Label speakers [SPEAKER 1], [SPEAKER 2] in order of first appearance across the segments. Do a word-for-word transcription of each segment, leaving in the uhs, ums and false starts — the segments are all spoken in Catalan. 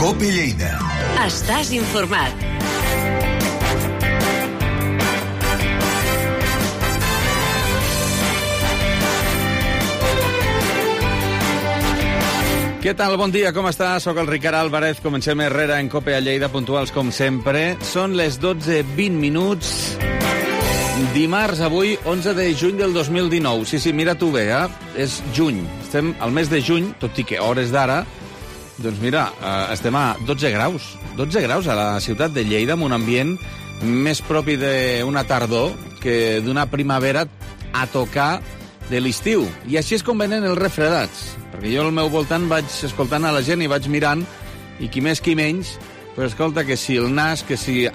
[SPEAKER 1] COPE Lleida.
[SPEAKER 2] Estàs informat.
[SPEAKER 3] Què tal? Bon dia, com estàs? Soc el Ricard Álvarez. Comencem Herrera en COPE a Lleida, puntuals com sempre. Són les dotze vint minuts. Dimarts, avui, onze de juny del dos mil dinou. Sí, sí, mira tu bé, eh? És juny. Estem al mes de juny, tot i que hores d'ara, doncs mira, eh, estem a dotze graus. dotze graus a la ciutat de Lleida, amb un ambient més propi d'una tardor que d'una primavera a tocar de l'estiu. I així és com venen els refredats. Perquè jo al meu voltant vaig escoltant a la gent i vaig mirant, i qui més qui menys, però escolta, que si el nas, que si,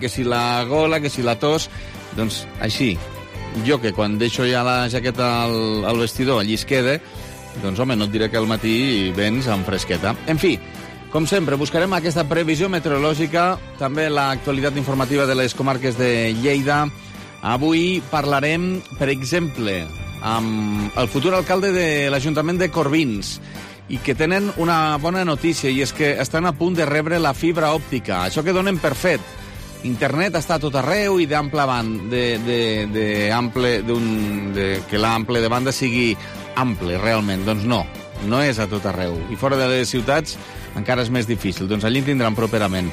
[SPEAKER 3] que si la gola, que si la tos, doncs així. Jo que quan deixo ja la jaqueta al, al vestidor allí es queda, doncs home, no et diré que al matí vens amb fresqueta. En fi, com sempre, buscarem aquesta previsió meteorològica, també l'actualitat informativa de les comarques de Lleida. Avui parlarem, per exemple, amb el futur alcalde de l'Ajuntament de Corbins, i que tenen una bona notícia, i és que estan a punt de rebre la fibra òptica. Això que donen per fet. Internet està a tot arreu i d'ample banda, de, de, de ample, d'un, de, que l'ample de banda sigui ample, realment. Doncs no, no és a tot arreu. I fora de les ciutats encara és més difícil. Doncs allí en tindran properament.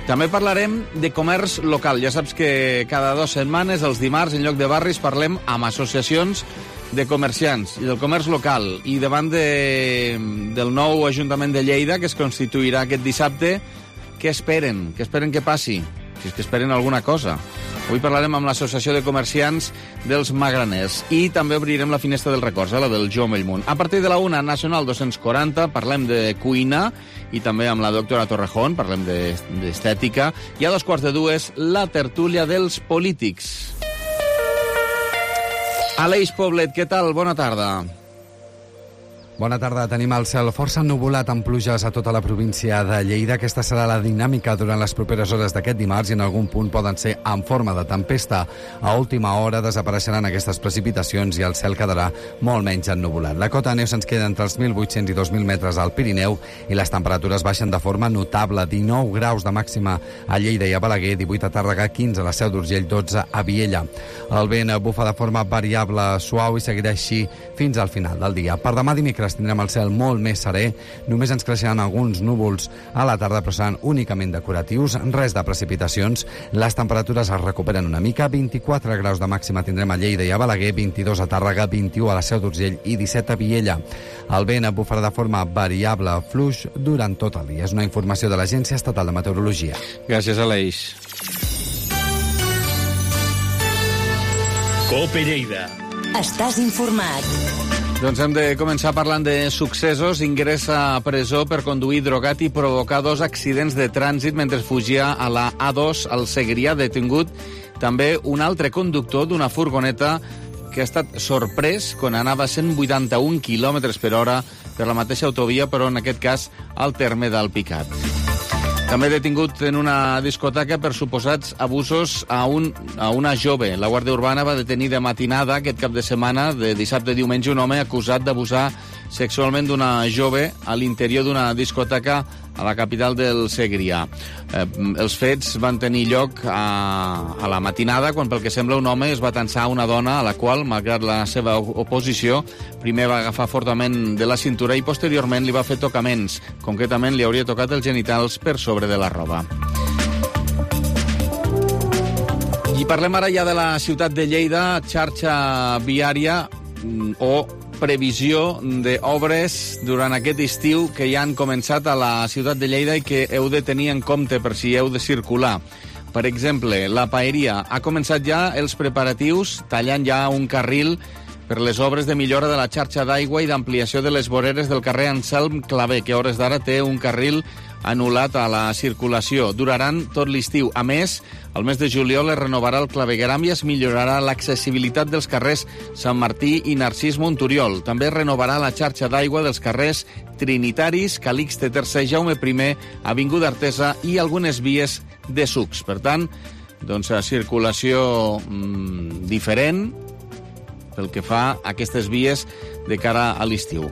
[SPEAKER 3] També parlarem de comerç local. Ja saps que cada dues setmanes, els dimarts, en lloc de barris, parlem amb associacions de comerciants i del comerç local. I davant de, del nou Ajuntament de Lleida, que es constituirà aquest dissabte, què esperen? Què esperen que passi? Si és que esperen alguna cosa. Avui parlarem amb l'Associació de Comerciants dels Magraners. I també obrirem la finestra dels records, eh, la del Joan Bellmunt. A partir de la una, Nacional dos-cents quaranta, parlem de cuina, i també amb la doctora Torrejón, parlem d'estètica. I a dos quarts de dues, la tertúlia dels polítics. Aleix Poblet, què tal? Bona tarda.
[SPEAKER 4] Bona tarda. Tenim el cel força ennuvolat amb pluges a tota la província de Lleida. Aquesta serà la dinàmica durant les properes hores d'aquest dimarts i en algun punt poden ser en forma de tempesta. A última hora desapareixeran aquestes precipitacions i el cel quedarà molt menys ennuvolat. La cota de neu se'ns queda entre els mil vuit-cents i dos mil metres al Pirineu i les temperatures baixen de forma notable. dinou graus de màxima a Lleida i a Balaguer, divuit a Tàrrega, quinze a la Seu d'Urgell, dotze a Viella. El vent bufa de forma variable, suau i seguirà així fins al final del dia. Per demà dimecres tindrem el cel molt més serè, només ens creixeran alguns núvols a la tarda, però seran únicament decoratius, res de precipitacions. Les temperatures es recuperen una mica, vint-i-quatre graus de màxima tindrem a Lleida i a Balaguer, vint-i-dos a Tàrrega, vint-i-u a la Seu d'Urgell i disset a Viella. El vent bufarà de forma variable, fluix, durant tot el dia. És una informació de l'Agència Estatal de Meteorologia.
[SPEAKER 3] Gràcies, Aleix.
[SPEAKER 1] COPE Lleida.
[SPEAKER 2] Estàs informat.
[SPEAKER 3] Doncs hem de començar parlant de successos. Ingressa a presó per conduir drogat i provocar dos accidents de trànsit mentre fugia a la A dos al Segrià. Detingut també un altre conductor d'una furgoneta que ha estat sorprès quan anava a cent vuitanta-un quilòmetres per hora per la mateixa autovia, però en aquest cas al terme d'Alpicat. També detingut en una discoteca per suposats abusos a, un, a una jove. La Guàrdia Urbana va detenir de matinada aquest cap de setmana, de dissabte a diumenge, un home acusat d'abusar sexualment d'una jove a l'interior d'una discoteca a la capital del Segrià. Eh, els fets van tenir lloc a, a la matinada, quan pel que sembla un home es va tensar una dona a la qual, malgrat la seva oposició, primer va agafar fortament de la cintura i posteriorment li va fer tocaments. Concretament li hauria tocat els genitals per sobre de la roba. I parlem ara ja de la ciutat de Lleida, xarxa viària o previsió d'obres durant aquest estiu que ja han començat a la ciutat de Lleida i que heu de tenir en compte per si heu de circular. Per exemple, la Paeria ha començat ja els preparatius, tallant ja un carril per les obres de millora de la xarxa d'aigua i d'ampliació de les voreres del carrer Anselm Clavé, que a hores d'ara té un carril anul·lat a la circulació. Duraran tot l'estiu. A més, al mes de juliol es renovarà el clavegueram i es millorarà l'accessibilitat dels carrers Sant Martí i Narcís Monturiol. També es renovarà la xarxa d'aigua dels carrers Trinitaris, Calixte tercer, Jaume primer, Avinguda Artesa i algunes vies de sucs. Per tant, doncs, a circulació mmm, diferent pel que fa a aquestes vies de cara a l'estiu.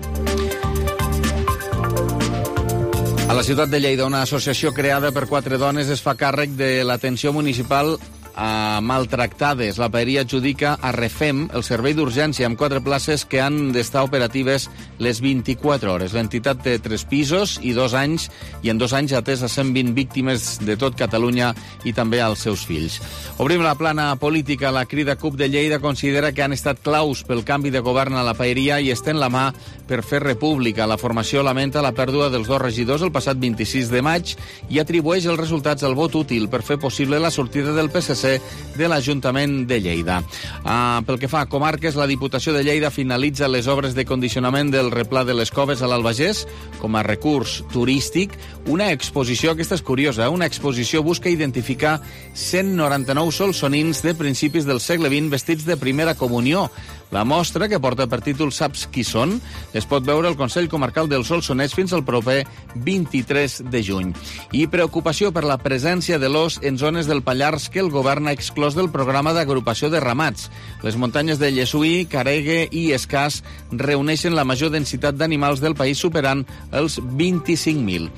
[SPEAKER 3] A A la ciutat de Lleida, una associació creada per quatre dones es fa càrrec de l'atenció municipal a maltractades. La paeria adjudica a Refem el servei d'urgència amb quatre places que han d'estar operatives les vint-i-quatre hores. L'entitat té tres pisos i dos anys, i en dos anys ha atès a cent vint víctimes de tot Catalunya i també als seus fills. Obrim la plana política. La Crida C U P de Lleida considera que han estat claus pel canvi de govern a la paeria i estén la mà per fer república. La formació lamenta la pèrdua dels dos regidors el passat vint-i-sis de maig i atribueix els resultats al vot útil per fer possible la sortida del P S C de l'Ajuntament de Lleida. Ah, pel que fa a comarques, la Diputació de Lleida finalitza les obres de condicionament del replà de les Coves a l'Albagés com a recurs turístic. Una exposició, aquesta és curiosa, una exposició busca identificar cent noranta-nou solsonins de principis del segle vint vestits de primera comunió. La mostra, que porta per títol Saps qui són?, es pot veure al Consell Comarcal del Solsonès fins al proper vint-i-tres de juny. I preocupació per la presència de l'ós en zones del Pallars que el govern ha exclòs del programa d'agrupació de ramats. Les muntanyes de Llessui, Caregue i Escàs reuneixen la major densitat d'animals del país, superant els vint-i-cinc mil.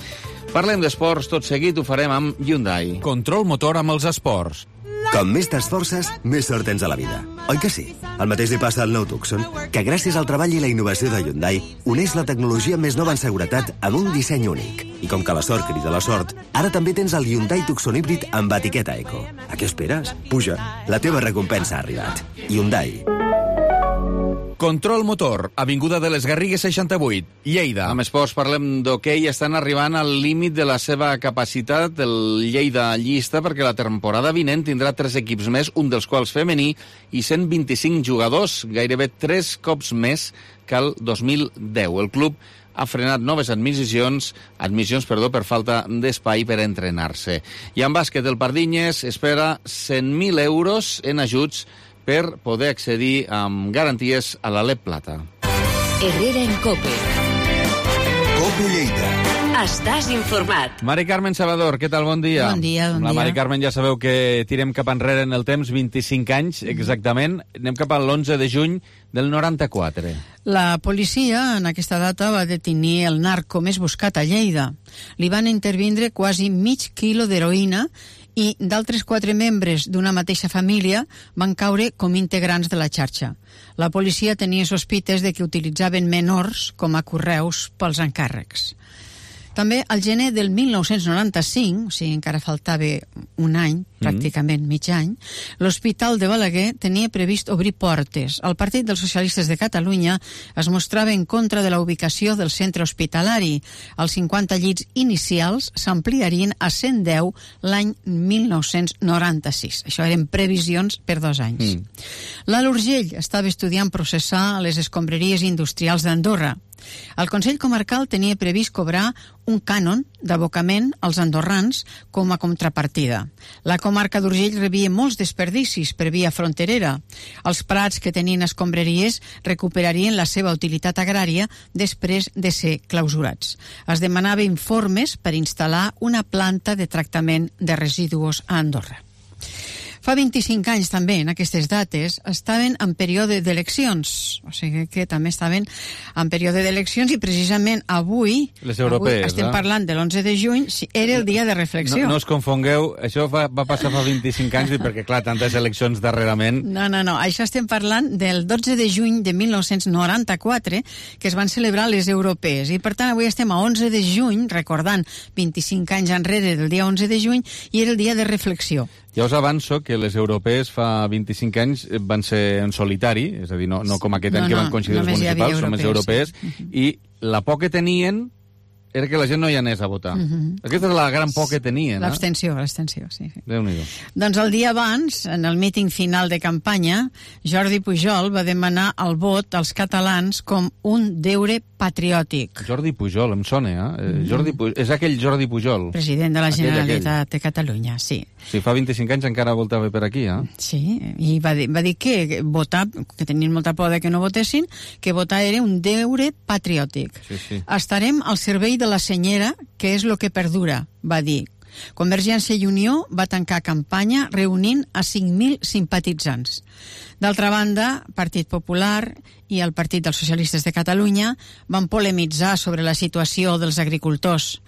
[SPEAKER 3] Parlem d'esports, tot seguit ho farem amb Hyundai.
[SPEAKER 1] Control motor amb els esports.
[SPEAKER 5] Com més t'esforces, més sort tens a la vida. Oi que sí? El mateix li passa al nou Tucson, que gràcies al treball i la innovació de Hyundai uneix la tecnologia més nova en seguretat amb un disseny únic. I com que la sort crida la sort, ara també tens el Hyundai Tucson híbrid amb etiqueta Eco. A què esperes? Puja, la teva recompensa ha arribat. Hyundai.
[SPEAKER 1] Control motor, avinguda de les Garrigues seixanta-vuit, Lleida.
[SPEAKER 3] Amb esports parlem d'hoquei. Estan arribant al límit de la seva capacitat el Lleida llista, perquè la temporada vinent tindrà tres equips més, un dels quals femení, i cent vint-i-cinc jugadors, gairebé tres cops més que el dos mil deu. El club ha frenat noves admissions, admissions perdó, per falta d'espai per entrenar-se. I en bàsquet, el Pardinyes espera cent mil euros en ajuts per poder accedir amb garanties a l'Alep Plata.
[SPEAKER 2] Herrera en Cope.
[SPEAKER 5] Cope Lleida.
[SPEAKER 2] Estàs informat.
[SPEAKER 3] Mari Carmen Salvador, què tal? Bon dia.
[SPEAKER 6] Bon dia, bon
[SPEAKER 3] La
[SPEAKER 6] dia.
[SPEAKER 3] Mari Carmen, ja sabeu que tirem cap enrere en el temps, vint-i-cinc anys exactament. Anem cap a l'onze de juny del noranta-quatre.
[SPEAKER 6] La policia en aquesta data va detenir el narco més buscat a Lleida. Li van intervindre quasi mig quilo d'heroïna i d'altres quatre membres d'una mateixa família van caure com integrants de la xarxa. La policia tenia sospites de que utilitzaven menors com a correus pels encàrrecs. També al gener del mil nou-cents noranta-cinc, o sigui, encara faltava un any, pràcticament mig any, l'Hospital de Balaguer tenia previst obrir portes. El Partit dels Socialistes de Catalunya es mostrava en contra de la ubicació del centre hospitalari. Els cinquanta llits inicials s'ampliarien a cent deu l'any mil nou-cents noranta-sis. Això eren previsions per dos anys. Mm. L'Alt Urgell estava estudiant processar les escombraries industrials d'Andorra. El Consell Comarcal tenia previst cobrar un cànon d'abocament als andorrans com a contrapartida. La comarca d'Urgell rebia molts desperdicis per via fronterera. Els prats que tenien escombraries recuperarien la seva utilitat agrària després de ser clausurats. Es demanava informes per instal·lar una planta de tractament de residus a Andorra. Fa vint-i-cinc anys també, en aquestes dates, estaven en període d'eleccions. O sigui que també estaven en període d'eleccions i precisament avui,
[SPEAKER 3] les europees,
[SPEAKER 6] avui estem
[SPEAKER 3] eh?
[SPEAKER 6] parlant de l'onze de juny, era el dia de reflexió.
[SPEAKER 3] No, no us confongueu, això va, va passar fa vint-i-cinc anys, perquè clar, tantes eleccions darrerament...
[SPEAKER 6] No, no, no, això estem parlant del dotze de juny de mil nou-cents noranta-quatre, que es van celebrar les europees. I per tant avui estem a onze de juny, recordant vint-i-cinc anys enrere del dia onze de juny, i era el dia de reflexió.
[SPEAKER 3] Ja us avanço que les europees fa vint-i-cinc anys van ser en solitari, és a dir, no, no com aquest any
[SPEAKER 6] no,
[SPEAKER 3] que van
[SPEAKER 6] no,
[SPEAKER 3] coincidir els municipals, són les europees,
[SPEAKER 6] sí.
[SPEAKER 3] I la por que tenien era que la gent no hi anés a votar. Uh-huh. Aquesta és la gran por que tenien.
[SPEAKER 6] L'abstenció, eh? l'abstenció, sí.
[SPEAKER 3] Déu-n'hi-do.
[SPEAKER 6] Doncs el dia abans, en el míting final de campanya, Jordi Pujol va demanar el vot als catalans com un deure patriòtic.
[SPEAKER 3] Jordi Pujol, em sona, eh? Mm-hmm. Jordi Pujol, és aquell Jordi Pujol.
[SPEAKER 6] President de la
[SPEAKER 3] aquell,
[SPEAKER 6] Generalitat
[SPEAKER 3] aquell.
[SPEAKER 6] de Catalunya, sí.
[SPEAKER 3] Sí, fa vint-i-cinc anys encara voltava per aquí, eh?
[SPEAKER 6] Sí, i va dir, va dir que votar, que tenien molta por de que no votessin, que votar era un deure patriòtic.
[SPEAKER 3] Sí, sí.
[SPEAKER 6] Estarem al servei de la senyera, que és lo que perdura, va dir. Convergència i Unió va tancar campanya reunint a cinc mil simpatitzants. D'altra banda, Partit Popular i el Partit dels Socialistes de Catalunya van polemitzar sobre la situació dels agricultors.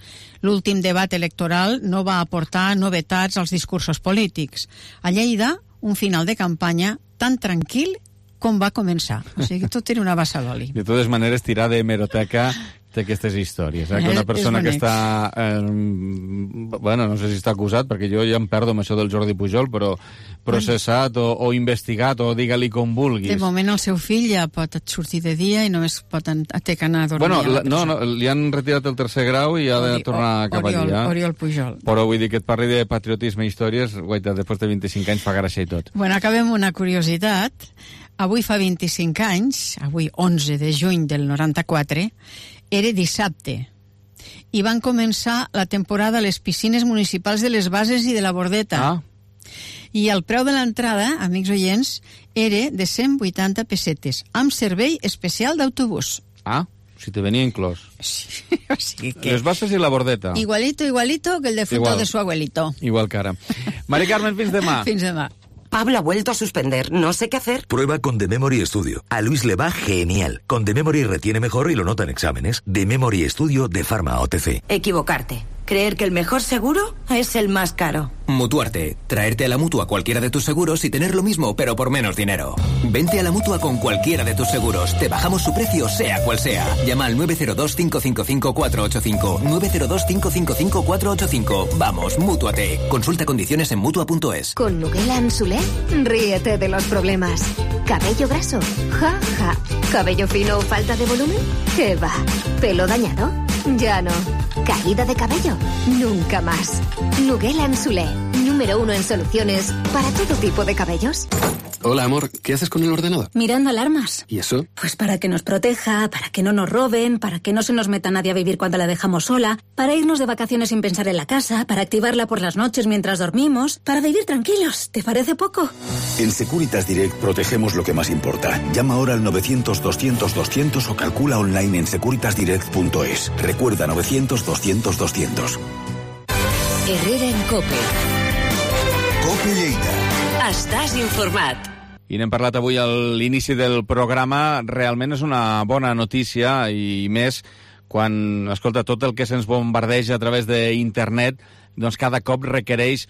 [SPEAKER 6] L'últim debat electoral no va aportar novetats als discursos polítics. A Lleida, un final de campanya tan tranquil com va començar. O sigui, tot era una bassa d'oli.
[SPEAKER 3] De totes maneres, tirar d'hemeroteca d'aquestes històries. Eh? Que una persona que està... Eh, bueno, no sé si està acusat, perquè jo ja em perdo amb això del Jordi Pujol, però processat o, o investigat, o digue-li com vulguis.
[SPEAKER 6] De moment el seu fill ja pot sortir de dia i només pot ter que anar a dormir.
[SPEAKER 3] Bueno,
[SPEAKER 6] a la
[SPEAKER 3] no, no, li han retirat el tercer grau i ha de
[SPEAKER 6] Ori,
[SPEAKER 3] tornar cap
[SPEAKER 6] Oriol,
[SPEAKER 3] allà.
[SPEAKER 6] Oriol Pujol.
[SPEAKER 3] Però vull dir que et parli de patriotisme i històries, guaita, després de vint-i-cinc anys fa gràcia i tot.
[SPEAKER 6] Bueno, acabem una curiositat. Avui fa vint-i-cinc anys, avui onze de juny del noranta-quatre, era dissabte, i van començar la temporada a les piscines municipals de les Bases i de la Bordeta.
[SPEAKER 3] Ah.
[SPEAKER 6] I el preu de l'entrada, amics oients, era de cent vuitanta pessetes, amb servei especial d'autobús.
[SPEAKER 3] Ah, si te venia inclòs.
[SPEAKER 6] Sí, o sigui que...
[SPEAKER 3] Les Bases i la Bordeta.
[SPEAKER 6] Igualito, igualito que el defunto
[SPEAKER 3] Igual.
[SPEAKER 6] de su abuelito.
[SPEAKER 3] Igual que ara. Mari Carmen, fins demà.
[SPEAKER 6] Fins demà.
[SPEAKER 7] Pablo ha vuelto a suspender, no sé qué hacer.
[SPEAKER 8] Prueba con The Memory Studio. A Luis le va genial. Con The Memory retiene mejor y lo nota en exámenes. The Memory Studio de Pharma O T C.
[SPEAKER 7] Equivocarte. Creer que el mejor seguro es el más caro.
[SPEAKER 9] Mutuarte. Traerte a la Mutua cualquiera de tus seguros y tener lo mismo, pero por menos dinero. Vente a la Mutua con cualquiera de tus seguros. Te bajamos su precio, sea cual sea. Llama al nueve cero dos, cinco cinco cinco, cuatro ocho cinco. nueve cero dos, cinco cinco cinco, cuatro ocho cinco. Vamos, Mútuate. Consulta condiciones en Mutua punto es.
[SPEAKER 10] Con Nugela Ansulé, ríete de los problemas. ¿Cabello graso? Ja, ja. ¿Cabello fino o falta de volumen? ¿Qué va? ¿Pelo dañado? Ya no. ¿Caída de cabello? Nunca más. Nugela Ansulé, número uno en soluciones para todo tipo de cabellos.
[SPEAKER 11] Hola, amor, ¿qué haces con el ordenador?
[SPEAKER 12] Mirando alarmas.
[SPEAKER 11] ¿Y eso?
[SPEAKER 12] Pues para que nos proteja, para que no nos roben, para que no se nos meta nadie a vivir cuando la dejamos sola, para irnos de vacaciones sin pensar en la casa, para activarla por las noches mientras dormimos, para vivir tranquilos. ¿Te parece poco?
[SPEAKER 13] En Securitas Direct protegemos lo que más importa. Llama ahora al novecientos, doscientos, doscientos o calcula online en securitas direct punto es. Recuerda novecientos, doscientos, doscientos.
[SPEAKER 2] Herrera en COPE.
[SPEAKER 13] COPE Lleida.
[SPEAKER 2] Estàs informat.
[SPEAKER 3] I n'hem parlat avui a l'inici del programa. Realment és una bona notícia, i més quan, escolta, tot el que se'ns bombardeja a través d'internet, doncs cada cop requereix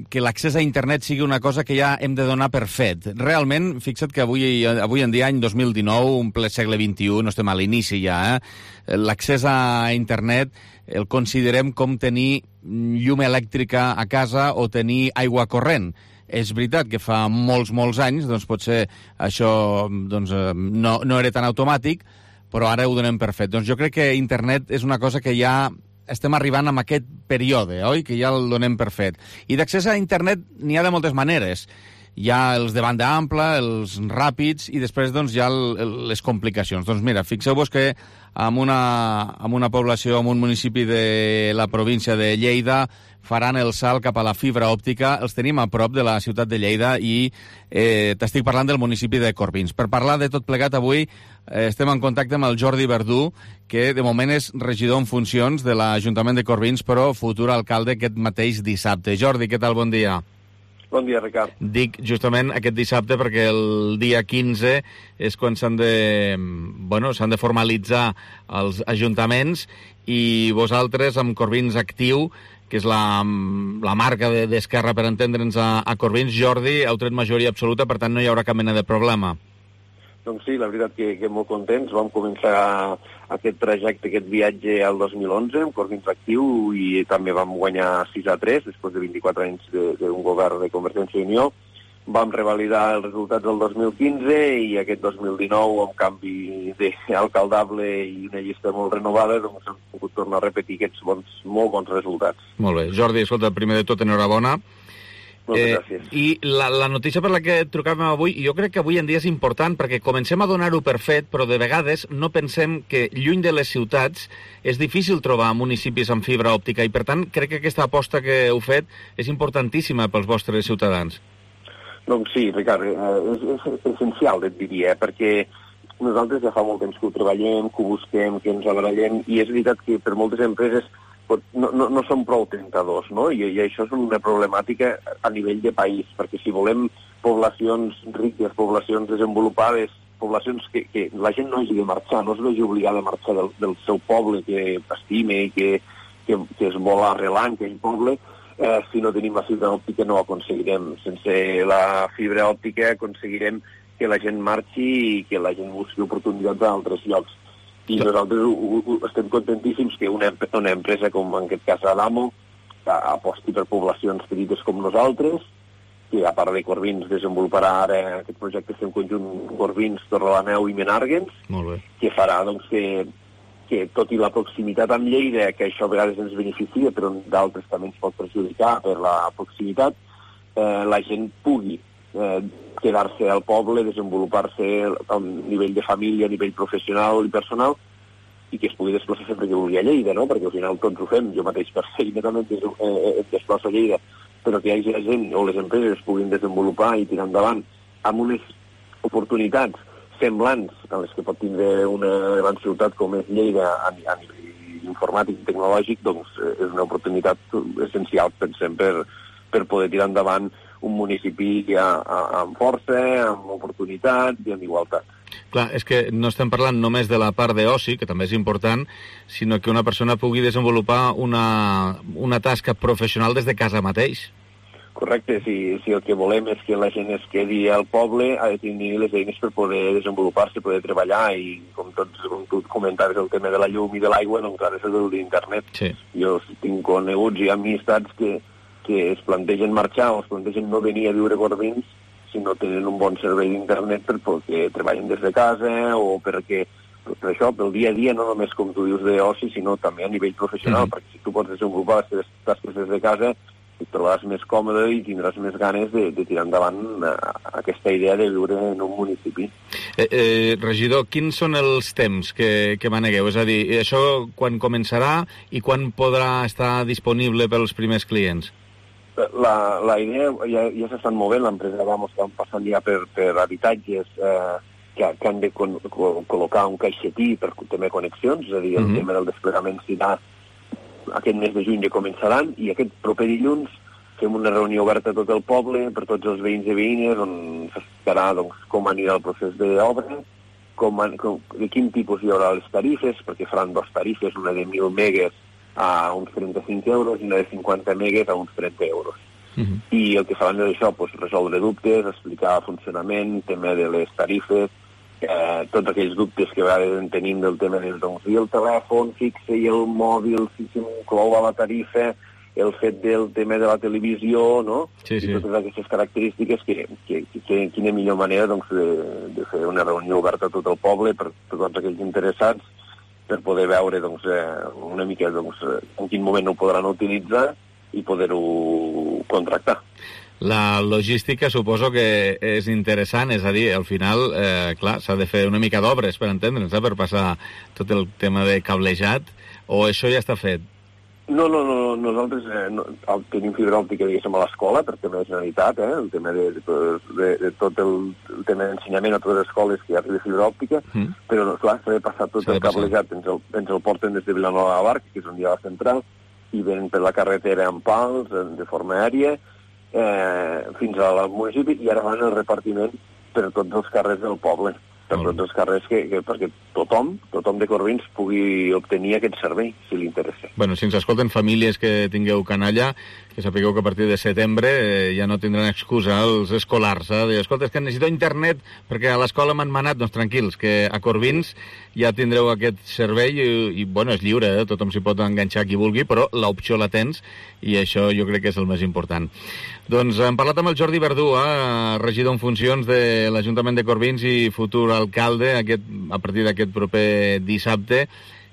[SPEAKER 3] que l'accés a internet sigui una cosa que ja hem de donar per fet. Realment, fixa't que avui, avui en dia, any dos mil dinou, un ple segle vint-i-u, no estem a l'inici ja, eh? L'accés a internet el considerem com tenir llum elèctrica a casa o tenir aigua corrent. És veritat que fa molts, molts anys, doncs potser això doncs, no, no era tan automàtic, però ara ho donem per fet. Doncs jo crec que internet és una cosa que ja estem arribant en aquest període, oi? Que ja el donem per fet. I d'accés a internet n'hi ha de moltes maneres. Hi ha els de banda ampla, els ràpids, i després doncs, hi ha el, les complicacions. Doncs mira, fixeu-vos que en una, en una població, en un municipi de la província de Lleida, faran el salt cap a la fibra òptica. Els tenim a prop de la ciutat de Lleida i eh, t'estic parlant del municipi de Corbins. Per parlar de tot plegat avui eh, estem en contacte amb el Jordi Verdú, que de moment és regidor en funcions de l'Ajuntament de Corbins, però futur alcalde aquest mateix dissabte. Jordi, què tal? Bon dia.
[SPEAKER 14] Bon dia, Ricard.
[SPEAKER 3] Dic justament aquest dissabte perquè el dia quinze és quan s'han de, bueno, s'han de formalitzar els ajuntaments, i vosaltres, amb Corbins Actiu, que és la, la marca d'Esquerra, per entendre'ns, a, a Corbins, Jordi, heu tret majoria absoluta, per tant no hi haurà cap mena de problema.
[SPEAKER 14] Doncs sí, la veritat que, que molt contents. Vam començar aquest trajecte, aquest viatge al dos mil onze, amb Corbins Actiu, i també vam guanyar sis a tres, després de vint-i-quatre anys d'un govern de Convergència i Unió. Vam revalidar els resultats del dos mil quinze i aquest dos mil dinou, amb canvi d'alcaldable i una llista molt renovada, doncs hem pogut tornar a repetir aquests bons, molt bons resultats.
[SPEAKER 3] Molt bé. Jordi, escolta, primer de tot, enhorabona.
[SPEAKER 14] Moltes eh, gràcies.
[SPEAKER 3] I la, la notícia per la que trucàvem avui, jo crec que avui en dia és important, perquè comencem a donar-ho per fet, però de vegades no pensem que lluny de les ciutats és difícil trobar municipis amb fibra òptica, i per tant crec que aquesta aposta que heu fet és importantíssima pels vostres ciutadans.
[SPEAKER 14] Doncs sí, Ricard, és, és essencial, et diria, perquè nosaltres ja fa molt temps que ho treballem, que ho busquem, que ens barallem, i és veritat que per moltes empreses no, no, no són prou tentadors, no? I, I això és una problemàtica a nivell de país, perquè si volem poblacions riques, poblacions desenvolupades, poblacions que, que la gent no hagi de marxar, no es vegi obligada a marxar del, del seu poble que estime i que, que, que es vol arrelar en aquell poble, eh, si no tenim la fibra òptica no ho aconseguirem. Sense la fibra òptica aconseguirem que la gent marxi i que la gent busqui oportunitats a altres llocs. I nosaltres ho, ho, estem contentíssims que una, una empresa com en aquest cas Adamo aposti per poblacions petites com nosaltres, que a part de Corbins desenvoluparà ara aquest projecte en conjunt Corbins, Torrelameu i Menàrguens, que farà doncs, que, que tot i la proximitat amb Lleida, que això a vegades ens beneficia, però d'altres també ens pot perjudicar per la proximitat, eh, la gent pugui eh, quedar-se al poble, desenvolupar-se a nivell de família, a nivell professional i personal, i que es pugui desplaçar sempre que vulgui a Lleida, no? Perquè al final tots ho fem, jo mateix per feina també em desplaço a Lleida, però que hi hagi la gent o les empreses es puguin desenvolupar i tirar endavant amb unes oportunitats semblants a les que pot tindre una gran ciutat com és Lleida a, a nivell informàtic i tecnològic, doncs és una oportunitat essencial, pensem, per, per poder tirar endavant un municipi ja amb força, amb oportunitat i amb igualtat.
[SPEAKER 3] Clar, és que no estem parlant només de la part d'oci, que també és important, sinó que una persona pugui desenvolupar una, una tasca professional des de casa mateix.
[SPEAKER 14] Correcte, si, si el que volem és que la gent es quedi al poble, ha de tenir les eines per poder desenvolupar-se, poder treballar, i com tots com tu comentaves el tema de la llum i de l'aigua, doncs ara és el d'internet.
[SPEAKER 3] Sí.
[SPEAKER 14] Jo tinc coneguts i amistats que que es plantegen marxar o es plantegen no venir a viure a Corbins si no tenen un bon servei d'internet perquè treballen des de casa o perquè, per això, pel dia a dia, no només com tu dius d'oci, sinó també a nivell professional, mm. perquè si tu pots desenvolupar les teves tasques des de casa, et trobaràs més còmode i tindràs més ganes de, de tirar endavant aquesta idea de viure en un municipi.
[SPEAKER 3] Eh, eh, regidor, quins són els temps que, que manegueu? És a dir, això quan començarà i quan podrà estar disponible pels primers clients?
[SPEAKER 14] La, la idea ja, ja s'estan movent, l'empresa Adamo està passant ja per, per habitatges eh, que, que han de con, co, col·locar un caixetí per tema de connexions, és a dir, el mm-hmm. tema del desplegament serà aquest mes de juny ja començaran, i aquest proper dilluns fem una reunió oberta a tot el poble, per tots els veïns i veïnes, on s'explicarà doncs, com anirà el procés d'obra, com, com, de quin tipus hi haurà les tarifes, perquè faran dos tarifes, una de mil megues a uns trenta-cinc euros i una de cinquanta megues a uns trenta euros. Uh-huh. I el que faran és això, pues, resoldre dubtes, explicar el funcionament, tema de les tarifes, eh, tots aquells dubtes que a vegades en tenim del tema del doncs, i el telèfon fixe i el mòbil, si s'inclou a la tarifa, el fet del tema de la televisió, no?
[SPEAKER 3] Sí, sí.
[SPEAKER 14] I totes aquestes característiques que, que, que, que quina millor manera doncs, de, de fer una reunió oberta a tot el poble per, per tots aquells interessats, per poder veure doncs, eh, una mica doncs, en quin moment ho podran utilitzar i poder-ho contractar.
[SPEAKER 3] La logística suposo que és interessant, és a dir, al final, eh, clar, s'ha de fer una mica d'obres per entendre'ns, eh, per passar tot el tema de cablejat, o això ja està fet?
[SPEAKER 14] No, no, no, nosaltres eh, no, tenim fibra òptica, diguéssim, a l'escola, per tema de generalitat, eh, el tema de, de, de tot el, el tema d'ensenyament a totes les escoles que hi ha de fibra òptica, mm. però, clar, s'ha de passar tot el cablejat, ens el, ens el porten des de Vilanova de Barca, que és on hi ha la central, i venen per la carretera en pals, de forma aèria, eh, fins al municipi, i ara van el repartiment per tots els carrers del poble, per tots els carrers que, que, perquè tothom, tothom de Corbins pugui obtenir aquest servei, si li interessa.
[SPEAKER 3] Bueno, si ens escolten famílies que tingueu canalla, que sapigueu que a partir de setembre eh, ja no tindran excusa els escolars, eh? Dir, escolta, és que necessito internet perquè a l'escola m'han manat, doncs tranquils, que a Corbins ja tindreu aquest servei i, i bueno, és lliure, eh? Tothom s'hi pot enganxar qui vulgui, però l'opció la tens i això jo crec que és el més important. Doncs hem parlat amb el Jordi Verdú, eh? regidor en funcions de l'Ajuntament de Corbins i futur alcalde aquest, a partir d'aquest proper dissabte,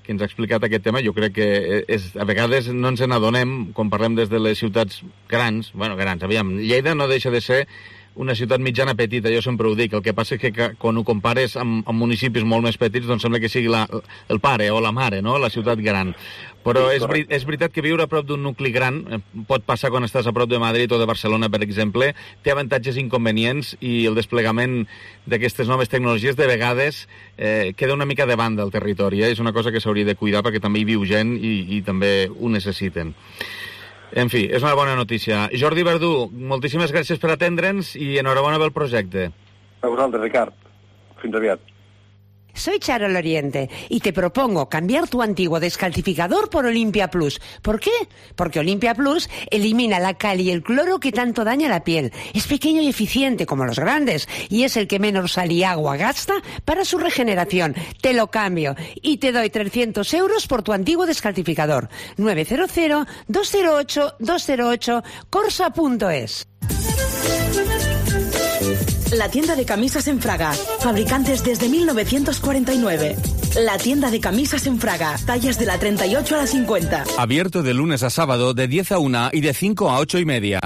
[SPEAKER 3] que ens ha explicat aquest tema. Jo crec que és, a vegades no ens n'adonem quan parlem des de les ciutats grans, bueno, grans, aviam, Lleida no deixa de ser una ciutat mitjana petita, jo sempre ho dic. El que passa és que quan ho compares amb, amb municipis molt més petits, doncs sembla que sigui la, el pare o la mare, no?, la ciutat gran. Però és, és veritat que viure a prop d'un nucli gran, pot passar quan estàs a prop de Madrid o de Barcelona, per exemple, té avantatges i inconvenients, i el desplegament d'aquestes noves tecnologies de vegades eh, queda una mica de banda al territori. Eh? És una cosa que s'hauria de cuidar perquè també hi viu gent i, i també ho necessiten. En fi, és una bona notícia. Jordi Verdú, moltíssimes gràcies per atendre'ns i enhorabona pel projecte.
[SPEAKER 14] A vosaltres, Ricard. Fins aviat.
[SPEAKER 15] Soy Charo Loriente y te propongo cambiar tu antiguo descalcificador por Olympia Plus. ¿Por qué? Porque Olympia Plus elimina la cal y el cloro que tanto daña la piel. Es pequeño y eficiente como los grandes y es el que menos sal y agua gasta para su regeneración. Te lo cambio y te doy trescientos euros por tu antiguo descalcificador. nueve cero cero, dos cero ocho, dos cero ocho, corsa punto es.
[SPEAKER 16] La tienda de camisas en Fraga, fabricantes desde mil novecientos cuarenta y nueve. La tienda de camisas en Fraga, tallas de la treinta y ocho a la cincuenta.
[SPEAKER 1] Abierto de lunes a sábado de diez a una y de cinco a ocho y media.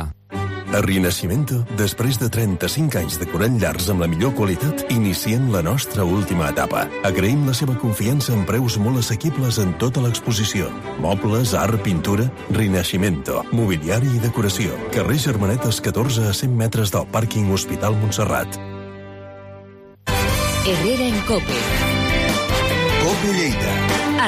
[SPEAKER 17] A Rinascimento, després de trenta-cinc anys decorant llars amb la millor qualitat, iniciem la nostra última etapa. Agraïm la seva confiança en preus molt assequibles en tota l'exposició. Mobles, art, pintura... Rinascimento, mobiliari i decoració. Carrer Germanetes catorze a cent metres del pàrquing Hospital Montserrat.
[SPEAKER 2] Herrera en Cope.
[SPEAKER 17] Cope Lleida.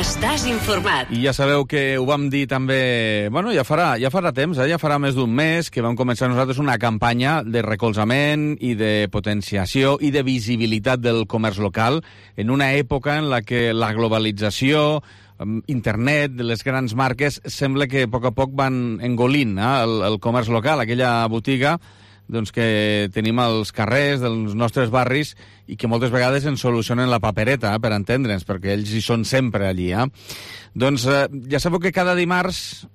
[SPEAKER 2] Estàs informat.
[SPEAKER 3] I ja sabeu que ho vam dir també... Bueno, ja farà, ja farà temps, eh? ja farà més d'un mes que vam començar nosaltres una campanya de recolzament i de potenciació i de visibilitat del comerç local en una època en la que la globalització, internet, les grans marques, sembla que a poc a poc van engolint eh? el, el comerç local, aquella botiga doncs, que tenim als carrers dels nostres barris i que moltes vegades ens solucionen la papereta, eh, per entendre'ns, perquè ells hi són sempre allí. Eh? Doncs eh, ja sabeu que cada dimarts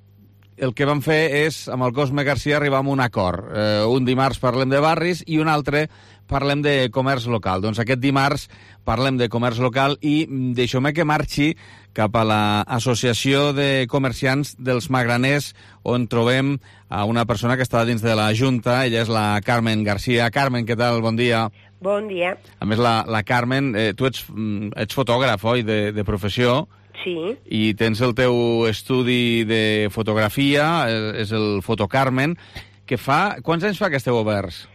[SPEAKER 3] el que vam fer és, amb el Cosme Garcia, arribar a un acord. Eh, un dimarts parlem de barris i un altre parlem de comerç local. Doncs aquest dimarts parlem de comerç local i deixeu-me que marxi cap a l'Associació de Comerciants dels Magraners, on trobem a una persona que està dins de la Junta. Ella és la Carmen Garcia. Carmen, què tal? Bon dia.
[SPEAKER 18] Bon dia.
[SPEAKER 3] A més, la, la Carmen, eh, tu ets, ets fotògraf, oi, de, de professió?
[SPEAKER 18] Sí.
[SPEAKER 3] I tens el teu estudi de fotografia, és el Fotocarmen, que fa... Quants anys fa que esteu oberts?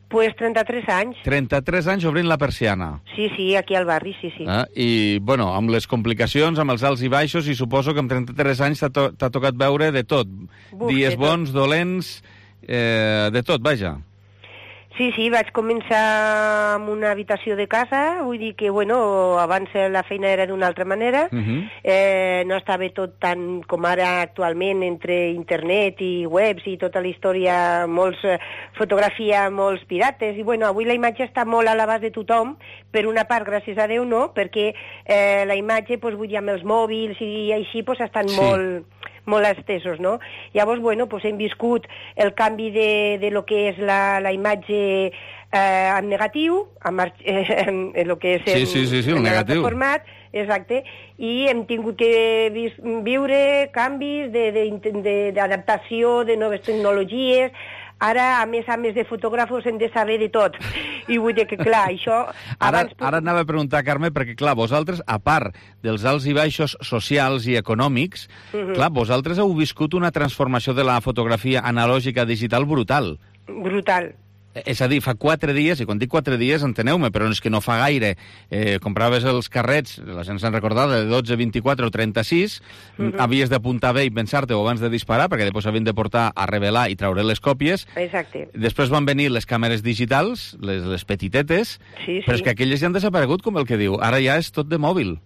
[SPEAKER 18] Pues trenta-tres anys.
[SPEAKER 3] trenta-tres anys obrint la persiana.
[SPEAKER 18] Sí, sí, aquí al barri, sí, sí.
[SPEAKER 3] Eh? I, bueno, amb les complicacions, amb els alts i baixos, i suposo que amb trenta-tres anys t'ha to tocat veure de tot.
[SPEAKER 18] Buf,
[SPEAKER 3] Dies
[SPEAKER 18] de
[SPEAKER 3] bons,
[SPEAKER 18] tot.
[SPEAKER 3] dolents, eh, de tot, vaja.
[SPEAKER 18] Sí, sí, vaig començar amb una habitació de casa, vull dir que, bueno, abans la feina era d'una altra manera,
[SPEAKER 3] Uh -huh.
[SPEAKER 18] eh, no estava tot tan com ara actualment entre internet i webs i tota la història, molts eh, fotografia, molts pirates, i bueno, avui la imatge està molt a l'abast de tothom, per una part, gràcies a Déu, no, perquè eh, la imatge, pues, vull dir, amb els mòbils i així, pues, estan sí. molt... molt estesos, no? Llavors, bueno, pues hem viscut el canvi de, de lo que és la, la imatge eh, en negatiu, en, en, en lo que és en,
[SPEAKER 3] sí, sí, sí, sí, el
[SPEAKER 18] en
[SPEAKER 3] negatiu.
[SPEAKER 18] format, exacte, i hem tingut que vis, viure canvis d'adaptació, de, de, de, de noves tecnologies. Ara, a més a més de fotògrafos, hem de saber de tot. I vull dir que, clar, això...
[SPEAKER 3] Ara,
[SPEAKER 18] abans...
[SPEAKER 3] ara anava a preguntar, Carme, perquè, clar, vosaltres, a part dels alts i baixos socials i econòmics, uh -huh. clar, vosaltres heu viscut una transformació de la fotografia analògica digital brutal.
[SPEAKER 18] Brutal.
[SPEAKER 3] És a dir, fa quatre dies, i quan dic quatre dies, enteneu-me, però és que no fa gaire, eh, compraves els carrets, la gent se'n recordava, de dotze, vint-i-quatre o trenta-sis, uh-huh. havies d'apuntar bé i pensar-te-ho abans de disparar, perquè després havien de portar a revelar i treure les còpies.
[SPEAKER 18] Exacte.
[SPEAKER 3] Després van venir les càmeres digitals, les, les petitetes,
[SPEAKER 18] sí, sí.
[SPEAKER 3] però és que aquelles ja han desaparegut, com el que diu. Ara ja és tot de mòbil.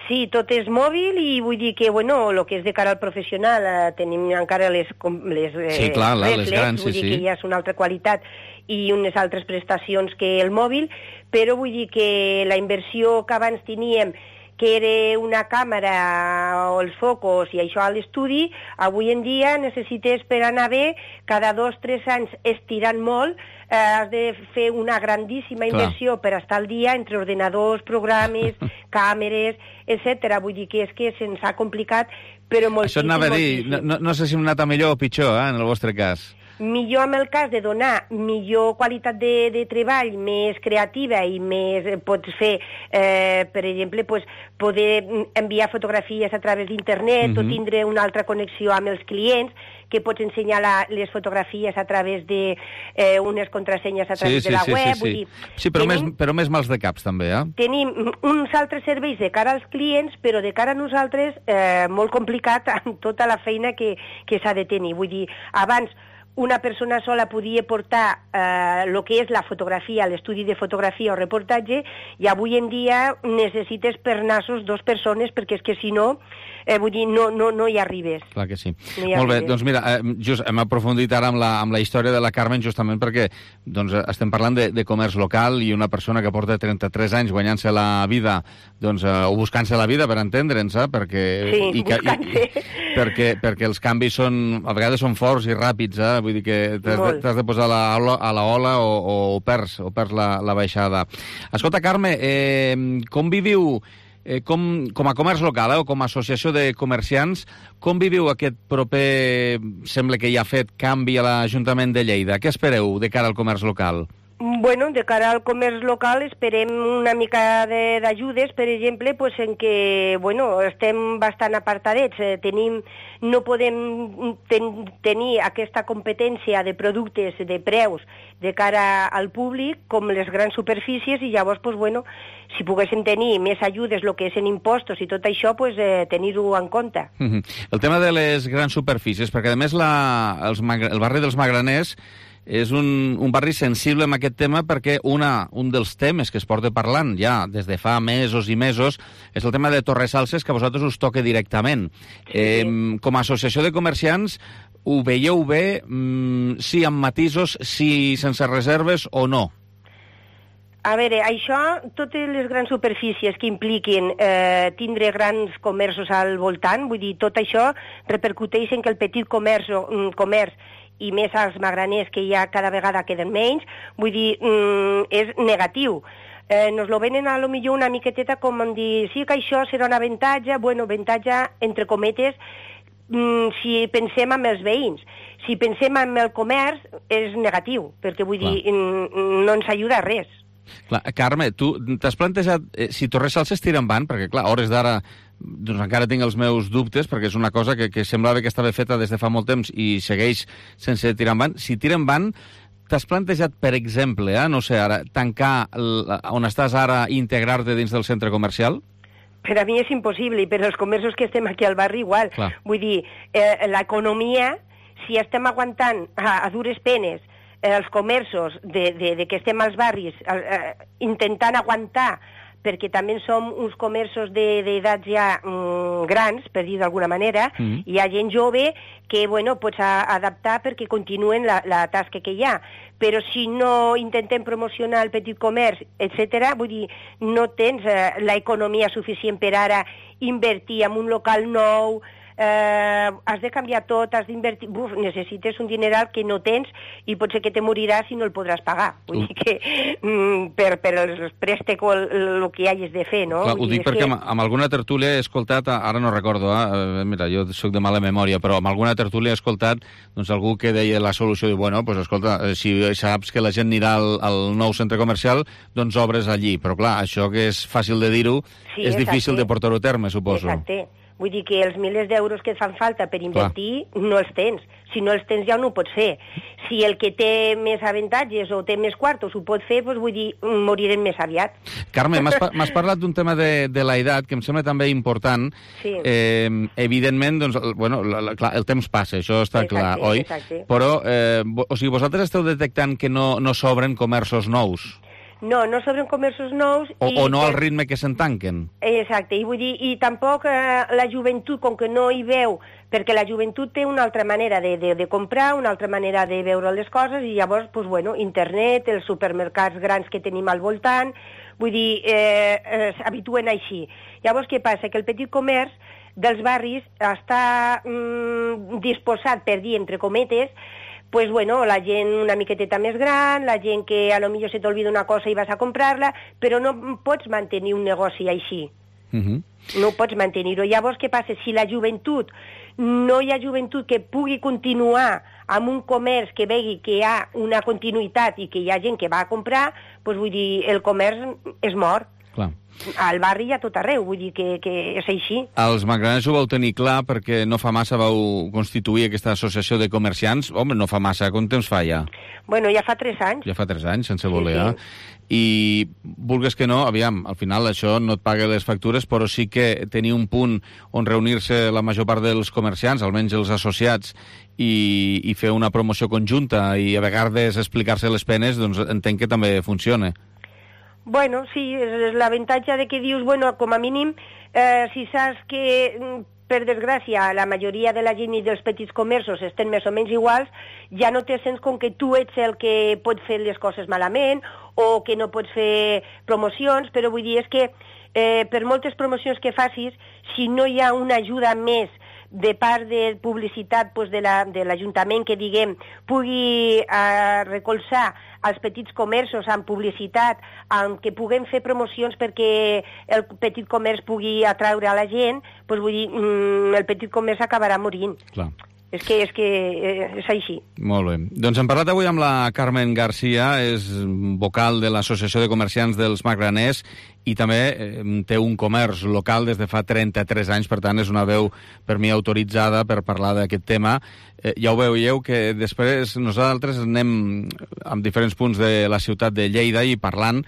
[SPEAKER 18] Sí, tot és mòbil i vull dir que, bueno, el que és de cara al professional, eh, tenim encara les, les eh,
[SPEAKER 3] sí, clar, la,
[SPEAKER 18] reflex,
[SPEAKER 3] les grans,
[SPEAKER 18] vull
[SPEAKER 3] sí,
[SPEAKER 18] dir
[SPEAKER 3] sí.
[SPEAKER 18] que ja és una altra qualitat i unes altres prestacions que el mòbil, però vull dir que la inversió que abans teníem, que era una càmera o els focus i això a l'estudi, avui en dia necessites per anar bé, cada dos o tres anys estirant molt, eh, has de fer una grandíssima inversió Clar. per estar al dia entre ordenadors, programes, càmeres, etcètera. Vull dir que és que se'ns ha complicat, però moltíssim.
[SPEAKER 3] Això anava a dir, no, no, no sé si hem anat a millor o pitjor, eh, en el vostre cas.
[SPEAKER 18] millor amb el cas de donar millor qualitat de, de treball, més creativa i més pots fer, eh, per exemple, pues, poder enviar fotografies a través d'internet mm-hmm. o tindre una altra connexió amb els clients, que pots ensenyar la, les fotografies a través de eh, unes contrasenyes a través
[SPEAKER 3] sí, sí,
[SPEAKER 18] de la
[SPEAKER 3] sí,
[SPEAKER 18] web.
[SPEAKER 3] Sí, sí.
[SPEAKER 18] Vull dir,
[SPEAKER 3] sí però,
[SPEAKER 18] tenim,
[SPEAKER 3] més, però més mals de caps, també, eh?
[SPEAKER 18] Tenim uns altres serveis de cara als clients, però de cara a nosaltres eh, molt complicat amb tota la feina que, que s'ha de tenir. Vull dir, abans una persona sola podia portar el eh, que és la fotografia, l'estudi de fotografia o reportatge, i avui en dia necessites per nassos dos persones, perquè és que si no, eh, vull dir, no, no, no hi arribes.
[SPEAKER 3] Clar que sí.
[SPEAKER 18] No
[SPEAKER 3] Molt bé,
[SPEAKER 18] arribes.
[SPEAKER 3] doncs mira, eh, just hem aprofundit ara amb la, amb la història de la Carmen justament perquè doncs, estem parlant de, de comerç local i una persona que porta trenta-tres anys guanyant-se la vida, doncs, eh, o buscant-se la vida, per entendre'ns, eh, perquè,
[SPEAKER 18] sí,
[SPEAKER 3] i, i, i, perquè, perquè els canvis són, a vegades són forts i ràpids, eh? Vull dir que t'has de, t'has de posar la, a la ola o, o, o perds, o perds la, la baixada. Escolta, Carme, eh, com viviu, eh, com, com a comerç local eh, o com a associació de comerciants, com viviu aquest proper, sembla que ja ha fet, canvi a l'Ajuntament de Lleida? Què espereu de cara al comerç local?
[SPEAKER 18] Bueno, de cara al comerç local esperem una mica d'ajudes, per exemple, pues en que, bueno, estem bastant apartadets, eh, tenim, no podem ten, tenir aquesta competència de productes, de preus, de cara al públic, com les grans superfícies, i llavors, pues bueno, si poguéssim tenir més ajudes, el que és en impostos i tot això, pues eh, tenir-ho en compte.
[SPEAKER 3] Mm-hmm. El tema de les grans superfícies, perquè a més la, els, el barri dels Magraners és un, un barri sensible amb aquest tema perquè una, un dels temes que es porta parlant ja des de fa mesos i mesos és el tema de Torresalses, que a vosaltres us toca directament. Sí. Eh, com a associació de comerciants, ho veieu bé? Mm, sí amb matisos, sí sense reserves o no?
[SPEAKER 18] A veure, això, totes les grans superfícies que impliquin eh, tindre grans comerços al voltant, vull dir, tot això repercuteix en que el petit comerç, comerç i més als magraners, que ja cada vegada queden menys, vull dir, mm, és negatiu. Eh, nos lo venen a lo millor una miqueteta com en dir, sí que això serà un avantatge, bueno, avantatge, entre cometes, mm, si pensem en els veïns. Si pensem en el comerç, és negatiu, perquè vull Clar. dir, mm, no ens ajuda a res.
[SPEAKER 3] Clar, Carme, tu t'has plantejat eh, si Torresalses tira endavant, perquè clar, a hores d'ara doncs encara tinc els meus dubtes, perquè és una cosa que, que semblava que estava feta des de fa molt temps i segueix sense tirar endavant. Si tira endavant, t'has plantejat, per exemple, eh, no sé, ara, tancar el, on estàs ara i integrar-te dins del centre comercial?
[SPEAKER 18] Per a mi és impossible, i per als comerços que estem aquí al barri igual. Clar. Vull dir, eh, l'economia, si estem aguantant a, a dures penes els comerços de, de, de que estem als barris eh, intentant aguantar, perquè també som uns comerços d'edats ja mm, grans, per dir d'alguna manera, mm. hi ha gent jove que, bueno, pots adaptar perquè continuen la, la tasca que hi ha. Però si no intentem promocionar el petit comerç, etcètera, vull dir, no tens eh, l'economia suficient per ara invertir en un local nou, eh, has de canviar tot, has d'invertir... Buf, necessites un dineral que no tens i potser que te moriràs i no el podràs pagar. Vull uh. dir que mm, per, per els préstecs o el, el que hagis de fer, no?
[SPEAKER 3] Clar, ho dic perquè que... amb, amb alguna tertúlia he escoltat, ara no recordo, eh, mira, jo sóc de mala memòria, però amb alguna tertúlia he escoltat doncs, algú que deia la solució, i bueno, pues, escolta, si saps que la gent anirà al, al nou centre comercial, doncs obres allí. Però clar, això que és fàcil de dir-ho, sí, és difícil de portar-ho a terme, suposo.
[SPEAKER 18] Exacte. Vull dir que els milers d'euros que et fan falta per invertir, Clar. no els tens. Si no els tens ja no ho pots fer. Si el que té més avantatges o té més quartos ho pot fer, doncs vull dir, morirem més aviat.
[SPEAKER 3] Carme, m'has parlat d'un tema de, de l'edat que em sembla també important.
[SPEAKER 18] Sí.
[SPEAKER 3] Eh, evidentment, doncs, bueno, la, la, clar, el temps passa, això està exacte, clar, oi?
[SPEAKER 18] Exacte.
[SPEAKER 3] Però, eh, o sigui, vosaltres esteu detectant que no, no s'obren comerços nous?
[SPEAKER 18] No, no s'obren comerços nous...
[SPEAKER 3] O,
[SPEAKER 18] i,
[SPEAKER 3] o no al ritme que se'n tanquen.
[SPEAKER 18] Exacte, i vull dir, i tampoc eh, la joventut, com que no hi veu, perquè la joventut té una altra manera de, de, de comprar, una altra manera de veure les coses, i llavors, doncs, bueno, internet, els supermercats grans que tenim al voltant, vull dir, eh, eh, s'habituen així. Llavors, què passa? Que el petit comerç dels barris està mm, disposat, per dir, entre cometes, pues bueno, la gent una miqueteta més gran, la gent que a lo millor se t'olvida una cosa i vas a comprar-la, però no pots mantenir un negoci així.
[SPEAKER 3] Uh-huh.
[SPEAKER 18] No pots mantenir-ho. Llavors, què passa? Si la joventut no hi ha joventut que pugui continuar amb un comerç que vegi que hi ha una continuïtat i que hi ha gent que va a comprar, doncs vull dir, el comerç és mort.
[SPEAKER 3] Clar.
[SPEAKER 18] Al barri i a tot arreu, vull dir que, que és així.
[SPEAKER 3] Els magraners ho vau tenir clar perquè no fa massa vau constituir aquesta associació de comerciants. Home, no fa massa, quant temps fa ja?
[SPEAKER 18] Bueno, ja fa tres anys.
[SPEAKER 3] Ja fa tres anys, sense voler,
[SPEAKER 18] sí, sí.
[SPEAKER 3] eh? I vulgues que no, aviam, al final això no et paga les factures, però sí que tenir un punt on reunir-se la major part dels comerciants, almenys els associats, i, i fer una promoció conjunta i a vegades explicar-se les penes, doncs entenc que també funciona.
[SPEAKER 18] Bueno, sí, és l'avantatge de que dius, bueno, com a mínim, eh, si saps que, per desgràcia, la majoria de la gent i dels petits comerços estan més o menys iguals, ja no te sents com que tu ets el que pot fer les coses malament o que no pots fer promocions, però vull dir, és que eh, per moltes promocions que facis, si no hi ha una ajuda més de part de publicitat pues, de l'Ajuntament la, que, diguem, pugui eh, recolzar els petits comerços amb publicitat, amb que puguem fer promocions perquè el petit comerç pugui atraure a la gent, doncs vull dir, mm, el petit comerç acabarà morint.
[SPEAKER 3] Clar.
[SPEAKER 18] És que, és que és així.
[SPEAKER 3] Molt bé. Doncs hem parlat avui amb la Carmen Garcia, és vocal de l'Associació de Comerciants dels Magraners i també eh, té un comerç local des de fa trenta-tres anys, per tant és una veu per mi autoritzada per parlar d'aquest tema. Eh, ja ho veieu que després nosaltres anem amb diferents punts de la ciutat de Lleida i parlant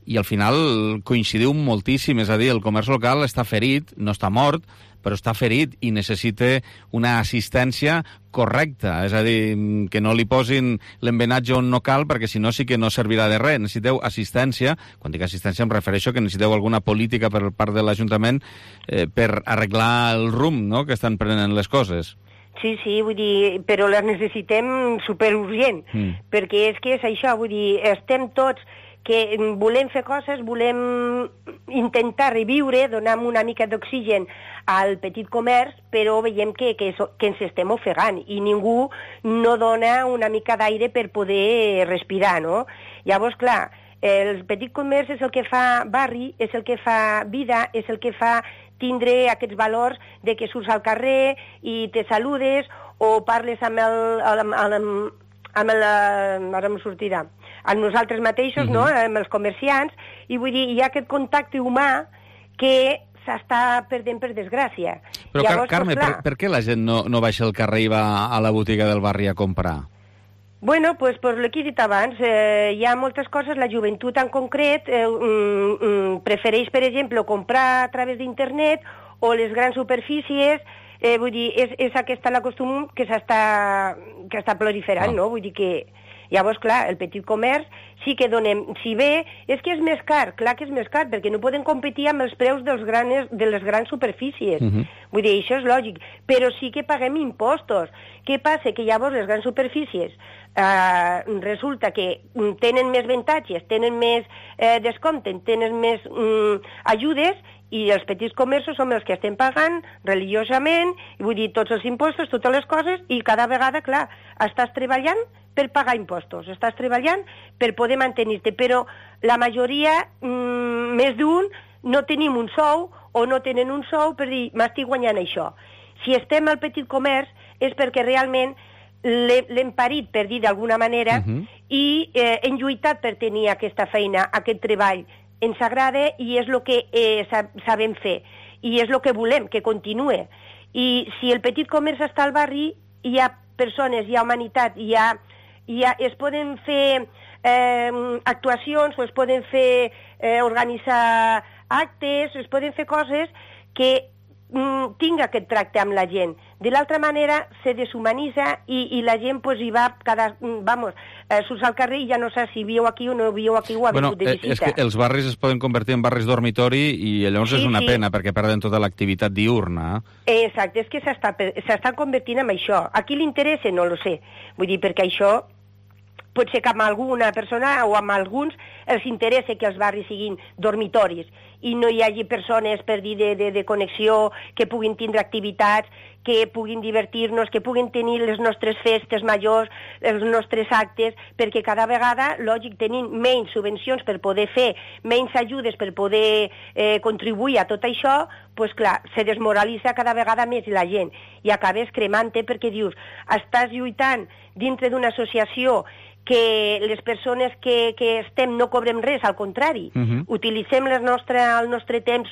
[SPEAKER 3] i al final coincidiu moltíssim, és a dir, el comerç local està ferit, no està mort, però està ferit i necessita una assistència correcta, és a dir, que no li posin l'embenatge on no cal, perquè si no sí que no servirà de res. Necessiteu assistència, quan dic assistència em refereixo que necessiteu alguna política per part de l'Ajuntament eh, per arreglar el rumb, no?, que estan prenent les coses.
[SPEAKER 18] Sí, sí, vull dir, però les necessitem superurgent, mm. perquè és que és això, vull dir, estem tots que volem fer coses, volem intentar reviure, donar una mica d'oxigen al petit comerç, però veiem que, que, que ens estem ofegant i ningú no dona una mica d'aire per poder respirar, no? Llavors, clar, el petit comerç és el que fa barri, és el que fa vida, és el que fa tindre aquests valors de que surts al carrer i te saludes o parles amb el... Amb, amb, amb el ara em sortirà, amb nosaltres mateixos, uh-huh. no?, amb els comerciants, i vull dir, hi ha aquest contacte humà que s'està perdent per desgràcia.
[SPEAKER 3] Però, Llavors, Carme, pues, per, per què la gent no, no baixa al carrer i va a la botiga del barri a comprar?
[SPEAKER 18] Bueno, pues, pues el que he dit abans, eh, hi ha moltes coses, la joventut en concret eh, mm, mm, prefereix, per exemple, comprar a través d'internet o les grans superfícies. Eh, vull dir, és, és aquesta la costum que s'està que està proliferant, ah. no? Vull dir que, llavors, clar, el petit comerç sí que donem... Si bé, és que és més car, clar que és més car, perquè no poden competir amb els preus dels granes, de les grans superfícies. Uh-huh. Vull dir, això és lògic, però sí que paguem impostos. Què passa? Que llavors les grans superfícies eh, resulta que tenen més avantatges, tenen més eh, descompte, tenen més mm, ajudes, i els petits comerços som els que estem pagant religiosament, i vull dir, tots els impostos, totes les coses, i cada vegada, clar, estàs treballant per pagar impostos, estàs treballant per poder mantenir-te, però la majoria, mmm, més d'un, no tenim un sou, o no tenen un sou per dir, m'estic guanyant això. Si estem al petit comerç és perquè realment l'hem parit, per dir d'alguna manera, uh-huh. i eh, hem lluitat per tenir aquesta feina, aquest treball, ens agrada i és el que eh, sabem fer i és el que volem, que continue. I si el petit comerç està al barri, hi ha persones, hi ha humanitat, hi ha, hi ha, es poden fer eh, actuacions o es poden fer eh, organitzar actes, es poden fer coses que mm, tinga aquest tracte amb la gent. De l'altra manera, se deshumanitza i, i la gent pues, hi va, cada, vamos, eh, surts al carrer i ja no saps si viu aquí o no viu aquí o ha
[SPEAKER 3] bueno,
[SPEAKER 18] vingut de visita.
[SPEAKER 3] És que els barris es poden convertir en barris dormitori i llavors sí, és una sí. pena perquè perden tota l'activitat diurna.
[SPEAKER 18] Exacte, és que s'estan convertint en això. A qui li interessa? No lo sé. Vull dir, perquè això pot ser que amb alguna persona o amb alguns els interessa que els barris siguin dormitoris i no hi hagi persones per dir de, de, de connexió, que puguin tindre activitats, que puguin divertir-nos, que puguin tenir les nostres festes majors, els nostres actes, perquè cada vegada, lògic, tenim menys subvencions per poder fer, menys ajudes per poder eh, contribuir a tot això, doncs clar, se desmoralitza cada vegada més la gent i acabes cremant-te perquè dius, estàs lluitant dintre d'una associació que les persones que, que estem no cobrem res, al contrari. Uh-huh. Utilitzem el nostre, el nostre temps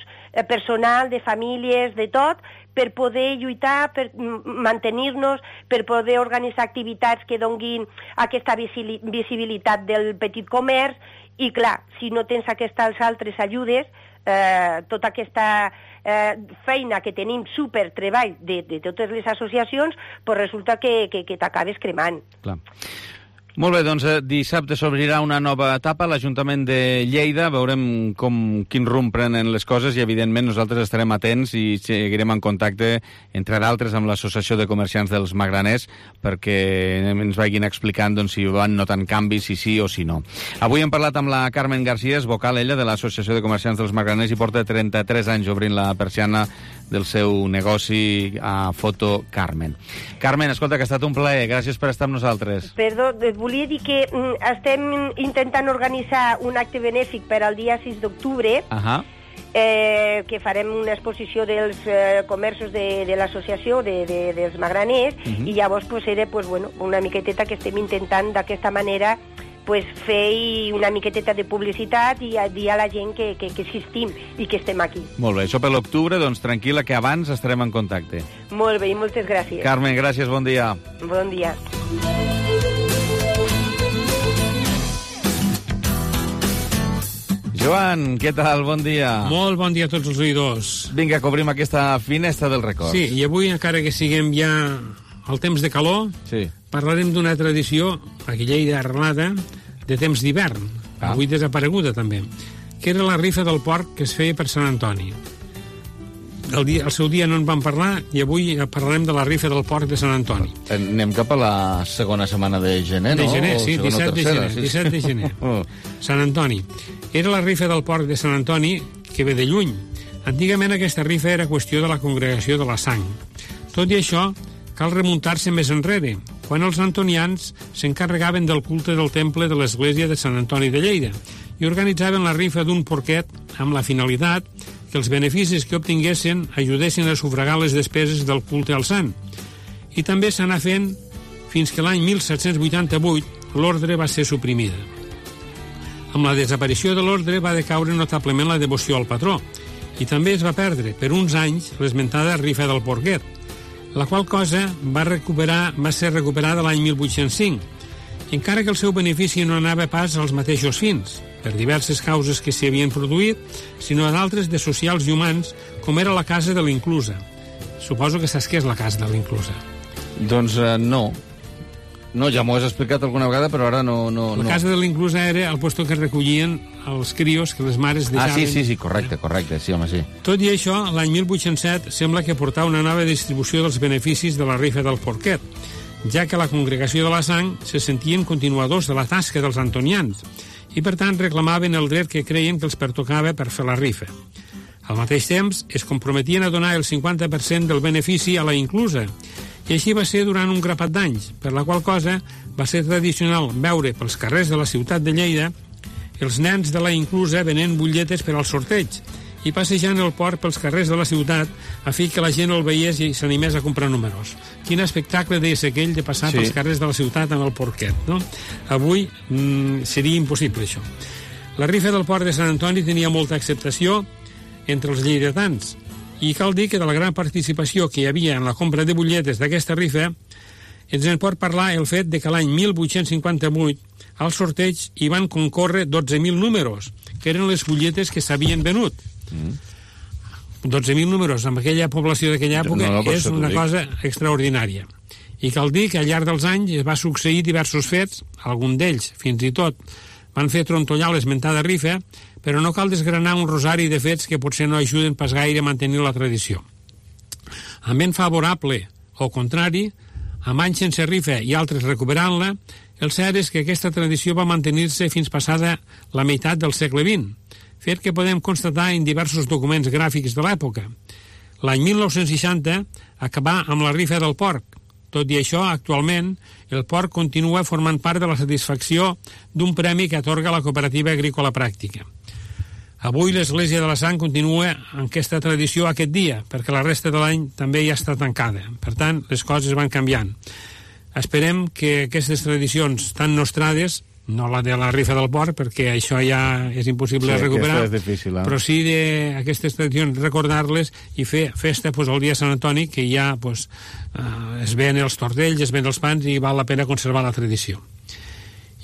[SPEAKER 18] personal, de famílies, de tot, per poder lluitar, per mantenir-nos, per poder organitzar activitats que donguin aquesta visibilitat del petit comerç, i clar, si no tens aquestes altres ajudes, eh, tota aquesta eh, feina que tenim super treball de, de totes les associacions, pues resulta que, que, que t'acabes cremant.
[SPEAKER 3] Clar. Molt bé, doncs dissabte s'obrirà una nova etapa a l'Ajuntament de Lleida, veurem com, quin rumb prenen les coses i evidentment nosaltres estarem atents i seguirem en contacte, entre d'altres, amb l'Associació de Comerciants dels Magraners perquè ens vagin explicant doncs, si van notant canvis, si sí o si no. Avui hem parlat amb la Carmen García, és vocal ella de l'Associació de Comerciants dels Magraners i porta trenta-tres anys obrint la persiana del seu negoci a Foto Carmen. Carmen, escolta, que ha estat un plaer, gràcies per estar amb nosaltres.
[SPEAKER 18] Perdó, volia dir que mm, estem intentant organitzar un acte benèfic per al dia sis d'octubre, uh-huh. eh, que farem una exposició dels eh, comerços de, de l'associació de, de, dels magraners, uh-huh. i llavors pues, era pues, bueno, una miqueteta que estem intentant d'aquesta manera pues, fer una miqueteta de publicitat i a dir a la gent que, que, que existim i que estem aquí.
[SPEAKER 3] Molt bé, això per l'octubre, doncs tranquil·la que abans estarem en contacte.
[SPEAKER 18] Molt bé, i moltes gràcies.
[SPEAKER 3] Carmen, gràcies, bon dia.
[SPEAKER 18] Bon dia.
[SPEAKER 3] Joan, què tal? Bon dia.
[SPEAKER 19] Molt bon dia a tots els oïdors.
[SPEAKER 3] Vinga, cobrim aquesta finestra del record.
[SPEAKER 19] Sí, i avui, encara que siguem ja al temps de calor,
[SPEAKER 3] sí.
[SPEAKER 19] parlarem d'una tradició, aquí a Lleida arrelada, de temps d'hivern, ah. avui desapareguda també, que era la rifa del porc que es feia per Sant Antoni. El, dia, el seu dia no en vam parlar i avui parlarem de la rifa del porc de Sant Antoni.
[SPEAKER 3] Anem cap a la segona setmana de gener, no?
[SPEAKER 19] De gener, sí, disset de gener.
[SPEAKER 3] Sí.
[SPEAKER 19] disset de gener. oh. Sant Antoni. Era la rifa del porc de Sant Antoni que ve de lluny. Antigament aquesta rifa era qüestió de la congregació de la Sang. Tot i això, cal remuntar-se més enrere, quan els antonians s'encarregaven del culte del temple de l'església de Sant Antoni de Lleida i organitzaven la rifa d'un porquet amb la finalitat que els beneficis que obtinguessin ajudessin a sufragar les despeses del culte al sant. I també s'anà fent fins que l'any mil set-cents vuitanta-vuit l'ordre va ser suprimida. Amb la desaparició de l'ordre va decaure notablement la devoció al patró i també es va perdre per uns anys l'esmentada rifa del porquet, la qual cosa va, recuperar, va ser recuperada l'any mil vuit-cents cinc, encara que el seu benefici no anava pas als mateixos fins, per diverses causes que s'hi havien produït, sinó d'altres de socials i humans, com era la casa de l'Inclusa. Suposo que saps què és la casa de l'Inclusa.
[SPEAKER 3] Doncs uh, no. No, ja m'ho has explicat alguna vegada, però ara no... no
[SPEAKER 19] la
[SPEAKER 3] no.
[SPEAKER 19] casa de l'Inclusa era el lloc que recollien els crios que les mares deixaven...
[SPEAKER 3] Ah, sí, sí, sí, correcte, correcte, sí, home, sí.
[SPEAKER 19] Tot i això, l'any mil vuit-cents set sembla que portava una nova distribució dels beneficis de la rifa del porquet, ja que la congregació de la Sang se sentien continuadors de la tasca dels antonians i, per tant, reclamaven el dret que creien que els pertocava per fer la rifa. Al mateix temps, es comprometien a donar el cinquanta per cent del benefici a la Inclusa, i així va ser durant un grapat d'anys, per la qual cosa va ser tradicional veure pels carrers de la ciutat de Lleida els nens de la Inclusa venent butlletes per al sorteig i passejant el porc pels carrers de la ciutat a fi que la gent el veiés i s'animés a comprar números. Quin espectacle deies aquell de passar sí. pels carrers de la ciutat amb el porquet, no? Avui mm, seria impossible això. La rifa del porc de Sant Antoni tenia molta acceptació entre els lleidatans i cal dir que de la gran participació que hi havia en la compra de butlletes d'aquesta rifa ens en pot parlar el fet de que l'any mil vuit-cents cinquanta-vuit al sorteig hi van concórrer dotze mil números, que eren les butlletes que s'havien venut. Mm. dotze mil números en aquella població d'aquella època no, no, és una cosa extraordinària. I cal dir que al llarg dels anys es va succeir diversos fets, algun d'ells, fins i tot, van fer trontollar l'esmentada rifa, però no cal desgranar un rosari de fets que potser no ajuden pas gaire a mantenir la tradició. Amb vent favorable o contrari, amb anys sense rifa i altres recuperant-la, el cert és que aquesta tradició va mantenir-se fins passada la meitat del segle vint, fet que podem constatar en diversos documents gràfics de l'època. L'any mil nou-cents seixanta acabà amb la rifa del porc. Tot i això, actualment, el porc continua formant part de la satisfacció d'un premi que atorga la Cooperativa Agrícola Pràctica. Avui l'Església de la Sang continua en aquesta tradició aquest dia, perquè la resta de l'any també ja està tancada. Per tant, les coses van canviant. Esperem que aquestes tradicions tan nostrades, no la de la rifa del porc, perquè això ja és impossible
[SPEAKER 3] sí,
[SPEAKER 19] recuperar,
[SPEAKER 3] és difícil, eh?
[SPEAKER 19] però sí d'aquestes tradicions recordar-les i fer festa pues, el dia Sant Antoni, que ja pues, eh, es ven els tortells, es ven els pans i val la pena conservar la tradició.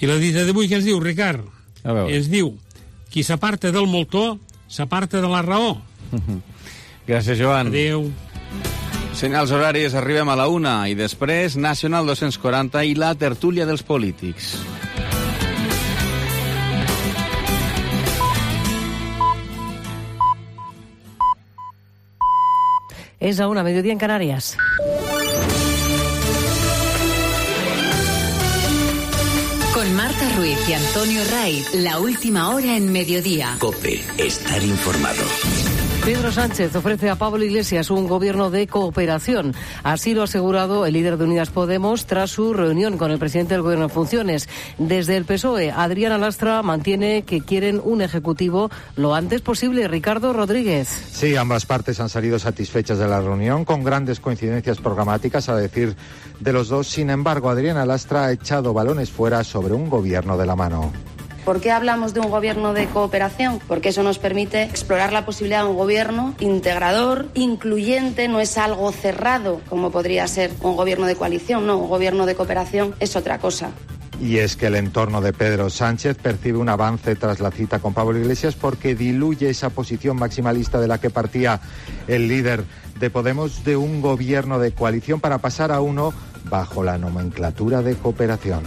[SPEAKER 19] I la dita d'avui què ens diu, Ricard? Ens diu, qui s'aparta del moltó s'aparta de la raó.
[SPEAKER 3] Gràcies, Joan.
[SPEAKER 19] Adéu.
[SPEAKER 3] Senyals horaris, arribem a la una i després Nacional dos-cents quaranta i la tertúlia dels polítics.
[SPEAKER 20] Es a una, mediodía en Canarias.
[SPEAKER 2] Con Marta Ruiz y Antonio Raiz, la última hora en mediodía.
[SPEAKER 8] COPE, estar informado.
[SPEAKER 20] Pedro Sánchez ofrece a Pablo Iglesias un gobierno de cooperación. Así lo ha asegurado el líder de Unidas Podemos tras su reunión con el presidente del gobierno en funciones. Desde el P S O E, Adriana Lastra mantiene que quieren un ejecutivo lo antes posible. Ricardo Rodríguez.
[SPEAKER 21] Sí, ambas partes han salido satisfechas de la reunión, con grandes coincidencias programáticas, a decir de los dos. Sin embargo, Adriana Lastra ha echado balones fuera sobre un gobierno de la mano.
[SPEAKER 22] ¿Por qué hablamos de un gobierno de cooperación? Porque eso nos permite explorar la posibilidad de un gobierno integrador, incluyente, no es algo cerrado, como podría ser un gobierno de coalición, no, un gobierno de cooperación es otra cosa.
[SPEAKER 21] Y es que el entorno de Pedro Sánchez percibe un avance tras la cita con Pablo Iglesias porque diluye esa posición maximalista de la que partía el líder de Podemos, de un gobierno de coalición para pasar a uno bajo la nomenclatura de cooperación.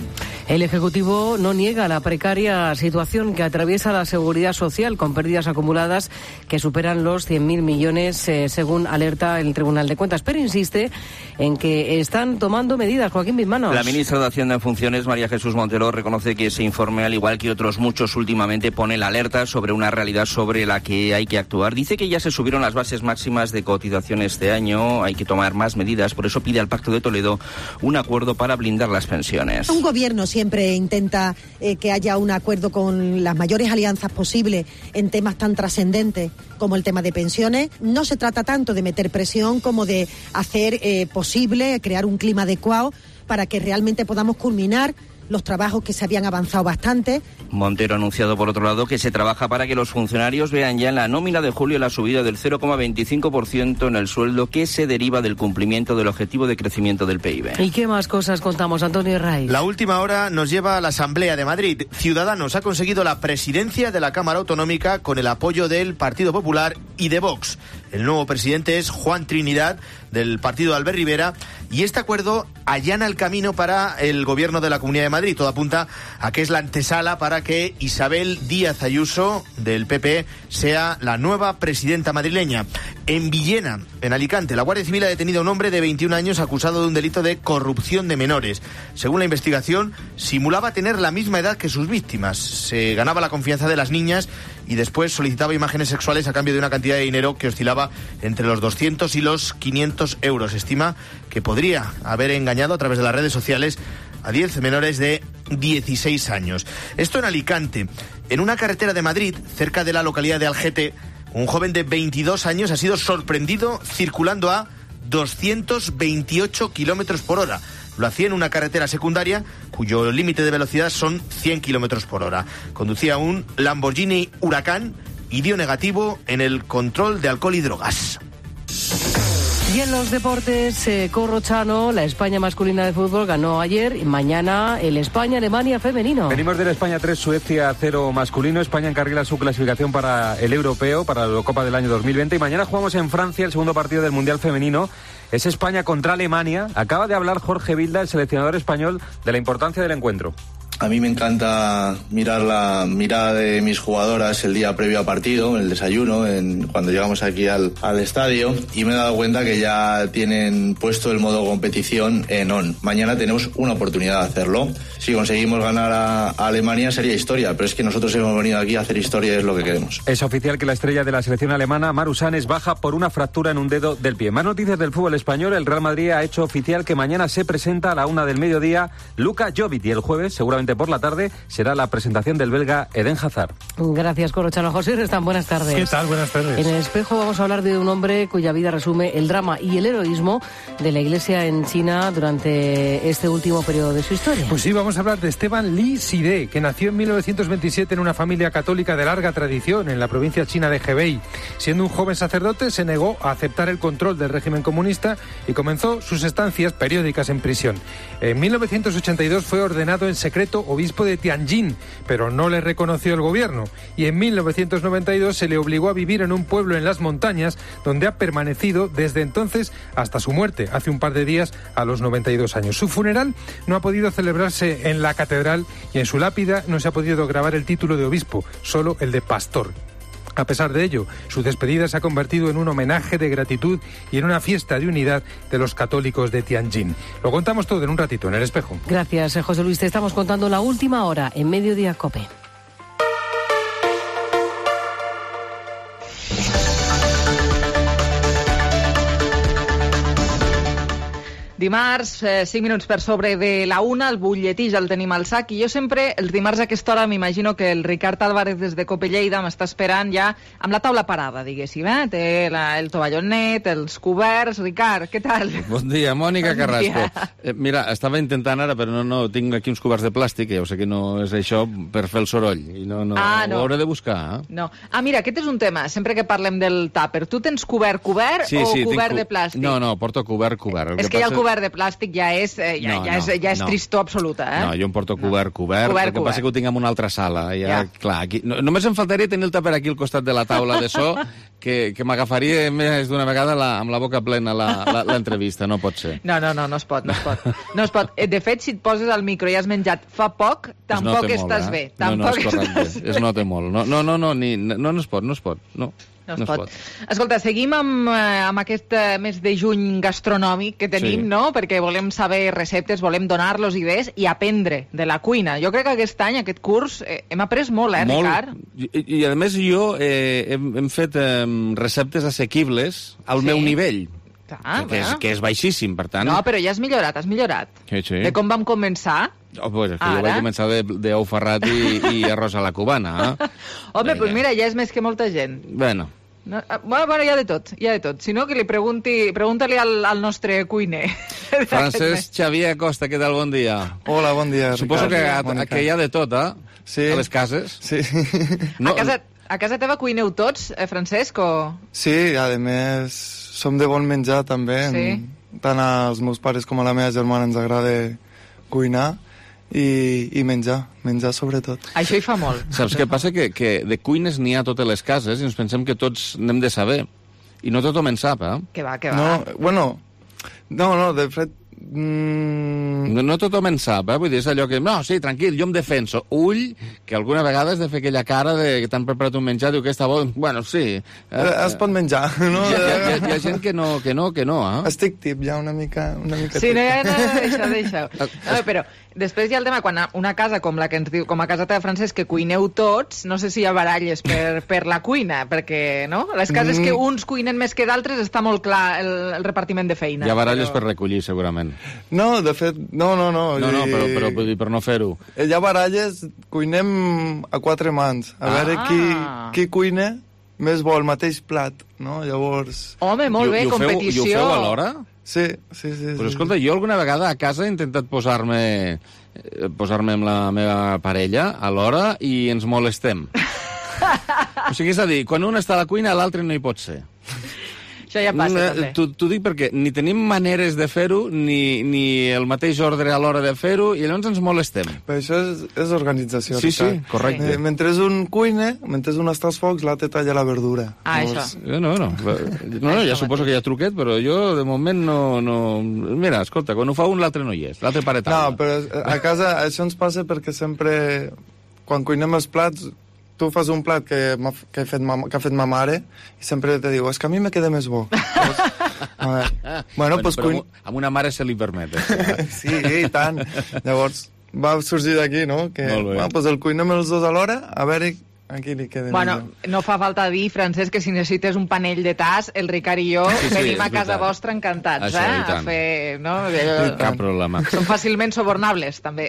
[SPEAKER 20] El Ejecutivo no niega la precaria situación que atraviesa la seguridad social, con pérdidas acumuladas que superan los cien mil millones, eh, según alerta el Tribunal de Cuentas, pero insiste en que están tomando medidas. Joaquín Bismanos.
[SPEAKER 23] La ministra de Hacienda en funciones, María Jesús Montero, reconoce que ese informe, al igual que otros muchos últimamente, pone la alerta sobre una realidad sobre la que hay que actuar. Dice que ya se subieron las bases máximas de cotización este año, hay que tomar más medidas, por eso pide al Pacto de Toledo un acuerdo para blindar las pensiones.
[SPEAKER 24] Un gobierno siempre intenta eh, que haya un acuerdo con las mayores alianzas posibles en temas tan trascendentes como el tema de pensiones. No se trata tanto de meter presión como de hacer eh, posible crear un clima adecuado para que realmente podamos culminar los trabajos que se habían avanzado bastante.
[SPEAKER 23] Montero ha anunciado, por otro lado, que se trabaja para que los funcionarios vean ya en la nómina de julio la subida del cero coma veinticinco por ciento en el sueldo que se deriva del cumplimiento del objetivo de crecimiento del P I B.
[SPEAKER 20] ¿Y qué más cosas contamos, Antonio Raiz?
[SPEAKER 25] La última hora nos lleva a la Asamblea de Madrid. Ciudadanos ha conseguido la presidencia de la Cámara Autonómica con el apoyo del Partido Popular y de Vox. El nuevo presidente es Juan Trinidad, del partido de Albert Rivera, y este acuerdo allana el camino para el gobierno de la Comunidad de Madrid. Todo apunta a que es la antesala para que Isabel Díaz Ayuso, del P P, sea la nueva presidenta madrileña. En Villena, en Alicante, la Guardia Civil ha detenido a un hombre de veintiún años acusado de un delito de corrupción de menores. Según la investigación, simulaba tener la misma edad que sus víctimas. Se ganaba la confianza de las niñas y después solicitaba imágenes sexuales a cambio de una cantidad de dinero que oscilaba entre los doscientos y los quinientos euros. Estima que podría haber engañado a través de las redes sociales a diez menores de dieciséis años. Esto en Alicante. En una carretera de Madrid, cerca de la localidad de Algete, un joven de veintidós años ha sido sorprendido circulando a doscientos veintiocho kilómetros por hora. Lo hacía en una carretera secundaria cuyo límite de velocidad son cien kilómetros por hora. Conducía un Lamborghini Huracán y dio negativo en el control de alcohol y drogas.
[SPEAKER 20] Y en los deportes, eh, Corrochano, la España masculina de fútbol ganó ayer y mañana el España-Alemania femenino.
[SPEAKER 26] Venimos del España tres, Suecia cero masculino. España encarrila su clasificación para el europeo, para la Eurocopa del año dos mil veinte. Y mañana jugamos en Francia el segundo partido del Mundial femenino. Es España contra Alemania. Acaba de hablar Jorge Vilda, el seleccionador español, de la importancia del encuentro.
[SPEAKER 4] A mí me encanta mirar la mirada de mis jugadoras el día previo a partido, en el desayuno, en, cuando llegamos aquí al, al estadio, y me he dado cuenta que ya tienen puesto el modo competición en on. Mañana tenemos una oportunidad de hacerlo. Si conseguimos ganar a, a Alemania sería historia, pero es que nosotros hemos venido aquí a hacer historia y es lo que queremos.
[SPEAKER 26] Es oficial que la estrella de la selección alemana, Maru Sanes, baja por una fractura en un dedo del pie. Más noticias del fútbol español. El Real Madrid ha hecho oficial que mañana se presenta a la una del mediodía Luka Jovic y el jueves, seguramente por la tarde, será la presentación del belga Eden Hazard.
[SPEAKER 20] Gracias, Corrochano. José Restán, buenas tardes.
[SPEAKER 5] ¿Qué tal? Buenas tardes.
[SPEAKER 20] En El Espejo vamos a hablar de un hombre cuya vida resume el drama y el heroísmo de la Iglesia en China durante este último periodo de su historia.
[SPEAKER 5] Pues sí, vamos a hablar de Esteban Li Side, que nació en mil novecientos veintisiete en una familia católica de larga tradición en la provincia china de Hebei. Siendo un joven sacerdote, se negó a aceptar el control del régimen comunista y comenzó sus estancias periódicas en prisión. En mil novecientos ochenta y dos fue ordenado en secreto obispo de Tianjin, pero no le reconoció el gobierno. Y en mil novecientos noventa y dos se le obligó a vivir en un pueblo en las montañas, donde ha permanecido desde entonces hasta su muerte, hace un par de días, a los noventa y dos años. Su funeral no ha podido celebrarse en la catedral y en su lápida no se ha podido grabar el título de obispo, solo el de pastor. A pesar de ello, su despedida se ha convertido en un homenaje de gratitud y en una fiesta de unidad de los católicos de Tianjin. Lo contamos todo en un ratito en El Espejo.
[SPEAKER 20] Gracias, José Luis. Te estamos contando la última hora en Mediodía COPE.
[SPEAKER 6] Dimarts, eh, cinc minuts per sobre de la una, el butlletí ja el tenim al sac, i jo sempre, els dimarts a aquesta hora, m'imagino que el Ricard Álvarez des de Cope Lleida m'està esperant ja amb la taula parada, diguéssim, eh? Té la, el tovalló net, els coberts. Ricard, què tal?
[SPEAKER 3] Bon dia, Mònica
[SPEAKER 6] Bon
[SPEAKER 3] Carrasco.
[SPEAKER 6] dia.
[SPEAKER 3] Eh, mira, estava intentant ara, però no, no, tinc aquí uns coberts de plàstic, que ja ho sé que no és això, per fer el soroll, i no, no,
[SPEAKER 6] Ah, no.
[SPEAKER 3] ho hauré de buscar, eh?
[SPEAKER 6] No. Ah, mira, aquest és un tema, sempre que parlem del tàper. Tu tens cobert cobert
[SPEAKER 3] Sí,
[SPEAKER 6] o
[SPEAKER 3] sí, tinc
[SPEAKER 6] cobert
[SPEAKER 3] cu-
[SPEAKER 6] de plàstic?
[SPEAKER 3] No, no, porto cobert, cobert. El
[SPEAKER 6] És que ja el
[SPEAKER 3] passa-
[SPEAKER 6] cobert de plàstic ja és, eh, ja,
[SPEAKER 3] No,
[SPEAKER 6] ja és,
[SPEAKER 3] no,
[SPEAKER 6] ja és
[SPEAKER 3] no.
[SPEAKER 6] tristor absoluta, eh?
[SPEAKER 3] No, jo em porto cobert, cobert,
[SPEAKER 6] Cobert,
[SPEAKER 3] el que passa
[SPEAKER 6] cobert.
[SPEAKER 3] que ho tinc en una altra sala. Ja,
[SPEAKER 6] Ja.
[SPEAKER 3] clar, aquí, no, només em faltaria tenir el tàper aquí al costat de la taula de so, que, que m'agafaria més d'una vegada la, amb la boca plena la- la- l'entrevista, no pot ser.
[SPEAKER 6] No, no, no, no es pot, no es pot. No es pot. Eh, De fet, si et poses al micro i has menjat fa poc,
[SPEAKER 3] Es
[SPEAKER 6] tampoc
[SPEAKER 3] nota
[SPEAKER 6] estàs
[SPEAKER 3] molt,
[SPEAKER 6] bé.
[SPEAKER 3] eh? No, no,
[SPEAKER 6] Tampoc
[SPEAKER 3] és correcte,
[SPEAKER 6] estàs bé.
[SPEAKER 3] es nota molt. No, no, no, no, ni, no, no es pot, no es pot, no.
[SPEAKER 6] No es pot. Escolta, seguim amb, eh, amb aquest eh, mes de juny gastronòmic que tenim,
[SPEAKER 3] Sí.
[SPEAKER 6] no? Perquè volem saber receptes, volem donar-los idees i aprendre de la cuina. Jo crec que aquest any, aquest curs, eh, hem après molt, eh,
[SPEAKER 3] Molt.
[SPEAKER 6] Ricard?
[SPEAKER 3] I, I, a més, jo eh, hem, hem fet eh, receptes assequibles al
[SPEAKER 6] Sí.
[SPEAKER 3] meu nivell,
[SPEAKER 6] Ah,
[SPEAKER 3] que, és,
[SPEAKER 6] bueno.
[SPEAKER 3] que és baixíssim, per tant...
[SPEAKER 6] No, però ja has millorat, has millorat.
[SPEAKER 3] Sí, sí.
[SPEAKER 6] De com vam començar.
[SPEAKER 3] Oh, pues, és que
[SPEAKER 6] Ara?
[SPEAKER 3] jo vaig començar de, de ou ferrat i, i arròs a la cubana. Eh?
[SPEAKER 6] Home, doncs mira, ja és més que molta gent.
[SPEAKER 3] Bueno,
[SPEAKER 6] No, ah, bueno, bueno, hi ha de tot, hi ha de tot. Si no, que li pregunti, pregunta-li al, al nostre cuiner.
[SPEAKER 3] Francesc Xavier Acosta, què tal? Bon dia.
[SPEAKER 7] Hola, bon dia,
[SPEAKER 3] Suposo
[SPEAKER 7] Ricard.
[SPEAKER 3] que,
[SPEAKER 7] Mònica.
[SPEAKER 3] que hi ha de tot, eh?
[SPEAKER 7] Sí.
[SPEAKER 3] A les cases.
[SPEAKER 7] Sí.
[SPEAKER 6] No. A, casa, a casa teva cuineu tots, eh, Francesc, o...?
[SPEAKER 7] Sí, a més, som de bon menjar, també.
[SPEAKER 6] Sí.
[SPEAKER 7] Tant als meus pares com a la meva germana ens agrada cuinar i, i menjar, menjar sobretot.
[SPEAKER 6] Això hi fa molt.
[SPEAKER 3] Saps què passa? Que, que de cuines n'hi ha a totes les cases i ens pensem que tots n'hem de saber. I no tothom en sap, eh?
[SPEAKER 6] Que va, que va.
[SPEAKER 7] No, bueno, no, no, de fet... Mm...
[SPEAKER 3] No, no tothom en sap, eh? Vull dir, és allò que... No, sí, tranquil, jo em defenso. Ull, que alguna vegada has de fer aquella cara de que t'han preparat un menjar, diu que està bo... Bueno, sí.
[SPEAKER 7] Eh, es pot menjar, no?
[SPEAKER 3] Hi ha, hi, ha, hi ha gent que no, que no, que no, eh?
[SPEAKER 7] Estic tip, ja una mica... Una mica
[SPEAKER 6] Sí,
[SPEAKER 7] tip.
[SPEAKER 6] no, no, no, deixa, deixa. No, però després hi ha el tema, quan una casa com la que ens diu, com a casa teva, Francesc, que cuineu tots, no sé si hi ha baralles per, per la cuina, perquè, no? Les cases
[SPEAKER 7] Mm.
[SPEAKER 6] que uns cuinen més que d'altres està molt clar el, el repartiment de feina.
[SPEAKER 3] Hi ha baralles per recollir, segurament.
[SPEAKER 7] No, de fet, no, no, no.
[SPEAKER 3] No, no,
[SPEAKER 7] i-
[SPEAKER 3] però, però vull dir, per no fer-ho.
[SPEAKER 7] Hi ha baralles, cuinem a quatre mans. A
[SPEAKER 6] Ah.
[SPEAKER 7] veure qui, qui cuina més bo el mateix plat, no? Llavors...
[SPEAKER 6] Home, molt bé,
[SPEAKER 3] I ho feu-
[SPEAKER 6] competició.
[SPEAKER 3] I ho feu alhora?
[SPEAKER 7] Sí, sí, sí.
[SPEAKER 3] Però
[SPEAKER 7] sí.
[SPEAKER 3] escolta, jo alguna vegada a casa he intentat posar-me eh, posar-me amb la meva parella alhora i ens molestem. O sigui, és a dir, quan un està a la cuina, l'altre no hi pot ser.
[SPEAKER 6] Això ja passa, també.
[SPEAKER 3] T'ho dic perquè ni tenim maneres de fer-ho, ni, ni el mateix ordre a l'hora de fer-ho, i llavors ens molestem.
[SPEAKER 7] Però això és, és organització.
[SPEAKER 3] Sí, sí, correcte.
[SPEAKER 7] Eh, mentre un cuine, mentre un està als focs, l'altre talla la verdura.
[SPEAKER 6] Ah, Llavors...
[SPEAKER 3] això. No, no, no, no, ja suposo que hi ha truquet, però jo de moment no... no... Mira, escolta, quan ho fa un, l'altre no hi és, l'altre pare taula.
[SPEAKER 7] No, però a casa això ens passa perquè sempre, quan cuinem els plats, tu fas un plat que, que, he fet ma, que ha fet ma mare i sempre te diu, és es que a mi me queda més bo. Llavors, a veure, bueno,
[SPEAKER 3] bueno,
[SPEAKER 7] pues,
[SPEAKER 3] però
[SPEAKER 7] cuin...
[SPEAKER 3] amb una mare se li permet. Eh?
[SPEAKER 7] Sí, i tant. Llavors va sorgir d'aquí, no? Que bueno, pues el cuinem els dos alhora, a veure aquí li queda
[SPEAKER 6] bueno,
[SPEAKER 7] millor.
[SPEAKER 6] No fa falta dir, Francesc, que si necessites un panell de tas, el Ricard i jo sí, sí, venim a casa vostra encantats,
[SPEAKER 3] això,
[SPEAKER 6] eh? A fer... No?
[SPEAKER 3] Cap problema.
[SPEAKER 6] Són fàcilment sobornables, també.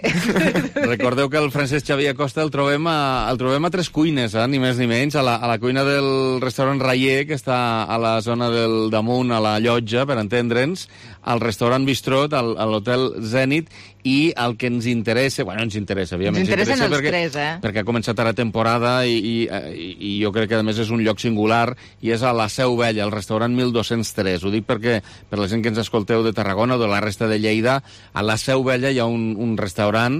[SPEAKER 3] Recordeu que el Francesc Xavier Acosta el trobem a, el trobem a Tres Cuines, eh? Ni més ni menys, a la, a la cuina del restaurant Rayer, que està a la zona del damunt, a la Llotja, per entendre'ns, al restaurant Bistrot, al, a l'hotel Zenit, i el que ens interessa, bueno, ens interessa, òbviament.
[SPEAKER 6] Ens interessen
[SPEAKER 3] ens interessa
[SPEAKER 6] els
[SPEAKER 3] perquè,
[SPEAKER 6] tres, eh?
[SPEAKER 3] Perquè ha començat ara temporada i, i, i jo crec que, a més, és un lloc singular i és a la Seu Vella, al restaurant mil dos-cents tres. Ho dic perquè, per la gent que ens escolteu de Tarragona o de la resta de Lleida, a la Seu Vella hi ha un, un restaurant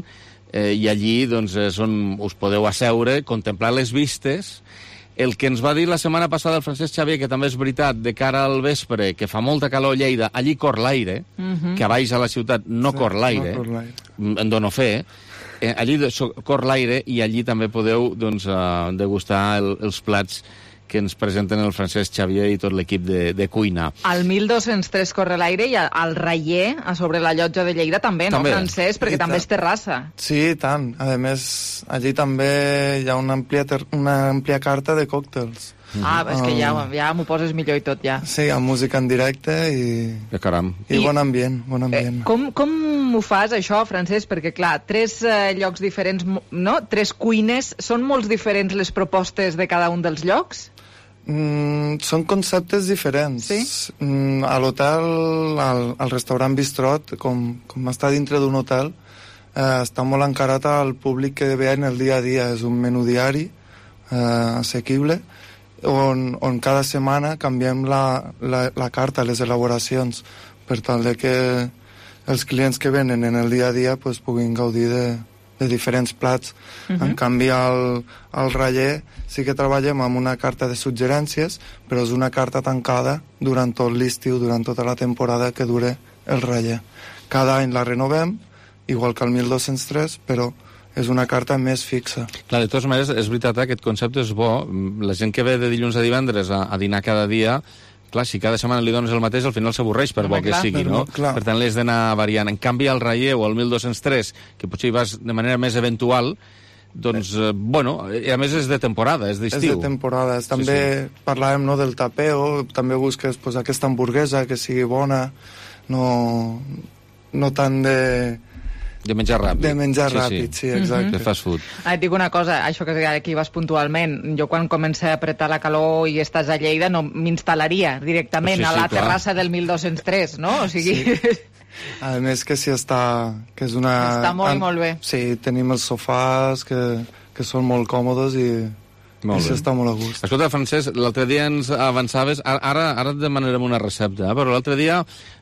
[SPEAKER 3] eh, i allí doncs, és on us podeu asseure, contemplar les vistes. El que ens va dir la setmana passada el Francesc Xavier, que també és veritat, de cara al vespre, que fa molta calor a Lleida, allí cor l'aire,
[SPEAKER 6] Mhm.
[SPEAKER 3] que a baix a la ciutat no
[SPEAKER 7] Sí,
[SPEAKER 3] cor l'aire,
[SPEAKER 7] no cor l'aire.
[SPEAKER 3] en dono fe, eh, allí de- so- cor l'aire i allí també podeu doncs, uh, degustar el, els plats que ens presenten el Francesc Xavier i tot l'equip de, de cuina.
[SPEAKER 6] Al mil dos-cents tres corre l'aire i al Rayer, a sobre la Llotja de Lleida, també,
[SPEAKER 3] També.
[SPEAKER 6] no, Francesc? Perquè
[SPEAKER 7] I
[SPEAKER 6] també
[SPEAKER 7] tant.
[SPEAKER 6] és terrassa.
[SPEAKER 7] Sí, i tant. A més, allí també hi ha una àmplia, ter... una àmplia carta de còctels.
[SPEAKER 6] Ah, és que ja,
[SPEAKER 7] Um,
[SPEAKER 6] ja m'ho poses millor i tot, ja.
[SPEAKER 7] Sí, amb música en directe i,
[SPEAKER 3] Que caram.
[SPEAKER 7] i
[SPEAKER 6] I-
[SPEAKER 7] bon ambient, bon ambient.
[SPEAKER 6] Com, com ho fas, això, Francesc? Perquè, clar, tres eh, llocs diferents, mo- no? Tres cuines, són molt diferents les propostes de cada un dels llocs?
[SPEAKER 7] Mm, són conceptes diferents.
[SPEAKER 6] Sí?
[SPEAKER 7] Mm, a l'hotel, al, al restaurant Bistrot, com, com està dintre d'un hotel, eh, està molt encarat al públic que ve en el dia a dia. És un menú diari eh, assequible, on, on cada setmana canviem la, la, la carta, les elaboracions, per tal de que els clients que venen en el dia a dia pues, puguin gaudir de, de diferents plats. Uh -huh. En canvi, al, al Rayer sí que treballem amb una carta de suggerències, però és una carta tancada durant tot l'estiu, durant tota la temporada que dure el Rayer. Cada any la renovem, igual que el mil dos-cents tres, però és una carta més fixa.
[SPEAKER 3] Clar, de totes maneres, és veritat, eh, aquest concepte és bo. La gent que ve de dilluns a divendres a, a dinar cada dia, clar, si cada setmana li dones el mateix, al final s'avorreix, per
[SPEAKER 7] Home,
[SPEAKER 3] bo que
[SPEAKER 7] clar,
[SPEAKER 3] sigui,
[SPEAKER 7] però,
[SPEAKER 3] no?
[SPEAKER 7] clar.
[SPEAKER 3] Per tant, l'has d'anar variant. En canvi, al Rayer o al mil dos-cents tres, que potser hi vas de manera més eventual, doncs, eh, bueno, i a més és de temporada, és d'estiu.
[SPEAKER 7] És de temporada. És, també sí, sí. parlàvem no, del tapeo, també busques pues, aquesta hamburguesa que sigui bona, no, no tant de...
[SPEAKER 3] De menjar ràpid.
[SPEAKER 7] De menjar
[SPEAKER 3] sí,
[SPEAKER 7] ràpid, sí, sí exacte.
[SPEAKER 3] De fast food.
[SPEAKER 6] Ah, et dic una cosa, això que aquí vas puntualment, jo quan comença a apretar la calor i estàs a Lleida no m'instal·laria directament
[SPEAKER 3] Sí, sí,
[SPEAKER 6] a la
[SPEAKER 3] clar.
[SPEAKER 6] terrassa del mil dos-cents tres, no? O sigui...
[SPEAKER 7] Sí. A més que si està... Que és una...
[SPEAKER 6] Està molt i molt bé.
[SPEAKER 7] Sí, tenim els sofàs que, que són molt còmodes i...
[SPEAKER 3] Molt
[SPEAKER 7] I
[SPEAKER 3] bé.
[SPEAKER 7] s'està molt a gust.
[SPEAKER 3] Escolta, Francesc, l'altre dia ens avançaves, ara, ara et demanarem una recepta, eh? Però l'altre dia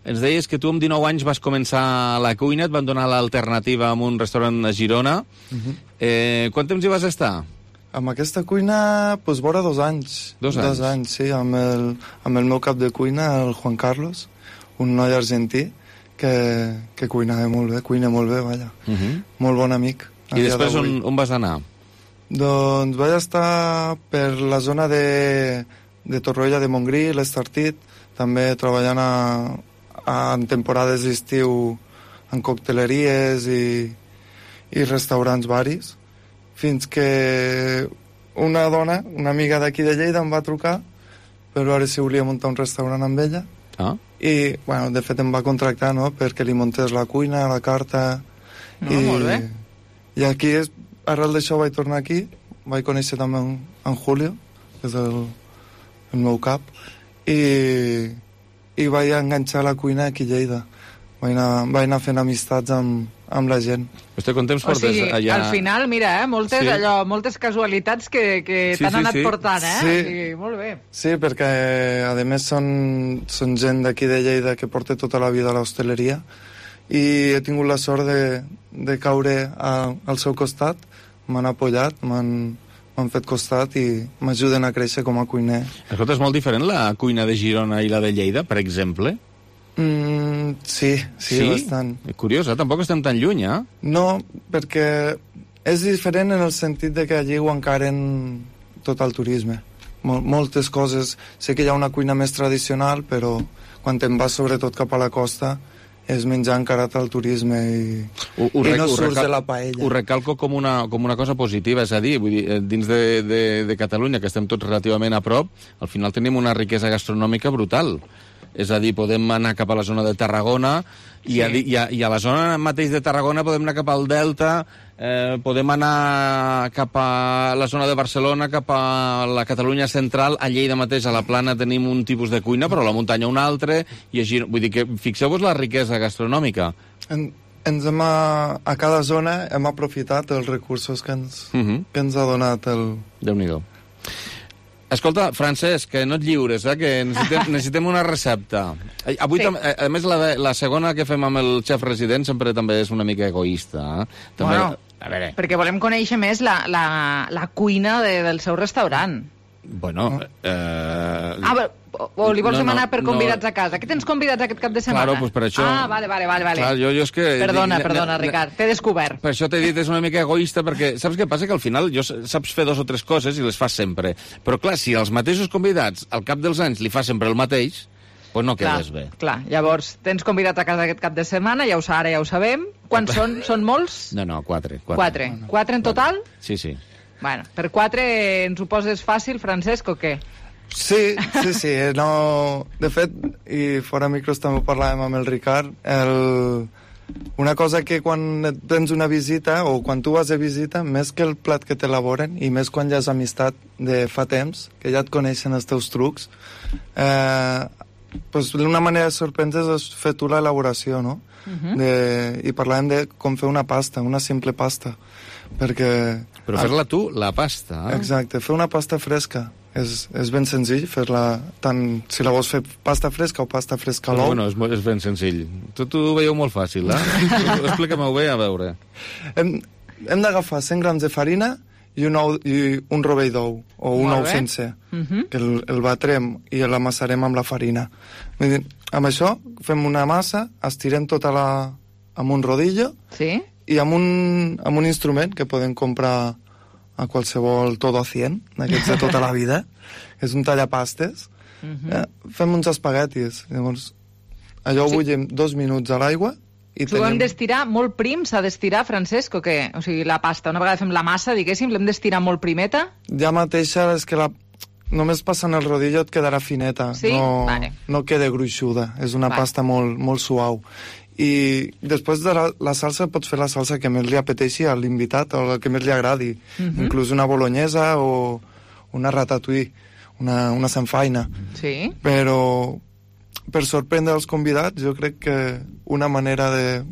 [SPEAKER 3] ens deies que tu amb dinou anys vas començar a la cuina, et van donar l'alternativa amb un restaurant a Girona.
[SPEAKER 7] Uh -huh.
[SPEAKER 3] eh, quant temps hi vas estar?
[SPEAKER 7] Amb aquesta cuina, doncs, vora dos anys.
[SPEAKER 3] Dos anys?
[SPEAKER 7] Dos anys, sí, amb el, amb el meu cap de cuina, el Juan Carlos, un noi argentí que, que cuinava molt bé, cuina molt bé, vaja.
[SPEAKER 3] Uh -huh.
[SPEAKER 7] Molt bon amic. a
[SPEAKER 3] I
[SPEAKER 7] dia
[SPEAKER 3] després
[SPEAKER 7] d'avui.
[SPEAKER 3] on, on vas anar?
[SPEAKER 7] Doncs vaig estar per la zona de, de Torroella de Montgrí, l'Estartit, també treballant a, a, en temporades d'estiu en cocteleries i, i restaurants varis, fins que una dona, una amiga d'aquí de Lleida, em va trucar per veure si volia muntar un restaurant amb ella.
[SPEAKER 3] Ah.
[SPEAKER 7] I, bueno, de fet em va contractar, no?, perquè li muntés la cuina, la carta...
[SPEAKER 6] No,
[SPEAKER 7] i,
[SPEAKER 6] molt bé.
[SPEAKER 7] I aquí, és, arrel d'això, vaig tornar aquí, vaig conèixer també en, en Julio, que és el, el meu cap, i, i vaig enganxar la cuina aquí a Lleida. Vaig anar, vaig anar fent amistats amb, amb la gent.
[SPEAKER 3] Vostè quant temps
[SPEAKER 6] O
[SPEAKER 3] portes
[SPEAKER 6] sigui,
[SPEAKER 3] allà?
[SPEAKER 6] al final, mira, eh, moltes,
[SPEAKER 3] Sí.
[SPEAKER 6] allò, moltes casualitats que, que
[SPEAKER 7] Sí,
[SPEAKER 6] t'han
[SPEAKER 7] sí,
[SPEAKER 6] anat
[SPEAKER 7] sí.
[SPEAKER 6] portant, eh?
[SPEAKER 7] Sí.
[SPEAKER 6] O sigui, molt bé.
[SPEAKER 7] Sí, perquè a més són, són gent d'aquí de Lleida que porta tota la vida a l'hostaleria i he tingut la sort de, de caure a, al seu costat, m'han apoyat, m'han m'han fet costat i m'ajuden a créixer com a cuiner.
[SPEAKER 3] Escolta, és molt diferent la cuina de Girona i la de Lleida, per exemple?
[SPEAKER 7] Mm, sí, sí,
[SPEAKER 3] Sí?
[SPEAKER 7] bastant.
[SPEAKER 3] Curiós, eh? Tampoc estem tan lluny, eh?
[SPEAKER 7] No, perquè és diferent en el sentit de que allí ho encaren tot el turisme. Mol moltes coses. Sé que hi ha una cuina més tradicional, però quan te'n vas sobretot cap a la costa és menjar encarat al turisme i,
[SPEAKER 3] Ho, ho,
[SPEAKER 7] i
[SPEAKER 3] rec-
[SPEAKER 7] no
[SPEAKER 3] ho
[SPEAKER 7] surts
[SPEAKER 3] recal-
[SPEAKER 7] de la paella.
[SPEAKER 3] Ho recalco com una, com una cosa positiva, és a dir, vull dir, eh, dins de, de, de Catalunya, que estem tots relativament a prop, al final tenim una riquesa gastronòmica brutal. És a dir, podem anar cap a la zona de Tarragona i, sí. a, i, a, i a la zona mateix de Tarragona podem anar cap al Delta, eh, podem anar cap a la zona de Barcelona, cap a la Catalunya central, a Lleida mateix, a la Plana tenim un tipus de cuina, però a la muntanya un altre, i així, vull dir que fixeu-vos la riquesa gastronòmica.
[SPEAKER 7] En, ens hem a, a cada zona hem aprofitat els recursos que ens,
[SPEAKER 3] Uh -huh.
[SPEAKER 7] que ens ha donat el...
[SPEAKER 3] Déu-n'hi-do. Escolta, Francesc, que no et lliures, eh? Que necessitem, necessitem una recepta. Eh, Avui,
[SPEAKER 6] Sí.
[SPEAKER 3] sí. a, a més, la, la segona que fem amb el xef resident sempre també és una mica egoista. Eh? També,
[SPEAKER 6] Bueno,
[SPEAKER 3] a veure,
[SPEAKER 6] Perquè volem conèixer més la, la, la cuina de, del seu restaurant.
[SPEAKER 3] bueno... Eh...
[SPEAKER 6] Ah, però, o, o li vols
[SPEAKER 3] No, no,
[SPEAKER 6] demanar per convidats
[SPEAKER 3] no.
[SPEAKER 6] a casa? Què tens convidats aquest cap de setmana?
[SPEAKER 3] Claro, pues per això...
[SPEAKER 6] Ah, vale, vale, vale. vale.
[SPEAKER 3] Clar, jo, jo és que...
[SPEAKER 6] Perdona,
[SPEAKER 3] dic,
[SPEAKER 6] perdona,
[SPEAKER 3] ne- ne-
[SPEAKER 6] Ricard, t'he descobert.
[SPEAKER 3] Per això t'he dit, és una mica egoista, perquè saps què passa? Que al final jo saps fer dos o tres coses i les fas sempre. Però clar, si els mateixos convidats al cap dels anys li fa sempre el mateix, doncs no
[SPEAKER 6] Clar,
[SPEAKER 3] quedes bé.
[SPEAKER 6] clar, llavors tens convidat a casa aquest cap de setmana, ja ho, sa- ara ja ho sabem. Quants són? Són molts?
[SPEAKER 3] No, no, quatre.
[SPEAKER 6] Quatre. Quatre en total?
[SPEAKER 3] Sí, sí.
[SPEAKER 6] Bueno, per quatre ens ho poses fàcil, Francesc, o què?
[SPEAKER 7] Sí, sí, sí. No... De fet, i fora micros també ho parlàvem amb el Ricard, el... una cosa que quan et tens una visita o quan tu vas de visita, més que el plat que t'elaboren i més quan ja has amistat de fa temps, que ja et coneixen els teus trucs, eh, pues, una manera de sorprendre's és fer tu l'elaboració, no?
[SPEAKER 3] Mhm.
[SPEAKER 7] de... I parlàvem de com fer una pasta, una simple pasta, perquè...
[SPEAKER 3] Però fer-la tu, la pasta. Eh?
[SPEAKER 7] Exacte, fer una pasta fresca. És, és ben senzill fer-la, tant si la vols fer pasta fresca o pasta fresca a l'ou.
[SPEAKER 3] Bueno, és, mo- és ben senzill. Tot ho veieu molt fàcil, eh? Explica-m'ho bé, a veure.
[SPEAKER 7] Hem, hem d'agafar cent grams de farina i un, ou, i un rovell d'ou, o un
[SPEAKER 6] Molt
[SPEAKER 7] ou
[SPEAKER 6] bé.
[SPEAKER 7] sencer,
[SPEAKER 6] Mhm.
[SPEAKER 7] que el, el batrem i l'amassarem amb la farina. Vull dir, amb això fem una massa, estirem tota la... amb un rodillo
[SPEAKER 6] sí?
[SPEAKER 7] i amb un, amb un instrument que podem comprar a qualsevol todo cien, d'aquests de tota la vida, és un tallapastes.
[SPEAKER 6] Mhm.
[SPEAKER 7] Eh, fem uns espaguetis, llavors allò ho
[SPEAKER 6] Sí.
[SPEAKER 7] bullim dos minuts a l'aigua i
[SPEAKER 6] Ho hem
[SPEAKER 7] tenim...
[SPEAKER 6] d'estirar molt prim, s'ha d'estirar, Francesc, o què? O sigui, la pasta, una vegada fem la massa, diguéssim, l'hem d'estirar molt primeta?
[SPEAKER 7] Ja mateixa és que la... només passant el rodillo et quedarà fineta,
[SPEAKER 6] Sí?
[SPEAKER 7] no,
[SPEAKER 6] Vale.
[SPEAKER 7] no queda gruixuda, és una
[SPEAKER 6] Vale.
[SPEAKER 7] pasta molt, molt suau. I després de la, la salsa pots fer la salsa que més li apeteixi a l'invitat o la que més li agradi,
[SPEAKER 6] Mhm.
[SPEAKER 7] inclús una bolognesa o una ratatouille, una, una samfaina.
[SPEAKER 6] Sí.
[SPEAKER 7] Però per sorprendre els convidats jo crec que una manera de,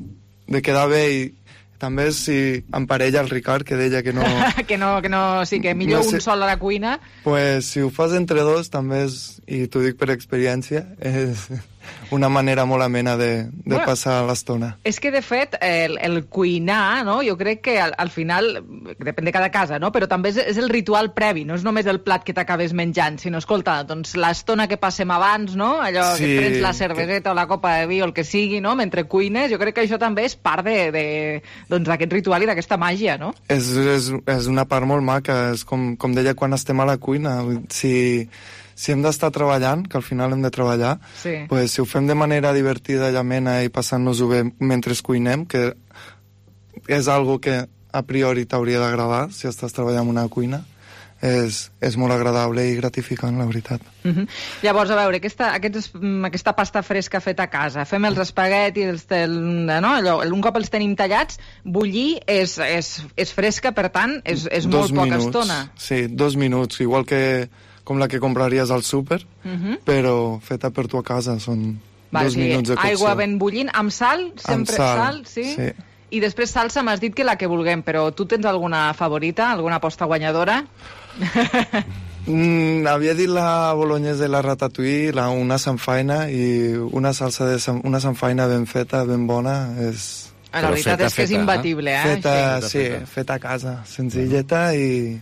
[SPEAKER 7] de quedar bé i també és si emparella el Ricard, que deia que no...
[SPEAKER 6] que no, que no, sí, que millor
[SPEAKER 7] No sé.
[SPEAKER 6] un sol a la cuina.
[SPEAKER 7] pues si ho fas entre dos també és, i t'ho dic per experiència, és una manera molt amena de, de
[SPEAKER 6] Bueno.
[SPEAKER 7] passar l'estona.
[SPEAKER 6] És que, de fet, el, el cuinar, no? Jo crec que al, al final, depèn de cada casa, no? Però també és, és el ritual previ, no és només el plat que t'acabes menjant, sinó, escolta, doncs l'estona que passem abans, no? Allò
[SPEAKER 7] Sí,
[SPEAKER 6] que et prens la cerveseta o la copa de vi o el que sigui, no? Mentre cuines, jo crec que això també és part de, de, doncs, d'aquest ritual i d'aquesta màgia, no?
[SPEAKER 7] És, és, és una part molt maca, és com, com deia quan estem a la cuina. Si, si hem d'estar treballant, que al final hem de treballar,
[SPEAKER 6] Sí.
[SPEAKER 7] pues, si ho fem de manera divertida i amena i passant-nos-ho bé mentre cuinem, que és algo que a priori t'hauria d'agradar si estàs treballant en una cuina, és, és molt agradable i gratificant, la veritat.
[SPEAKER 6] Uh -huh. Llavors, a veure, aquesta, aquests, mm, aquesta pasta fresca feta a casa, fem els espaguetis, els, el, no? Allò, un cop els tenim tallats, bullir és, és, és fresca, per tant, és, és molt
[SPEAKER 7] Dos
[SPEAKER 6] poca
[SPEAKER 7] minuts,
[SPEAKER 6] estona.
[SPEAKER 7] Sí, dos minuts, igual que com la que compraries al súper,
[SPEAKER 6] Uh -huh.
[SPEAKER 7] però feta per tu a casa, són
[SPEAKER 6] Vale,
[SPEAKER 7] dos
[SPEAKER 6] sí,
[SPEAKER 7] minuts de cocció.
[SPEAKER 6] aigua ben bullint, amb sal, sempre
[SPEAKER 7] Amb sal,
[SPEAKER 6] sal, sí?
[SPEAKER 7] sí.
[SPEAKER 6] I després salsa m'has dit que la que vulguem, però tu tens alguna favorita, alguna aposta guanyadora?
[SPEAKER 7] Mm, havia dit la bolognese de la ratatouille, la, una samfaina i una salsa de sam, una samfaina ben feta, ben bona. És...
[SPEAKER 6] La veritat feta, és que és feta, imbatible, eh?
[SPEAKER 7] Feta,
[SPEAKER 6] sí,
[SPEAKER 7] sí, feta, feta a casa, senzilleta i...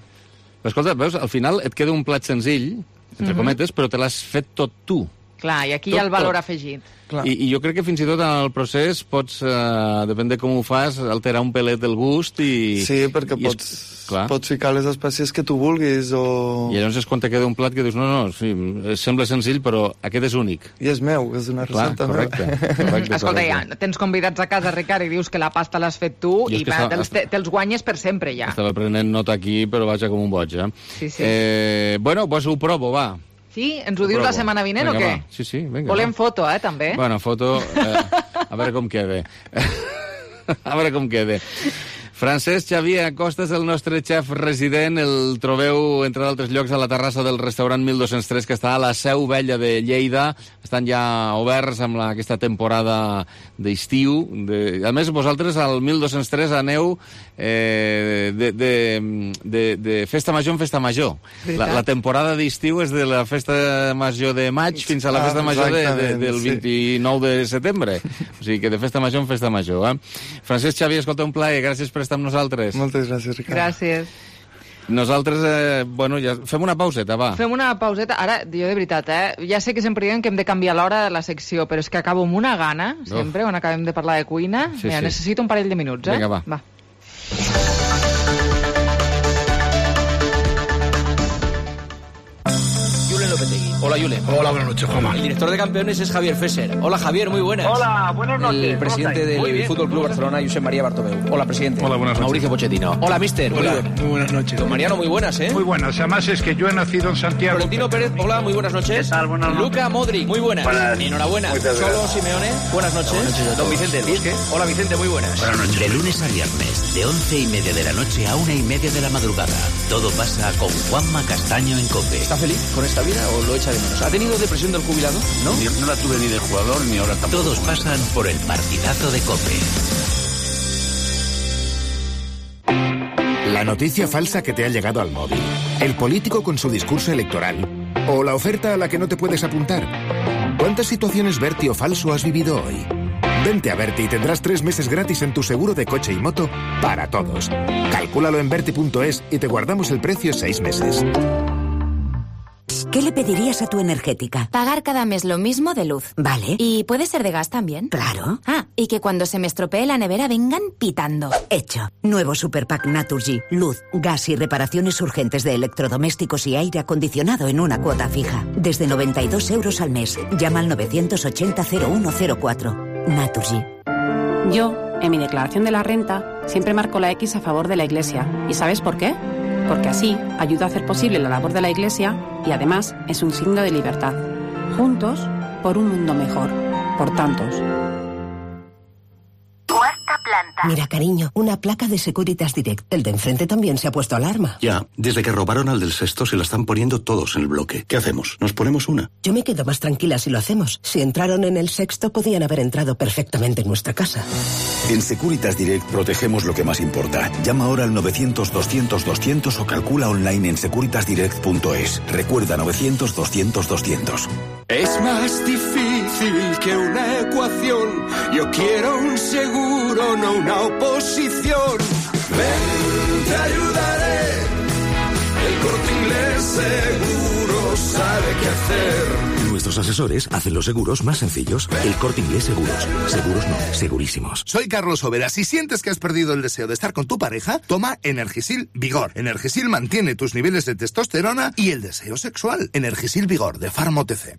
[SPEAKER 3] Però escolta, veus, al final et queda un plat senzill, entre
[SPEAKER 6] Mhm.
[SPEAKER 3] cometes, però te l'has fet tot tu.
[SPEAKER 6] Clar, i aquí
[SPEAKER 3] Tot,
[SPEAKER 6] hi ha el valor
[SPEAKER 3] tot.
[SPEAKER 6] afegit.
[SPEAKER 3] I, I jo crec que fins i tot en el procés pots, eh, depèn de com ho fas, alterar un pelet el gust i...
[SPEAKER 7] Sí, perquè
[SPEAKER 3] i
[SPEAKER 7] pots,
[SPEAKER 3] és, clar.
[SPEAKER 7] pots ficar les espècies que tu vulguis o...
[SPEAKER 3] I llavors és quan te queda un plat que dius, no, no, sí, sembla senzill, però aquest és únic.
[SPEAKER 7] I és meu, és una
[SPEAKER 3] Clar,
[SPEAKER 7] recepta
[SPEAKER 3] correcte,
[SPEAKER 7] meva.
[SPEAKER 3] correcte,
[SPEAKER 6] Escolta,
[SPEAKER 3] correcte.
[SPEAKER 6] ja tens convidats a casa, Ricard, i dius que la pasta l'has fet tu
[SPEAKER 3] Jo és
[SPEAKER 6] i
[SPEAKER 3] que
[SPEAKER 6] va,
[SPEAKER 3] estava-
[SPEAKER 6] te'ls, te- te'ls guanyes per sempre, ja.
[SPEAKER 3] Estava prenent nota aquí, però vaja com un boig, eh?
[SPEAKER 6] Sí, sí.
[SPEAKER 3] eh bueno, doncs ho provo, va.
[SPEAKER 6] Sí? Ens ho dius
[SPEAKER 3] provo.
[SPEAKER 6] la setmana vinent
[SPEAKER 3] Vinga,
[SPEAKER 6] o què?
[SPEAKER 3] va. Sí, sí, vinga.
[SPEAKER 6] Volem
[SPEAKER 3] va.
[SPEAKER 6] foto, eh, també?
[SPEAKER 3] Bueno, foto... Eh, a veure com queda. A veure com queda. Francesc Xavier Acosta és el nostre xef resident. El trobeu, entre d'altres llocs, a la terrassa del restaurant mil dos-cents tres, que està a la Seu Vella de Lleida. Estan ja oberts amb la, aquesta temporada d'estiu. De... A més, vosaltres al mil dos-cents tres aneu eh, de, de, de, de festa major en festa major. La, la temporada d'estiu és de la festa major de maig fins a la
[SPEAKER 7] Ah,
[SPEAKER 3] festa major de, de,
[SPEAKER 7] exactament,
[SPEAKER 3] del
[SPEAKER 7] sí.
[SPEAKER 3] vint-i-nou de setembre. O sigui que de festa major en festa major. Eh? Francesc Xavier, escolta, un plaer. Gràcies per estar amb nosaltres.
[SPEAKER 7] Moltes gràcies, Ricard.
[SPEAKER 6] Gràcies.
[SPEAKER 3] Nosaltres, eh, bueno, ja fem una pauseta, va.
[SPEAKER 6] Fem una pauseta. Ara, jo de veritat, eh? Ja sé que sempre diem que hem de canviar l'hora de la secció, però és que acabo amb una gana, sempre, quan acabem de parlar de cuina.
[SPEAKER 3] Sí,
[SPEAKER 6] Mira,
[SPEAKER 3] sí.
[SPEAKER 6] necessito un parell de minuts, eh?
[SPEAKER 3] Vinga, va.
[SPEAKER 6] va.
[SPEAKER 9] Julen Lopetegui. Hola, Julen.
[SPEAKER 10] Hola, buenas noches, Juanma.
[SPEAKER 9] El director de campeones es Javier Fesser. Hola, Javier, muy buenas.
[SPEAKER 10] Hola, buenas noches.
[SPEAKER 9] El
[SPEAKER 10] ¿Cómo
[SPEAKER 9] presidente
[SPEAKER 10] estáis? Muy
[SPEAKER 9] del
[SPEAKER 10] bien.
[SPEAKER 9] Fútbol Club Barcelona, Josep María Bartomeu. Hola, presidente.
[SPEAKER 10] Hola, buenas noches.
[SPEAKER 9] Mauricio Pochettino. Hola, mister.
[SPEAKER 10] Hola,
[SPEAKER 9] muy, buenas.
[SPEAKER 10] muy buenas noches.
[SPEAKER 9] Don Mariano, muy buenas, ¿eh?
[SPEAKER 10] Muy buenas. Además es que yo he nacido en Santiago.
[SPEAKER 9] Florentino Pérez, hola, muy buenas noches.
[SPEAKER 10] ¿Qué tal? Buenas noches.
[SPEAKER 9] Luca Modric, muy buenas.
[SPEAKER 10] Buenas.
[SPEAKER 9] Enhorabuena.
[SPEAKER 10] Muchas
[SPEAKER 9] Solo
[SPEAKER 10] gracias.
[SPEAKER 9] Simeone, buenas noches.
[SPEAKER 10] Buenas noches a
[SPEAKER 9] Don
[SPEAKER 10] todos.
[SPEAKER 9] Vicente del Bosque. Hola, Vicente, muy buenas.
[SPEAKER 11] De lunes a viernes, de once y media de la noche a una y media de la madrugada. Todo pasa con Juanma Castaño en COPE.
[SPEAKER 9] ¿Está feliz con esta vida o lo echa de menos? ¿Ha tenido depresión del jubilado? ¿No?
[SPEAKER 11] No la tuve ni de jugador ni ahora tampoco. Todos pasan por el partidazo de COPE.
[SPEAKER 12] La noticia falsa que te ha llegado al móvil. El político con su discurso electoral. O la oferta a la que no te puedes apuntar. ¿Cuántas situaciones Berti o falso has vivido hoy? Vente a Berti y tendrás tres meses gratis en tu seguro de coche y moto para todos. Calcúlalo en berti punto es y te guardamos el precio seis meses.
[SPEAKER 13] ¿Qué le pedirías a tu energética?
[SPEAKER 14] Pagar cada mes lo mismo de luz.
[SPEAKER 13] Vale.
[SPEAKER 14] ¿Y puede ser de gas también?
[SPEAKER 13] Claro.
[SPEAKER 14] Ah, y que cuando se me estropee la nevera vengan pitando.
[SPEAKER 13] Hecho. Nuevo Superpack Naturgy. Luz, gas y reparaciones urgentes de electrodomésticos y aire acondicionado en una cuota fija. Desde noventa y dos euros al mes. Llama al novecientos ochenta cero uno cero cuatro. Naturgy.
[SPEAKER 27] Yo, en mi declaración de la renta, siempre marco la X a favor de la Iglesia. ¿Y sabes por qué? Porque así ayuda a hacer posible la labor de la Iglesia y además es un signo de libertad. Juntos, por un mundo mejor. Por tantos.
[SPEAKER 13] Cuarta planta. Mira, cariño, una placa de Securitas Direct. El de enfrente también se ha puesto alarma.
[SPEAKER 28] Ya, desde que robaron al del sexto se la están poniendo todos en el bloque. ¿Qué hacemos? ¿Nos ponemos una?
[SPEAKER 13] Yo me quedo más tranquila si lo hacemos. Si entraron en el sexto, podían haber entrado perfectamente en nuestra casa.
[SPEAKER 28] En Securitas Direct protegemos lo que más importa. Llama ahora al novecientos doscientos doscientos o calcula online en securitas direct punto es. Recuerda novecientos doscientos doscientos.
[SPEAKER 29] Es más difícil que una ecuación. Yo quiero un seguro, no una oposición. Ven, te ayudaré. El Corte Inglés seguro sabe qué hacer.
[SPEAKER 8] Nuestros asesores hacen los seguros más sencillos. El Corte Inglés Seguros. Seguros no, segurísimos.
[SPEAKER 30] Soy Carlos Overa. Si sientes que has perdido el deseo de estar con tu pareja, toma Energisil Vigor. Energisil mantiene tus niveles de testosterona y el deseo sexual. Energisil Vigor, de Pharma O T C.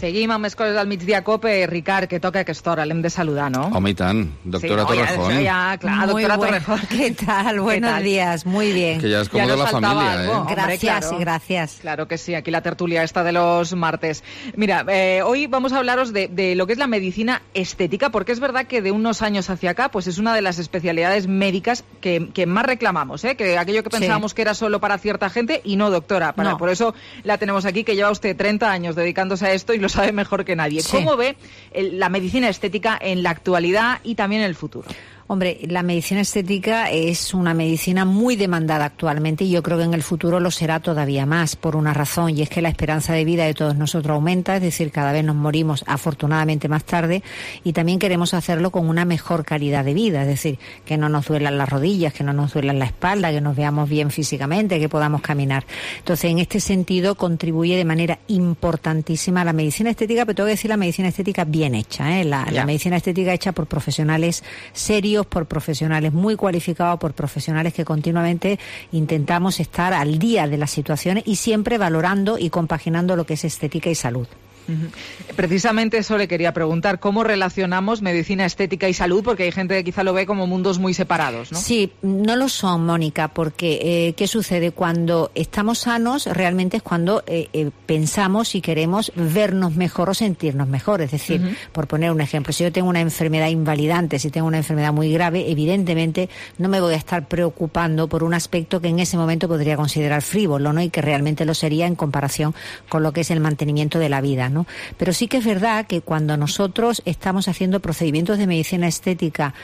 [SPEAKER 6] Seguim amb més coses al migdia COPE. Ricard, que toca a aquesta hora, l'hem de saludar, ¿no?
[SPEAKER 3] Home, i tant. Doctora
[SPEAKER 6] sí, no,
[SPEAKER 3] Torrejón.
[SPEAKER 6] Ya, ya, claro,
[SPEAKER 31] Muy
[SPEAKER 6] doctora
[SPEAKER 31] bueno.
[SPEAKER 6] Torrejón.
[SPEAKER 31] ¿Qué tal? Buenos
[SPEAKER 6] ¿Qué tal?
[SPEAKER 31] días, muy bien.
[SPEAKER 3] Que ya es como
[SPEAKER 6] Ya
[SPEAKER 3] de
[SPEAKER 6] nos
[SPEAKER 3] la
[SPEAKER 6] faltaba
[SPEAKER 3] familia,
[SPEAKER 6] algo.
[SPEAKER 3] ¿eh?
[SPEAKER 6] Hombre,
[SPEAKER 31] Gracias,
[SPEAKER 6] claro.
[SPEAKER 31] gracias.
[SPEAKER 6] Claro que sí, aquí la tertulia esta de los martes. Mira, eh, hoy vamos a hablaros de, de lo que es la medicina estética, porque es verdad que de unos años hacia acá, pues es una de las especialidades médicas que, que más reclamamos, ¿eh? Que aquello que pensábamos
[SPEAKER 31] Sí.
[SPEAKER 6] que era solo para cierta gente, y no, doctora. Para,
[SPEAKER 31] No.
[SPEAKER 6] Por eso la tenemos aquí, que lleva usted treinta años dedicándose a esto y lo sabe mejor que nadie.
[SPEAKER 1] Sí.
[SPEAKER 6] ¿Cómo ve el, la medicina estética en la actualidad y también en el futuro?
[SPEAKER 1] Hombre, la medicina estética es una medicina muy demandada actualmente y yo creo que en el futuro lo será todavía más por una razón, y es que la esperanza de vida de todos nosotros aumenta, es decir, cada vez nos morimos afortunadamente más tarde, y también queremos hacerlo con una mejor calidad de vida, es decir, que no nos duelan las rodillas, que no nos duelan la espalda, que nos veamos bien físicamente, que podamos caminar. Entonces, en este sentido, contribuye de manera importantísima la medicina estética, pero tengo que decir la medicina estética bien hecha, ¿eh? la, la medicina estética hecha por profesionales serios, por profesionales muy cualificados, por profesionales que continuamente intentamos estar al día de las situaciones y siempre valorando y compaginando lo que es estética y salud.
[SPEAKER 6] Uh-huh. Precisamente eso le quería preguntar, ¿cómo relacionamos medicina estética y salud? Porque hay gente que quizá lo ve como mundos muy separados, ¿no?
[SPEAKER 1] Sí, no lo son, Mónica, porque eh, ¿qué sucede? Cuando estamos sanos, realmente es cuando eh, eh, pensamos y queremos vernos mejor o sentirnos mejor. Es decir, uh-huh. por poner un ejemplo, si yo tengo una enfermedad invalidante, si tengo una enfermedad muy grave, evidentemente no me voy a estar preocupando por un aspecto que en ese momento podría considerar frívolo, ¿no? Y que realmente lo sería en comparación con lo que es el mantenimiento de la vida, ¿no? Pero sí que es verdad que cuando nosotros estamos haciendo procedimientos de medicina estética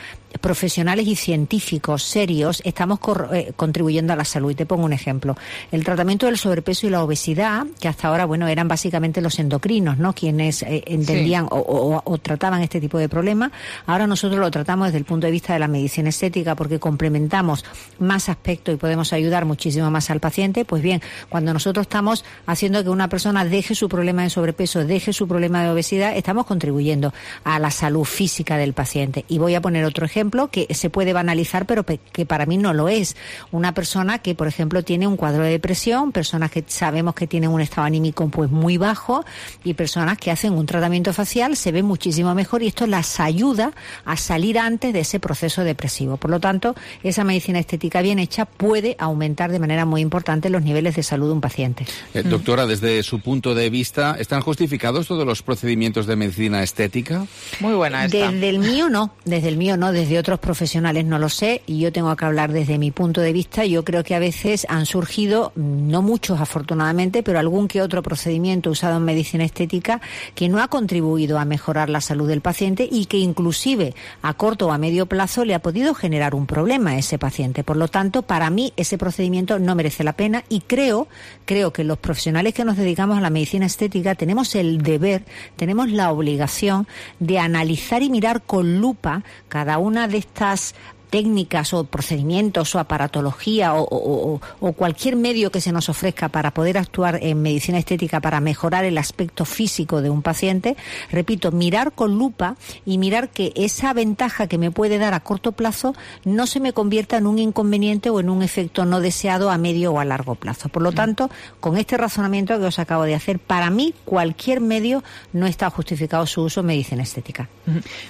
[SPEAKER 1] profesionales y científicos serios, estamos cor- eh, contribuyendo a la salud. Y te pongo un ejemplo. El tratamiento del sobrepeso y la obesidad, que hasta ahora, bueno, eran básicamente los endocrinos, ¿no? Quienes eh, entendían sí. o, o, o trataban este tipo de problemas. Ahora nosotros lo tratamos desde el punto de vista de la medicina estética porque complementamos más aspectos y podemos ayudar muchísimo más al paciente. Pues bien, cuando nosotros estamos haciendo que una persona deje su problema de sobrepeso, deje su problema de obesidad, estamos contribuyendo a la salud física del paciente. Y voy a poner otro ejemplo que se puede banalizar, pero que para mí no lo es. Una persona que, por ejemplo, tiene un cuadro de depresión, personas que sabemos que tienen un estado anímico pues muy bajo, y personas que hacen un tratamiento facial se ven muchísimo mejor, y esto las ayuda a salir antes de ese proceso depresivo. Por lo tanto, esa medicina estética bien hecha puede aumentar de manera muy importante los niveles de salud de un paciente.
[SPEAKER 3] Eh, doctora, desde su punto de vista, ¿están justificados todos los procedimientos de medicina estética?
[SPEAKER 6] Muy buena esta.
[SPEAKER 1] Desde el mío no, desde el mío no, desde otros profesionales no lo sé, y yo tengo que hablar desde mi punto de vista. Yo creo que a veces han surgido, no muchos afortunadamente, pero algún que otro procedimiento usado en medicina estética que no ha contribuido a mejorar la salud del paciente y que inclusive a corto o a medio plazo le ha podido generar un problema a ese paciente. Por lo tanto, para mí ese procedimiento no merece la pena, y creo, creo que los profesionales que nos dedicamos a la medicina estética tenemos el deber, tenemos la obligación de analizar y mirar con lupa cada una de estas técnicas o procedimientos o aparatología o, o, o, o cualquier medio que se nos ofrezca para poder actuar en medicina estética para mejorar el aspecto físico de un paciente. Repito, mirar con lupa y mirar que esa ventaja que me puede dar a corto plazo no se me convierta en un inconveniente o en un efecto no deseado a medio o a largo plazo. Por lo tanto, con este razonamiento que os acabo de hacer, para mí cualquier medio no está justificado su uso en medicina estética.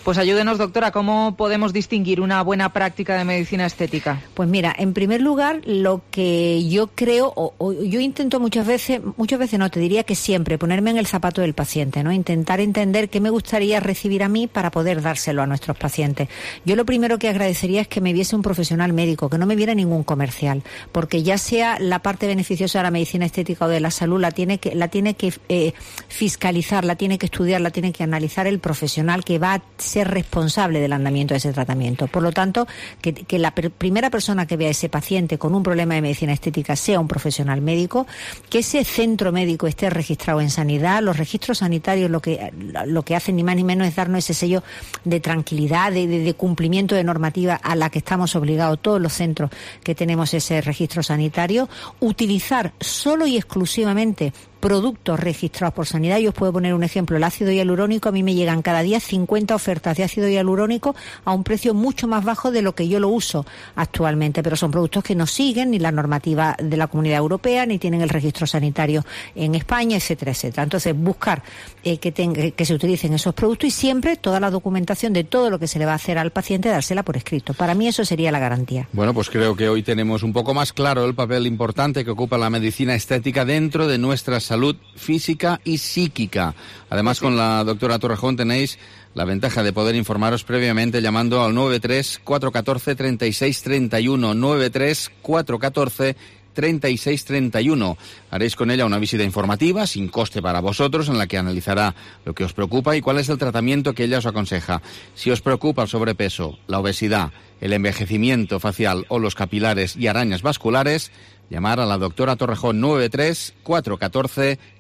[SPEAKER 6] Pues ayúdenos, doctora, ¿cómo podemos distinguir una buena práctica práctica de medicina estética?
[SPEAKER 1] Pues mira, en primer lugar, lo que yo creo, o, o yo intento muchas veces, muchas veces no, te diría que siempre, ponerme en el zapato del paciente, ¿no? Intentar entender qué me gustaría recibir a mí para poder dárselo a nuestros pacientes. Yo lo primero que agradecería es que me viese un profesional médico, que no me viera ningún comercial, porque ya sea la parte beneficiosa de la medicina estética o de la salud, la tiene que, la tiene que eh, fiscalizar, la tiene que estudiar, la tiene que analizar el profesional que va a ser responsable del andamiento de ese tratamiento. Por lo tanto, Que, que la per, primera persona que vea a ese paciente con un problema de medicina estética sea un profesional médico, que ese centro médico esté registrado en sanidad. Los registros sanitarios lo que lo que hacen ni más ni menos es darnos ese sello de tranquilidad, de, de, de cumplimiento de normativa a la que estamos obligados todos los centros que tenemos ese registro sanitario. Utilizar solo y exclusivamente productos registrados por sanidad. Yo os puedo poner un ejemplo, el ácido hialurónico, a mí me llegan cada día cincuenta ofertas de ácido hialurónico a un precio mucho más bajo de lo que yo lo uso actualmente, pero son productos que no siguen ni la normativa de la Comunidad Europea, ni tienen el registro sanitario en España, etcétera, etcétera. Entonces, buscar eh, que, tenga, que se utilicen esos productos y siempre toda la documentación de todo lo que se le va a hacer al paciente, dársela por escrito. Para mí eso sería la garantía.
[SPEAKER 3] Bueno, pues creo que hoy tenemos un poco más claro el papel importante que ocupa la medicina estética dentro de nuestras salud física y psíquica. Además, con la doctora Torrejón tenéis la ventaja de poder informaros previamente llamando al nueve tres cuatro uno cuatro, tres seis tres uno, nueve tres cuatro uno cuatro, treinta y seis treinta y uno. Haréis con ella una visita informativa, sin coste para vosotros, en la que analizará lo que os preocupa y cuál es el tratamiento que ella os aconseja. Si os preocupa el sobrepeso, la obesidad, el envejecimiento facial o los capilares y arañas vasculares, llamar a la doctora Torrejón nueve tres cuatro uno cuatro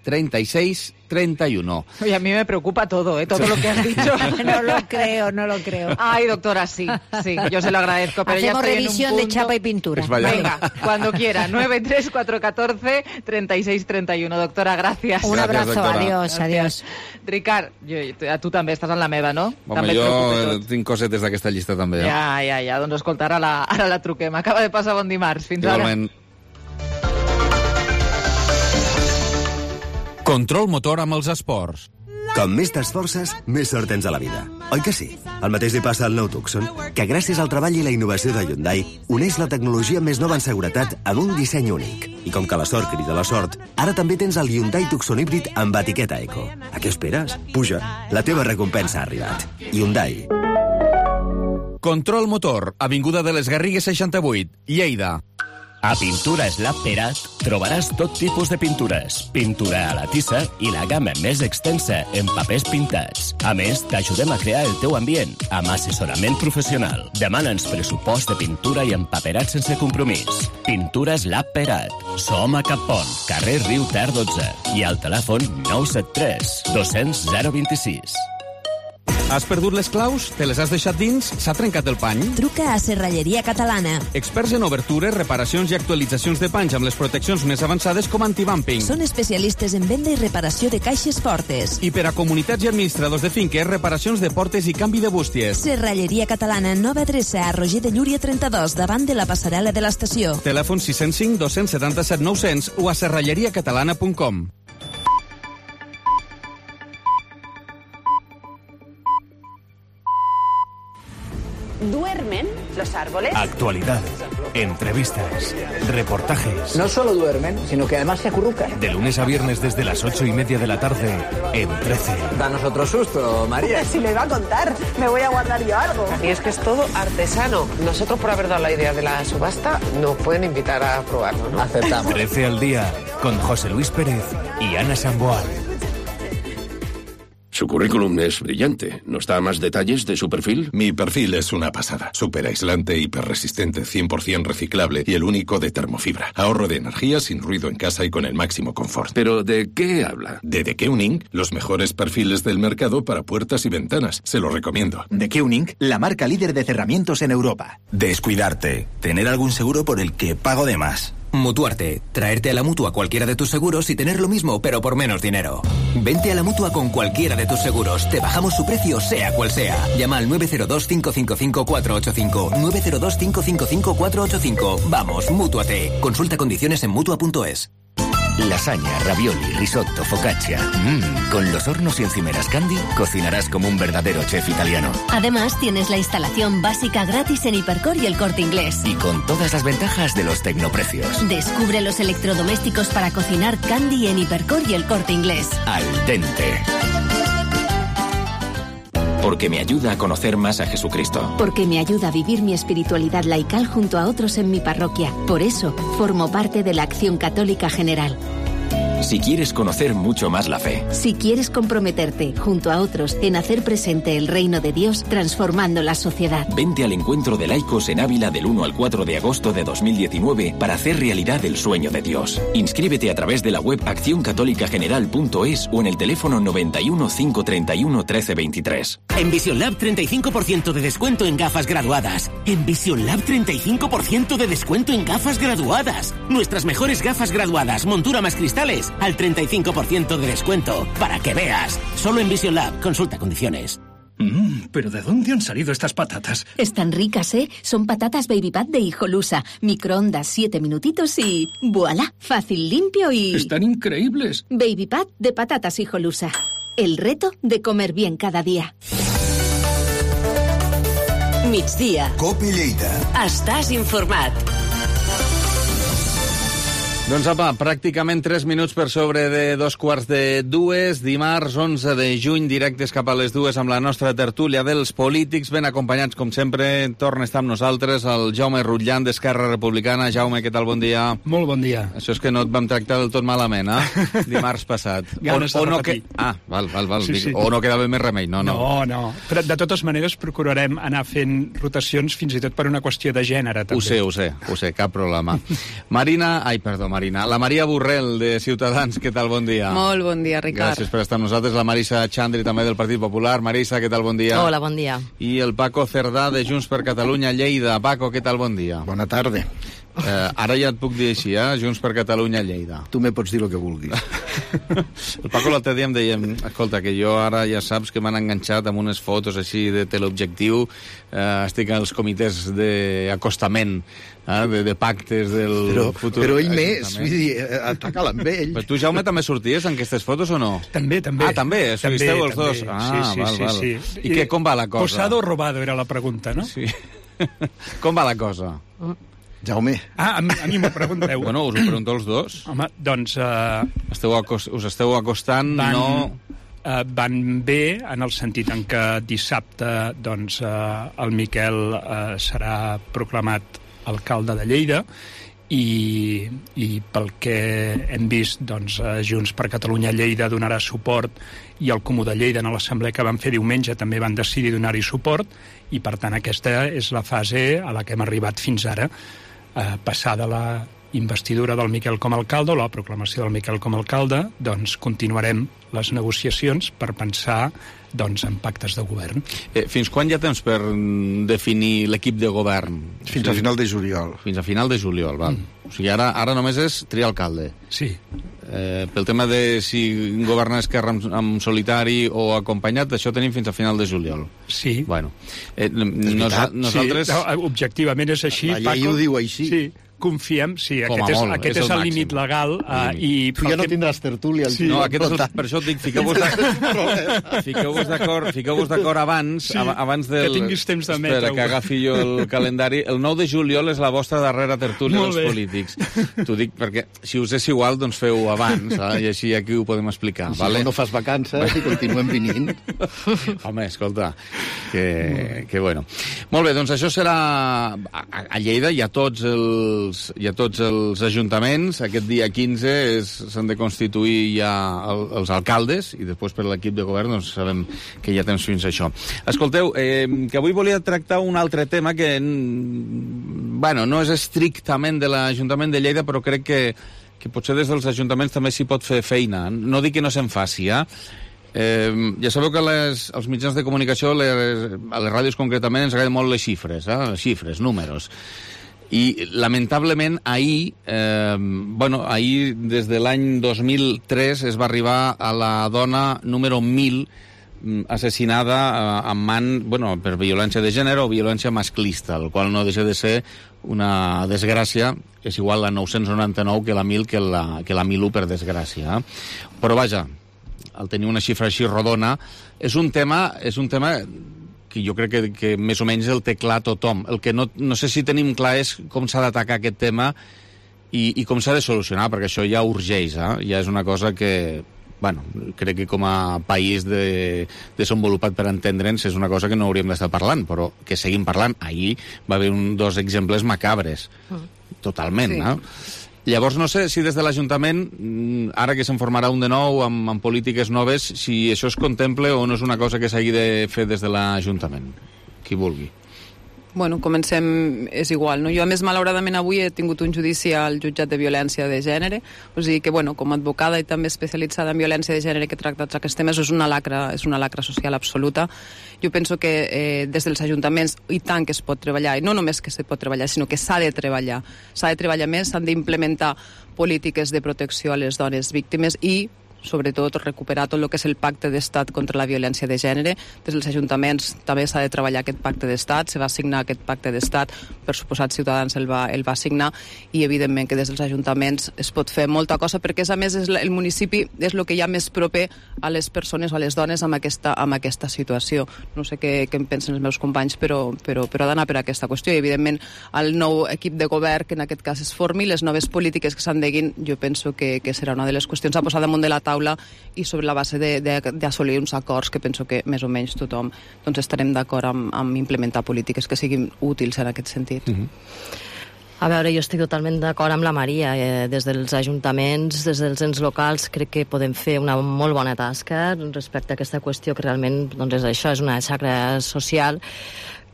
[SPEAKER 3] treinta y seis treinta y uno.
[SPEAKER 6] Oye, a mí me preocupa todo, ¿eh? Todo lo que has dicho.
[SPEAKER 1] No lo creo, no lo creo.
[SPEAKER 6] Ay, doctora, sí, sí, yo se lo agradezco. Pero
[SPEAKER 1] hacemos
[SPEAKER 6] ya
[SPEAKER 1] revisión de chapa y pintura.
[SPEAKER 3] Pues vaya.
[SPEAKER 6] Venga, cuando quiera. nueve tres cuatro uno cuatro treinta y seis treinta y uno. Doctora, gracias.
[SPEAKER 1] Un
[SPEAKER 3] Gracias,
[SPEAKER 1] abrazo,
[SPEAKER 3] doctora.
[SPEAKER 1] adiós, adiós.
[SPEAKER 6] Ricard, jo, tu també estàs en la meva, no?
[SPEAKER 3] Home,
[SPEAKER 6] també et preocupa
[SPEAKER 3] jo
[SPEAKER 6] tot.
[SPEAKER 3] tinc cosetes d'aquesta llista també. Eh?
[SPEAKER 6] Ja, ja, ja. Doncs escolta, ara la, ara la truquem. Acaba de passar bon dimarts. Fins
[SPEAKER 3] Igualment.
[SPEAKER 6] ara.
[SPEAKER 3] Control motor amb els esports.
[SPEAKER 2] Com més t'esforces, més sort tens a la vida. Oi que sí? El mateix li passa al nou Tucson, que gràcies al treball i la innovació de Hyundai uneix la tecnologia més nova en seguretat amb un disseny únic. I com que la sort crida la sort, ara també tens el Hyundai Tucson híbrid amb etiqueta Eco. A què esperes? Puja, la teva recompensa ha arribat. Hyundai.
[SPEAKER 3] Control motor, avinguda de les Garrigues seixanta-vuit, Lleida.
[SPEAKER 15] A Pintures Lab Perat trobaràs tot tipus de pintures, pintura a la tissa i la gamma més extensa en papers pintats. A més, t'ajudem a crear el teu ambient amb assessorament professional. Demana'ns pressupost de pintura i empaperat sense compromís. Pintures Lab Perat. Som a Cappont, carrer Riu Ter dotze i al telèfon nou set tres dos cents zero vint sis.
[SPEAKER 3] Has perdut les claus? Te les has deixat dins? S'ha trencat el pany?
[SPEAKER 16] Truca a Serralleria Catalana.
[SPEAKER 3] Experts en obertures, reparacions i actualitzacions de panys amb les proteccions més avançades com antibumping.
[SPEAKER 16] Són especialistes en venda i reparació de caixes fortes.
[SPEAKER 3] I per a comunitats i administradors de finques, reparacions de portes i canvi de bústies.
[SPEAKER 16] Serralleria Catalana, nova adreça a Roger de Llúria trenta-dos, davant de la passarel·la de l'estació.
[SPEAKER 3] Telèfon sis zero cinc dos set set nou zero zero o a serralleria catalana punt com.
[SPEAKER 17] ¿Duermen los árboles?
[SPEAKER 15] Actualidad, entrevistas, reportajes.
[SPEAKER 9] No solo duermen, sino que además se acurrucan.
[SPEAKER 15] De lunes a viernes desde las ocho y media de la tarde en trece.
[SPEAKER 9] Danos otro susto, María.
[SPEAKER 17] Si le va a contar, me voy a guardar yo algo.
[SPEAKER 18] Y es que es todo artesano. Nosotros, por haber dado la idea de la subasta, nos pueden invitar a probarlo, ¿no?
[SPEAKER 9] Aceptamos.
[SPEAKER 15] trece al día con José Luis Pérez y Ana Samboal.
[SPEAKER 19] Su currículum es brillante. ¿Nos da más detalles de su perfil?
[SPEAKER 21] Mi perfil es una pasada. Súper aislante, hiperresistente, cien por ciento reciclable y el único de termofibra. Ahorro de energía, sin ruido en casa y con el máximo confort.
[SPEAKER 19] ¿Pero de qué habla?
[SPEAKER 21] De The Keuning, los mejores perfiles del mercado para puertas y ventanas. Se lo recomiendo.
[SPEAKER 22] The Keuning, la marca líder de cerramientos en Europa.
[SPEAKER 23] Descuidarte. Tener algún seguro por el que pago de más. Mutuarte. Traerte a la Mutua cualquiera de tus seguros y tener lo mismo, pero por menos dinero. Vente a la Mutua con cualquiera de tus seguros. Te bajamos su precio, sea cual sea. Llama al nueve cero dos cinco cinco cinco cuatro ocho cinco. nueve cero dos cinco cinco cinco cuatro ocho cinco. Vamos, Mútuate. Consulta condiciones en Mutua punto es.
[SPEAKER 24] Lasaña, ravioli, risotto, focaccia. Mmm, con los hornos y encimeras Candy cocinarás como un verdadero chef italiano.
[SPEAKER 16] Además, tienes la instalación básica gratis en Hipercor y El Corte Inglés.
[SPEAKER 24] Y con todas las ventajas de los tecnoprecios.
[SPEAKER 16] Descubre los electrodomésticos para cocinar Candy en Hipercor y El Corte Inglés.
[SPEAKER 24] Al dente.
[SPEAKER 31] Porque me ayuda a conocer más a Jesucristo.
[SPEAKER 16] Porque me ayuda a vivir mi espiritualidad laical junto a otros en mi parroquia. Por eso, formo parte de la Acción Católica General.
[SPEAKER 31] Si quieres conocer mucho más la fe.
[SPEAKER 16] Si quieres comprometerte, junto a otros, en hacer presente el reino de Dios, transformando la sociedad.
[SPEAKER 31] Vente al encuentro de laicos en Ávila del uno al cuatro de agosto de dos mil diecinueve para hacer realidad el sueño de Dios. Inscríbete a través de la web acción católica general punto es o en el teléfono noventa y uno, cinco treinta y uno, trece veintitrés.
[SPEAKER 32] En Vision Lab treinta y cinco por ciento de descuento en gafas graduadas. En Vision Lab treinta y cinco por ciento de descuento en gafas graduadas. Nuestras mejores gafas graduadas, montura más cristales, al treinta y cinco por ciento de descuento. Para que veas. Solo en Vision Lab. Consulta condiciones.
[SPEAKER 10] Mmm, ¿pero de dónde han salido estas patatas?
[SPEAKER 16] Están ricas, ¿eh? Son patatas Baby Pat de Hijolusa. Microondas siete minutitos y... ¡Voilá! Fácil, limpio y...
[SPEAKER 10] ¡Están increíbles!
[SPEAKER 16] Baby Pat de patatas Hijolusa. El reto de comer bien cada día.
[SPEAKER 33] Migdia.
[SPEAKER 28] Cope Lleida.
[SPEAKER 33] Estàs informat.
[SPEAKER 3] Doncs apa, pràcticament tres minuts per sobre de dos quarts de dues, dimarts onze de juny, directes cap a les dues amb la nostra tertúlia dels polítics, ben acompanyats com sempre. Torna a estar amb nosaltres el Jaume Rutllan d'Esquerra Republicana. Jaume, què tal? Bon dia.
[SPEAKER 10] Molt bon dia.
[SPEAKER 3] Això és que no et vam tractar del tot malament, eh? Dimarts passat.
[SPEAKER 10] Ganes
[SPEAKER 3] o, o
[SPEAKER 10] de
[SPEAKER 3] no
[SPEAKER 10] repetir.
[SPEAKER 3] Que... Ah, val, val, val.
[SPEAKER 10] Sí, sí.
[SPEAKER 3] O no quedava més remei, no, no.
[SPEAKER 10] No, no. Però de totes maneres procurarem anar fent rotacions fins i tot per una qüestió de gènere, també.
[SPEAKER 3] Ho sé, ho sé, ho sé, cap problema. Marina, ai, perdó, Marina, la Maria Borrell, de Ciutadans, què tal? Bon dia.
[SPEAKER 4] Molt bon dia, Ricard.
[SPEAKER 3] Gràcies per estar amb nosaltres. La Marisa Xandri, també del Partit Popular. Marisa, què tal? Bon dia.
[SPEAKER 4] Hola, bon dia.
[SPEAKER 3] I el Paco Cerdà, de Junts per Catalunya, Lleida. Paco, què tal? Bon dia.
[SPEAKER 5] Bona tarda.
[SPEAKER 3] Eh, ara ja et puc dir així, eh? Junts per Catalunya, Lleida.
[SPEAKER 5] Tu me pots dir el que vulguis.
[SPEAKER 3] El Paco l'altre dia em deia, escolta, que jo ara ja saps que m'han enganxat amb unes fotos així de teleobjectiu, eh, estic als comitès d'acostament, eh, de, de pactes del
[SPEAKER 5] però,
[SPEAKER 3] futur...
[SPEAKER 5] Però ell més, vull dir, ataca-la amb ell.
[SPEAKER 3] Però tu, Jaume, també sorties en aquestes fotos o no?
[SPEAKER 10] També, també.
[SPEAKER 3] Ah, també? Esteu els dos?
[SPEAKER 10] Sí,
[SPEAKER 3] Ah,
[SPEAKER 10] sí,
[SPEAKER 3] val,
[SPEAKER 10] sí,
[SPEAKER 3] val.
[SPEAKER 10] sí.
[SPEAKER 3] I, I què, com va la cosa?
[SPEAKER 10] Posado o robado era la pregunta, no?
[SPEAKER 3] Sí. Com va la cosa?
[SPEAKER 5] Jaume.
[SPEAKER 10] Ah, a mi, a mi m'ho pregunteu.
[SPEAKER 3] Bueno, us ho pregunto els dos.
[SPEAKER 10] Home, doncs... Uh,
[SPEAKER 3] esteu acost, us esteu acostant,
[SPEAKER 10] van,
[SPEAKER 3] no...
[SPEAKER 10] Uh, van bé en el sentit en què dissabte doncs, uh, el Miquel uh, serà proclamat alcalde de Lleida i, i pel que hem vist, doncs, uh, Junts per Catalunya Lleida donarà suport i el Comú de Lleida en l'assemblea que van fer diumenge també van decidir donar-hi suport i per tant aquesta és la fase a la que hem arribat fins ara. Eh, passada la investidura del Miquel com a alcalde o la proclamació del Miquel com a alcalde, doncs continuarem les negociacions per pensar doncs, en pactes de govern.
[SPEAKER 3] Eh, fins quan hi ha temps per definir l'equip de govern?
[SPEAKER 5] Fins o sigui, a final de juliol.
[SPEAKER 3] Fins a final de juliol, val. Mm. O sigui, ara, ara només és triar alcalde.
[SPEAKER 10] Sí.
[SPEAKER 3] Eh, pel tema de si governa Esquerra amb, amb solitari o acompanyat, això tenim fins a final de juliol.
[SPEAKER 10] Sí.
[SPEAKER 3] Bueno, eh, nos, nosaltres...
[SPEAKER 10] Sí, objectivament és així.
[SPEAKER 5] La llei
[SPEAKER 10] Paco,
[SPEAKER 5] ho diu així.
[SPEAKER 10] Sí. Confiem, sí,
[SPEAKER 3] Com
[SPEAKER 10] aquest és,
[SPEAKER 3] molt,
[SPEAKER 10] aquest
[SPEAKER 3] és
[SPEAKER 10] és
[SPEAKER 3] el
[SPEAKER 10] el límit legal. Uh, i
[SPEAKER 5] tu ja no tindràs tertúlia.
[SPEAKER 3] Sí, no, aquest és el, per això et dic, fiqueu-vos fiqueu-vos d'acord fiqueu-vos d'acord abans,
[SPEAKER 10] sí,
[SPEAKER 3] abans del...
[SPEAKER 10] que tinguis temps de
[SPEAKER 3] metre-ho. Espera, que agafi jo el calendari. El nou de juliol és la vostra darrera tertúlia dels polítics. T'ho dic perquè, si us és igual, doncs feu abans, eh? I així aquí ho podem explicar.
[SPEAKER 5] Si vale? No fas vacances i continuem venint.
[SPEAKER 3] Home, escolta, que, que bueno. Molt bé, doncs això serà... A, a Lleida hi ha tots els... Hi ha tots els ajuntaments, aquest dia quinze s'han de constituir ja el, els alcaldes i després per l'equip de govern doncs sabem que hi ha temps fins a això. Escolteu, eh, que avui volia tractar un altre tema que bueno, no és estrictament de l'Ajuntament de Lleida, però crec que, que potser des dels ajuntaments també s'hi pot fer feina. No dic que no se'n faci, eh? Eh, ja sabeu que les, els mitjans de comunicació, les, a les ràdios concretament, ens agraden molt les xifres, eh? Les xifres, números. I, lamentablement, ahir, eh, bueno, ahir, des de l'any dos mil tres, es va arribar a la dona número mil assassinada eh, en man, bueno, per violència de gènere o violència masclista, el qual no deixa de ser una desgràcia, és igual la nou-cents noranta-nou que la mil, que la, que la mil u, per desgràcia. Eh? Però, vaja, al tenir una xifra així rodona, és un tema... És un tema que jo crec que, que més o menys el té clar tothom. El que no, no sé si tenim clar és com s'ha d'atacar aquest tema i, i com s'ha de solucionar, perquè això ja urgeix, eh? Ja és una cosa que, bueno, crec que com a país de, desenvolupat per entendre'ns és una cosa que no hauríem d'estar parlant, però que seguim parlant. Ahir va haver un, dos exemples macabres, totalment, sí. Eh? Llavors, no sé si des de l'Ajuntament, ara que se'n formarà un de nou, amb, amb polítiques noves, si això es contempla o no és una cosa que s'hagi de fer des de l'Ajuntament. Qui vulgui.
[SPEAKER 4] Bueno, comencem, és igual, no? Jo, a més, malauradament, avui he tingut un judici al jutjat de violència de gènere, o sigui que, bueno, com a advocada i també especialitzada en violència de gènere que tracta aquests temes, és una lacra, és una lacra social absoluta. Jo penso que eh, des dels ajuntaments, i tant que es pot treballar, i no només que se pot treballar, sinó que s'ha de treballar. S'ha de treballar més, s'han d'implementar polítiques de protecció a les dones víctimes i sobretot recuperar tot el que és el pacte d'estat contra la violència de gènere. Des dels ajuntaments també s'ha de treballar aquest pacte d'estat, se va signar aquest pacte d'estat, per suposat Ciutadans el va, el va signar, i evidentment que des dels ajuntaments es pot fer molta cosa, perquè és, a més és el municipi és el que hi ha més proper a les persones o a les dones amb aquesta, amb aquesta situació. No sé què, què en pensen els meus companys, però, però, però ha d'anar per aquesta qüestió, i evidentment el nou equip de govern que en aquest cas es formi, les noves polítiques que s'endeguin, jo penso que, que serà una de les qüestions a posar damunt de la taula, i sobre la base d'assolir uns acords que penso que més o menys tothom doncs, estarem d'acord amb, amb implementar polítiques que siguin útils en aquest sentit.
[SPEAKER 7] Mm-hmm. A veure, jo estic totalment d'acord amb la Maria. Eh, des dels ajuntaments, des dels ens locals, crec que podem fer una molt bona tasca respecte a aquesta qüestió, que realment doncs, és això, és una xacra social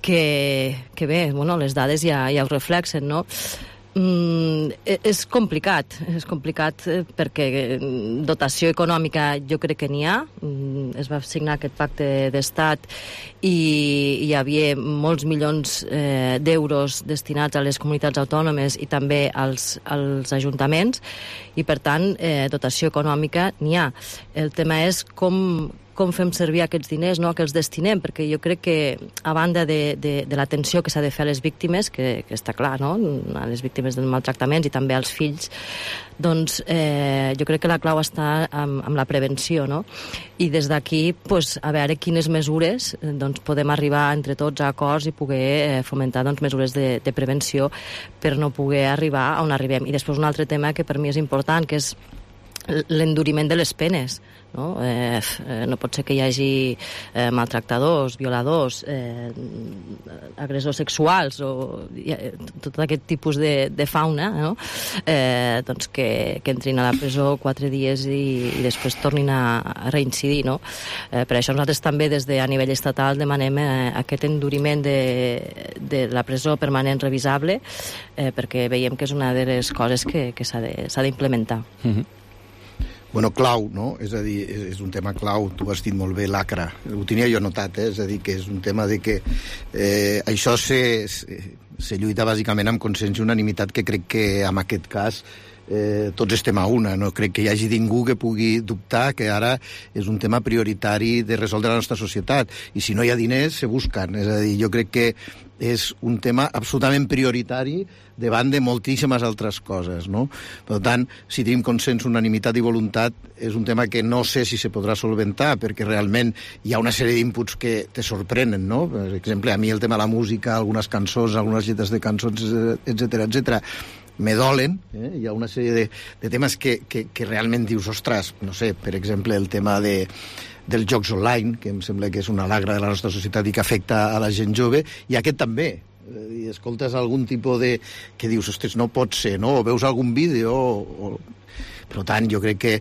[SPEAKER 7] que, que bé, bueno, les dades ja, ja ho reflexen, no? Mm, és complicat, és complicat perquè dotació econòmica jo crec que n'hi ha. Es va signar aquest pacte d'estat i hi havia molts milions eh, d'euros destinats a les comunitats autònomes i també als, als ajuntaments, i per tant eh, dotació econòmica n'hi ha. El tema és com com fem servir aquests diners, no?, que els destinem, perquè jo crec que, a banda de, de, de l'atenció que s'ha de fer a les víctimes, que, que està clar, no?, a les víctimes dels maltractaments i també als fills, doncs eh, jo crec que la clau està amb, amb la prevenció, no? I des d'aquí, pues, a veure quines mesures doncs, podem arribar entre tots a acords i poder eh, fomentar doncs, mesures de, de prevenció per no poder arribar on arribem. I després un altre tema que per mi és important, que és l'enduriment de les penes. No? Eh, no pot ser que hi hagi eh, maltractadors, violadors, eh, agressors sexuals o eh, tot aquest tipus de, de fauna, no? eh, doncs que, que entrin a la presó quatre dies i, i després tornin a, a reincidir. No? Eh, per això nosaltres també des de a nivell estatal demanem eh, aquest enduriment de, de la presó permanent revisable, eh, perquè veiem que és una de les coses que, que s'ha d'implementar.
[SPEAKER 5] Mm-hmm. Bueno, clau, no? És a dir, és un tema clau, tu has dit molt bé, lacra. Ho tenia jo notat, eh? És a dir, que és un tema de que eh, això se, se, se lluita bàsicament amb consens i unanimitat, que crec que en aquest cas eh, tots estem a una. No crec que hi hagi ningú que pugui dubtar que ara és un tema prioritari de resoldre la nostra societat. I si no hi ha diners, se busquen. És a dir, jo crec que és un tema absolutament prioritari davant de moltíssimes altres coses, no? Per tant, si tenim consens, unanimitat i voluntat, és un tema que no sé si se podrà solventar, perquè realment hi ha una sèrie d'inputs que te sorprenen, no? Per exemple, a mi el tema de la música, algunes cançons, algunes lletres de cançons, etcètera, etcètera, me dolen, eh? Hi ha una sèrie de, de temes que, que, que realment dius, ostres, no sé, per exemple, el tema de dels jocs online, que em sembla que és una lagra de la nostra societat i que afecta a la gent jove, i aquest també. I escoltes algun tipus de... que dius, ostres, no pot ser, no? O veus algun vídeo... O... Per tant, jo crec que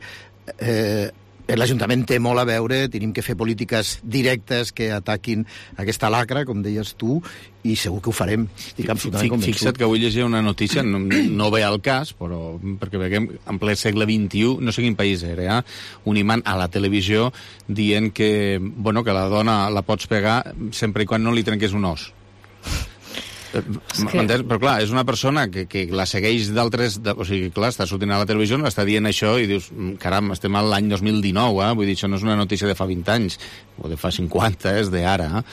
[SPEAKER 5] eh, l'Ajuntament té molt a veure, tenim que fer polítiques directes que ataquin aquesta lacra, com deies tu, i segur que ho farem. Estic absolutament convençut.
[SPEAKER 3] Fixa't que avui llegia una notícia, no, no ve al cas, però perquè veiem en ple segle vint-i-u, no sé quin país era, eh? Un imant a la televisió dient que, bueno, que la dona la pots pegar sempre i quan no li trenqués un os. Que... Però clar, és una persona que, que la segueix d'altres... O sigui, clar, està sortint a la televisió, està dient això i dius, caram, estem a l'any dos mil dinou, eh? Vull dir, això no és una notícia de fa vint anys, o de fa cinquanta, és d'ara, eh?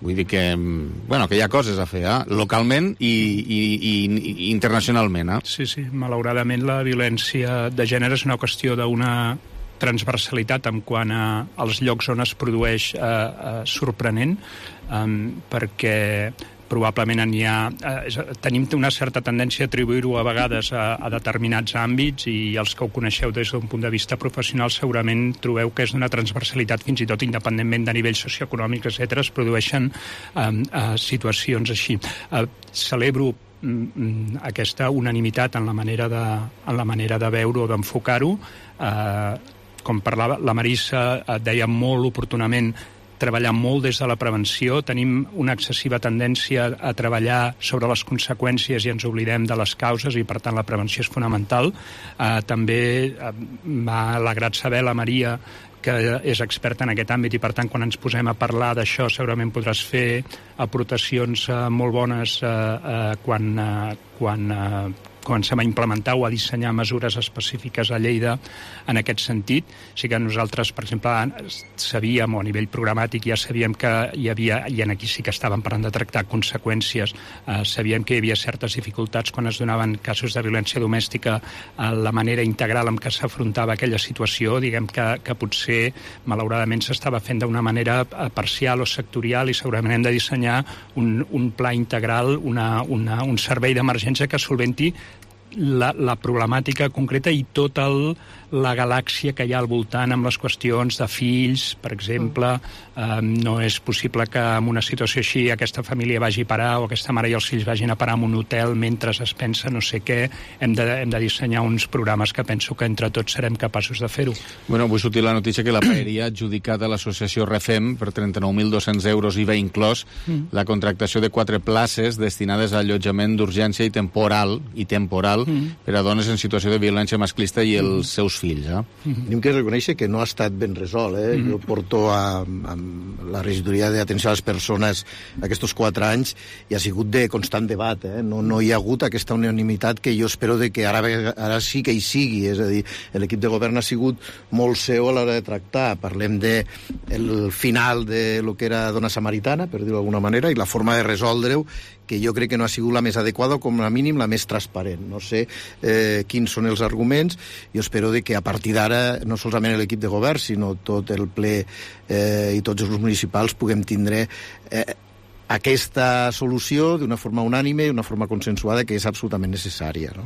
[SPEAKER 3] Vull dir que, bueno, que hi ha coses a fer, eh? Localment i, i, i, i internacionalment, eh?
[SPEAKER 10] Sí, sí, malauradament la violència de gènere és una qüestió d'una transversalitat en quant a, als llocs on es produeix eh, eh, sorprenent, eh, perquè probablement n'hi ha, eh, tenim una certa tendència a atribuir-ho a vegades a, a determinats àmbits, i els que ho coneixeu des d'un punt de vista professional segurament trobeu que és d'una transversalitat, fins i tot independentment de nivell socioeconòmic, etcètera, es produeixen eh, eh, situacions així. Eh, celebro mm, aquesta unanimitat en la manera de, en la manera de veure o d'enfocar-ho. Eh, com parlava la Marissa, eh, deia molt oportunament treballar molt des de la prevenció. Tenim una excessiva tendència a treballar sobre les conseqüències i ens oblidem de les causes, i per tant la prevenció és fonamental. Eh, també eh, m'ha alegrat saber la Maria que és experta en aquest àmbit, i per tant quan ens posem a parlar d'això segurament podràs fer aportacions eh, molt bones eh, eh, quan, eh, quan, eh, comencem a implementar o a dissenyar mesures específiques a Lleida en aquest sentit. Sí que nosaltres, per exemple, sabíem, o a nivell programàtic ja sabíem que hi havia, i en aquí sí que estàvem parlant de tractar conseqüències, eh, sabíem que hi havia certes dificultats quan es donaven casos de violència domèstica, a la manera integral en què s'afrontava aquella situació, diguem que, que potser, malauradament, s'estava fent d'una manera parcial o sectorial, i segurament hem de dissenyar un, un pla integral, una, una, un servei d'emergència que solventi la, la problemàtica concreta i tota el, la galàxia que hi ha al voltant amb les qüestions de fills, per exemple. Eh, no és possible que en una situació així aquesta família vagi a parar o aquesta mare i els fills vagin a parar en un hotel mentre es pensa no sé què. Hem de, hem de dissenyar uns programes que penso que entre tots serem capaços de fer-ho.
[SPEAKER 3] Bueno, vull sortir la notícia que la Paeria ha adjudicat a l'associació Refem per trenta-nou mil dos-cents euros I V A inclòs mm. la contractació de quatre places destinades a allotjament d'urgència i temporal i temporal mm. per a dones en situació de violència masclista i els mm. seus fills. Eh?
[SPEAKER 5] Mm-hmm. Tenim que reconèixer que no ha estat ben resolt. Eh? Mm-hmm. Jo porto a, a la regidoria d'atenció a les persones aquests quatre anys i ha sigut de constant debat. Eh? No, no hi ha hagut aquesta unanimitat que jo espero de que ara, ara sí que hi sigui. És a dir, l'equip de govern ha sigut molt seu a l'hora de tractar. Parlem de el final de lo que era dona samaritana, per dir-ho d'alguna manera, i la forma de resoldre-ho, que jo crec que no ha sigut la més adequada o com a mínim la més transparent. No sé eh, quins són els arguments. Jo espero de que a partir d'ara no solament l'equip de govern, sinó tot el ple eh, i tots els grups municipals puguem tindre eh, aquesta solució d'una forma unànime i d'una forma consensuada que és absolutament necessària, no?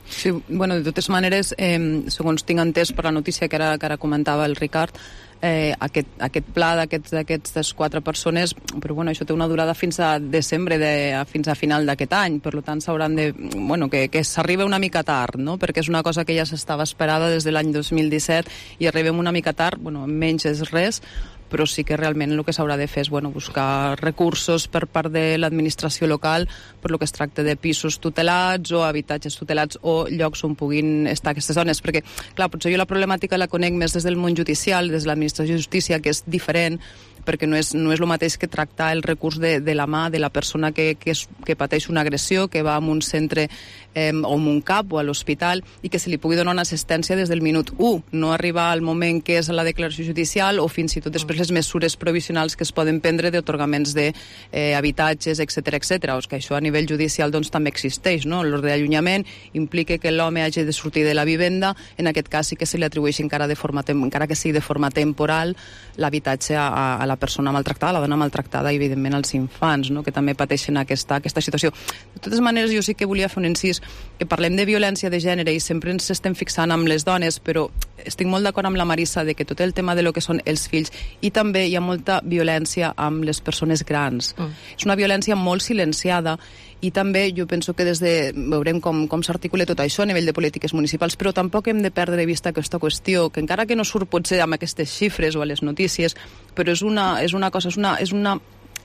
[SPEAKER 4] Sí, bueno, de totes maneres, eh, segons tinc entès per la notícia que ara, que ara comentava el Ricard, eh, aquest, aquest pla d'aquestes quatre persones, però bueno, això té una durada fins a desembre, de, a, fins a final d'aquest any, per tant s'hauran de... Bueno, que, que s'arriba una mica tard, no? Perquè és una cosa que ja s'estava esperada des de l'any dos mil disset i arribem una mica tard, bueno, menys és res, però sí que realment el que s'haurà de fer és bueno, buscar recursos per part de l'administració local per lo que es tracta de pisos tutelats o habitatges tutelats o llocs on puguin estar aquestes dones, perquè clar, potser jo la problemàtica la conec més des del món judicial, des de l'administració de justícia, que és diferent, perquè no és, no és el mateix que tractar el recurs de, de la mà de la persona que, que, és, que pateix una agressió, que va a un centre eh, o a un CAP o a l'hospital i que se li pugui donar una assistència des del minut u, no arribar al moment que és la declaració judicial o fins i tot després les mesures provisionals que es poden prendre d'atorgaments d'habitatges, eh, etcètera, etcètera. O que això a nivell judicial doncs, també existeix, no? L'ordre d'allunyament implica que l'home hagi de sortir de la vivenda, en aquest cas sí que se li atribueix encara, de forma, encara que sigui de forma temporal l'habitatge a, a la persona maltractada, la dona maltractada i evidentment als infants, no? Que també pateixen aquesta, aquesta situació. De totes maneres, jo sí que volia fer un incís, que parlem de violència de gènere i sempre ens estem fixant amb les dones, però estic molt d'acord amb la Marissa de que tot el tema de lo que són els fills, i també hi ha molta violència amb les persones grans. Mm. És una violència molt silenciada i també jo penso que des de... veurem com, com s'articula tot això a nivell de polítiques municipals, però tampoc hem de perdre de vista aquesta qüestió, que encara que no surt potser amb aquestes xifres o a les notícies, però és una, és una cosa, és una, és una,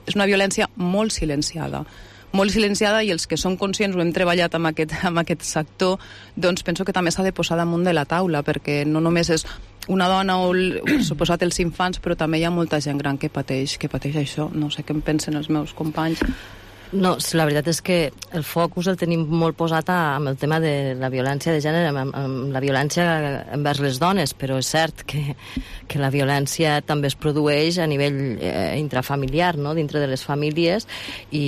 [SPEAKER 4] és una violència molt silenciada molt silenciada, i els que som conscients, ho hem treballat amb aquest, amb aquest sector, doncs penso que també s'ha de posar damunt de la taula, perquè no només és una dona o, o suposat els infants, però també hi ha molta gent gran que pateix, que pateix això. No sé què en pensen els meus companys.
[SPEAKER 7] No, la veritat és que el focus el tenim molt posat amb el tema de la violència de gènere, amb, amb la violència envers les dones, però és cert que, que la violència també es produeix a nivell eh, intrafamiliar, no? Dintre de les famílies, i,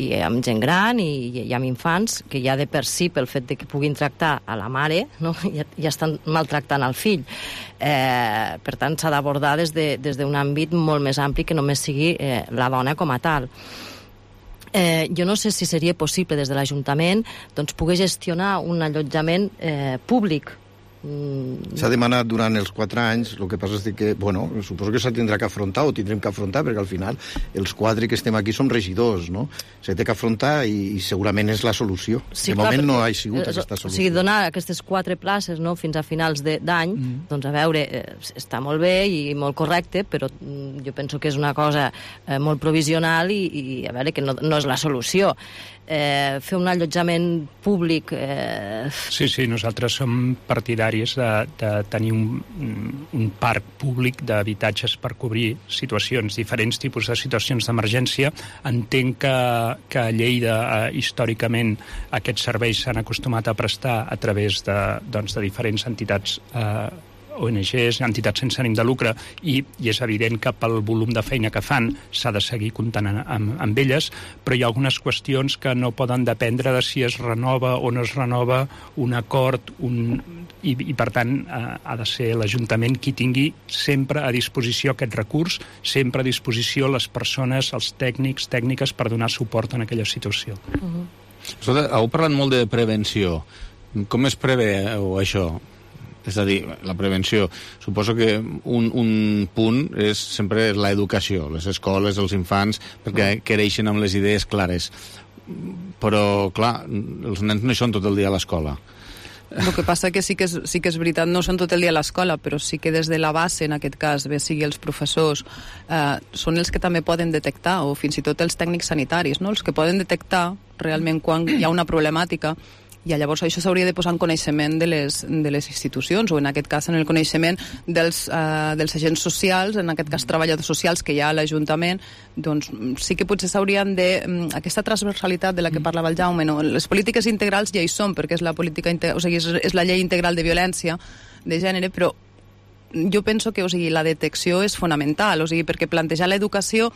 [SPEAKER 7] i amb gent gran i, i amb infants, que ja de per si, pel fet de que puguin tractar a la mare, no? ja, ja estan maltractant al fill. Eh, per tant, s'ha d'abordar des de, des d'un àmbit molt més ampli que només sigui eh, la dona com a tal. Eh, jo no sé si seria possible des de l'Ajuntament doncs, poder gestionar un allotjament eh, públic. Mm.
[SPEAKER 5] S'ha demanat durant els quatre anys, el que passa és que, bueno, suposo que s'ha tindrà que afrontar, o tindrem que afrontar, perquè al final els quatre que estem aquí som regidors, no? S'ha de que afrontar i, i segurament és la solució.
[SPEAKER 7] Sí,
[SPEAKER 5] de
[SPEAKER 7] clar,
[SPEAKER 5] moment
[SPEAKER 7] perquè,
[SPEAKER 5] no ha sigut eh, aquesta solució.
[SPEAKER 7] O sigui, donar aquestes quatre places, no?, fins a finals d'any, mm. doncs a veure, eh, està molt bé i molt correcte, però mm, jo penso que és una cosa eh, molt provisional i, i a veure, que no, no és la solució. eh, fer un allotjament públic... Eh...
[SPEAKER 10] Sí, sí, nosaltres som partidaris de, de tenir un, un parc públic d'habitatges per cobrir situacions, diferents tipus de situacions d'emergència. Entenc que, que a Lleida, eh, històricament, aquests serveis s'han acostumat a prestar a través de, doncs, de diferents entitats eh, O N Ges, entitats sense ànim de lucre, i, i és evident que pel volum de feina que fan s'ha de seguir comptant amb, amb elles, però hi ha algunes qüestions que no poden dependre de si es renova o no es renova un acord, un, i, i per tant eh, ha de ser l'Ajuntament qui tingui sempre a disposició aquest recurs, sempre a disposició les persones, els tècnics, tècniques per donar suport en aquella situació.
[SPEAKER 3] Uh-huh. Escolta, heu parlat molt de prevenció. Com es preveu això? És a dir, la prevenció. Suposo que un, un punt és sempre l'educació, les escoles, els infants, perquè creixen amb les idees clares. Però, clar, els nens no hi són tot el dia a l'escola.
[SPEAKER 4] El que passa que sí que és, sí que és veritat, no són tot el dia a l'escola, però sí que des de la base, en aquest cas, bé sigui els professors, eh, són els que també poden detectar, o fins i tot els tècnics sanitaris, no? Els que poden detectar realment quan hi ha una problemàtica, i llavors això s'hauria de posar en coneixement de les, de les institucions, o en aquest cas en el coneixement dels, uh, dels agents socials, en aquest cas treballadors socials que hi ha a l'Ajuntament. Doncs sí que potser s'haurien de... Aquesta transversalitat de la que parlava el Jaume, no? Les polítiques integrals ja hi són, perquè és la, política, o sigui, és, és la llei integral de violència de gènere, però jo penso que, o sigui, la detecció és fonamental, o sigui, perquè plantejar l'educació,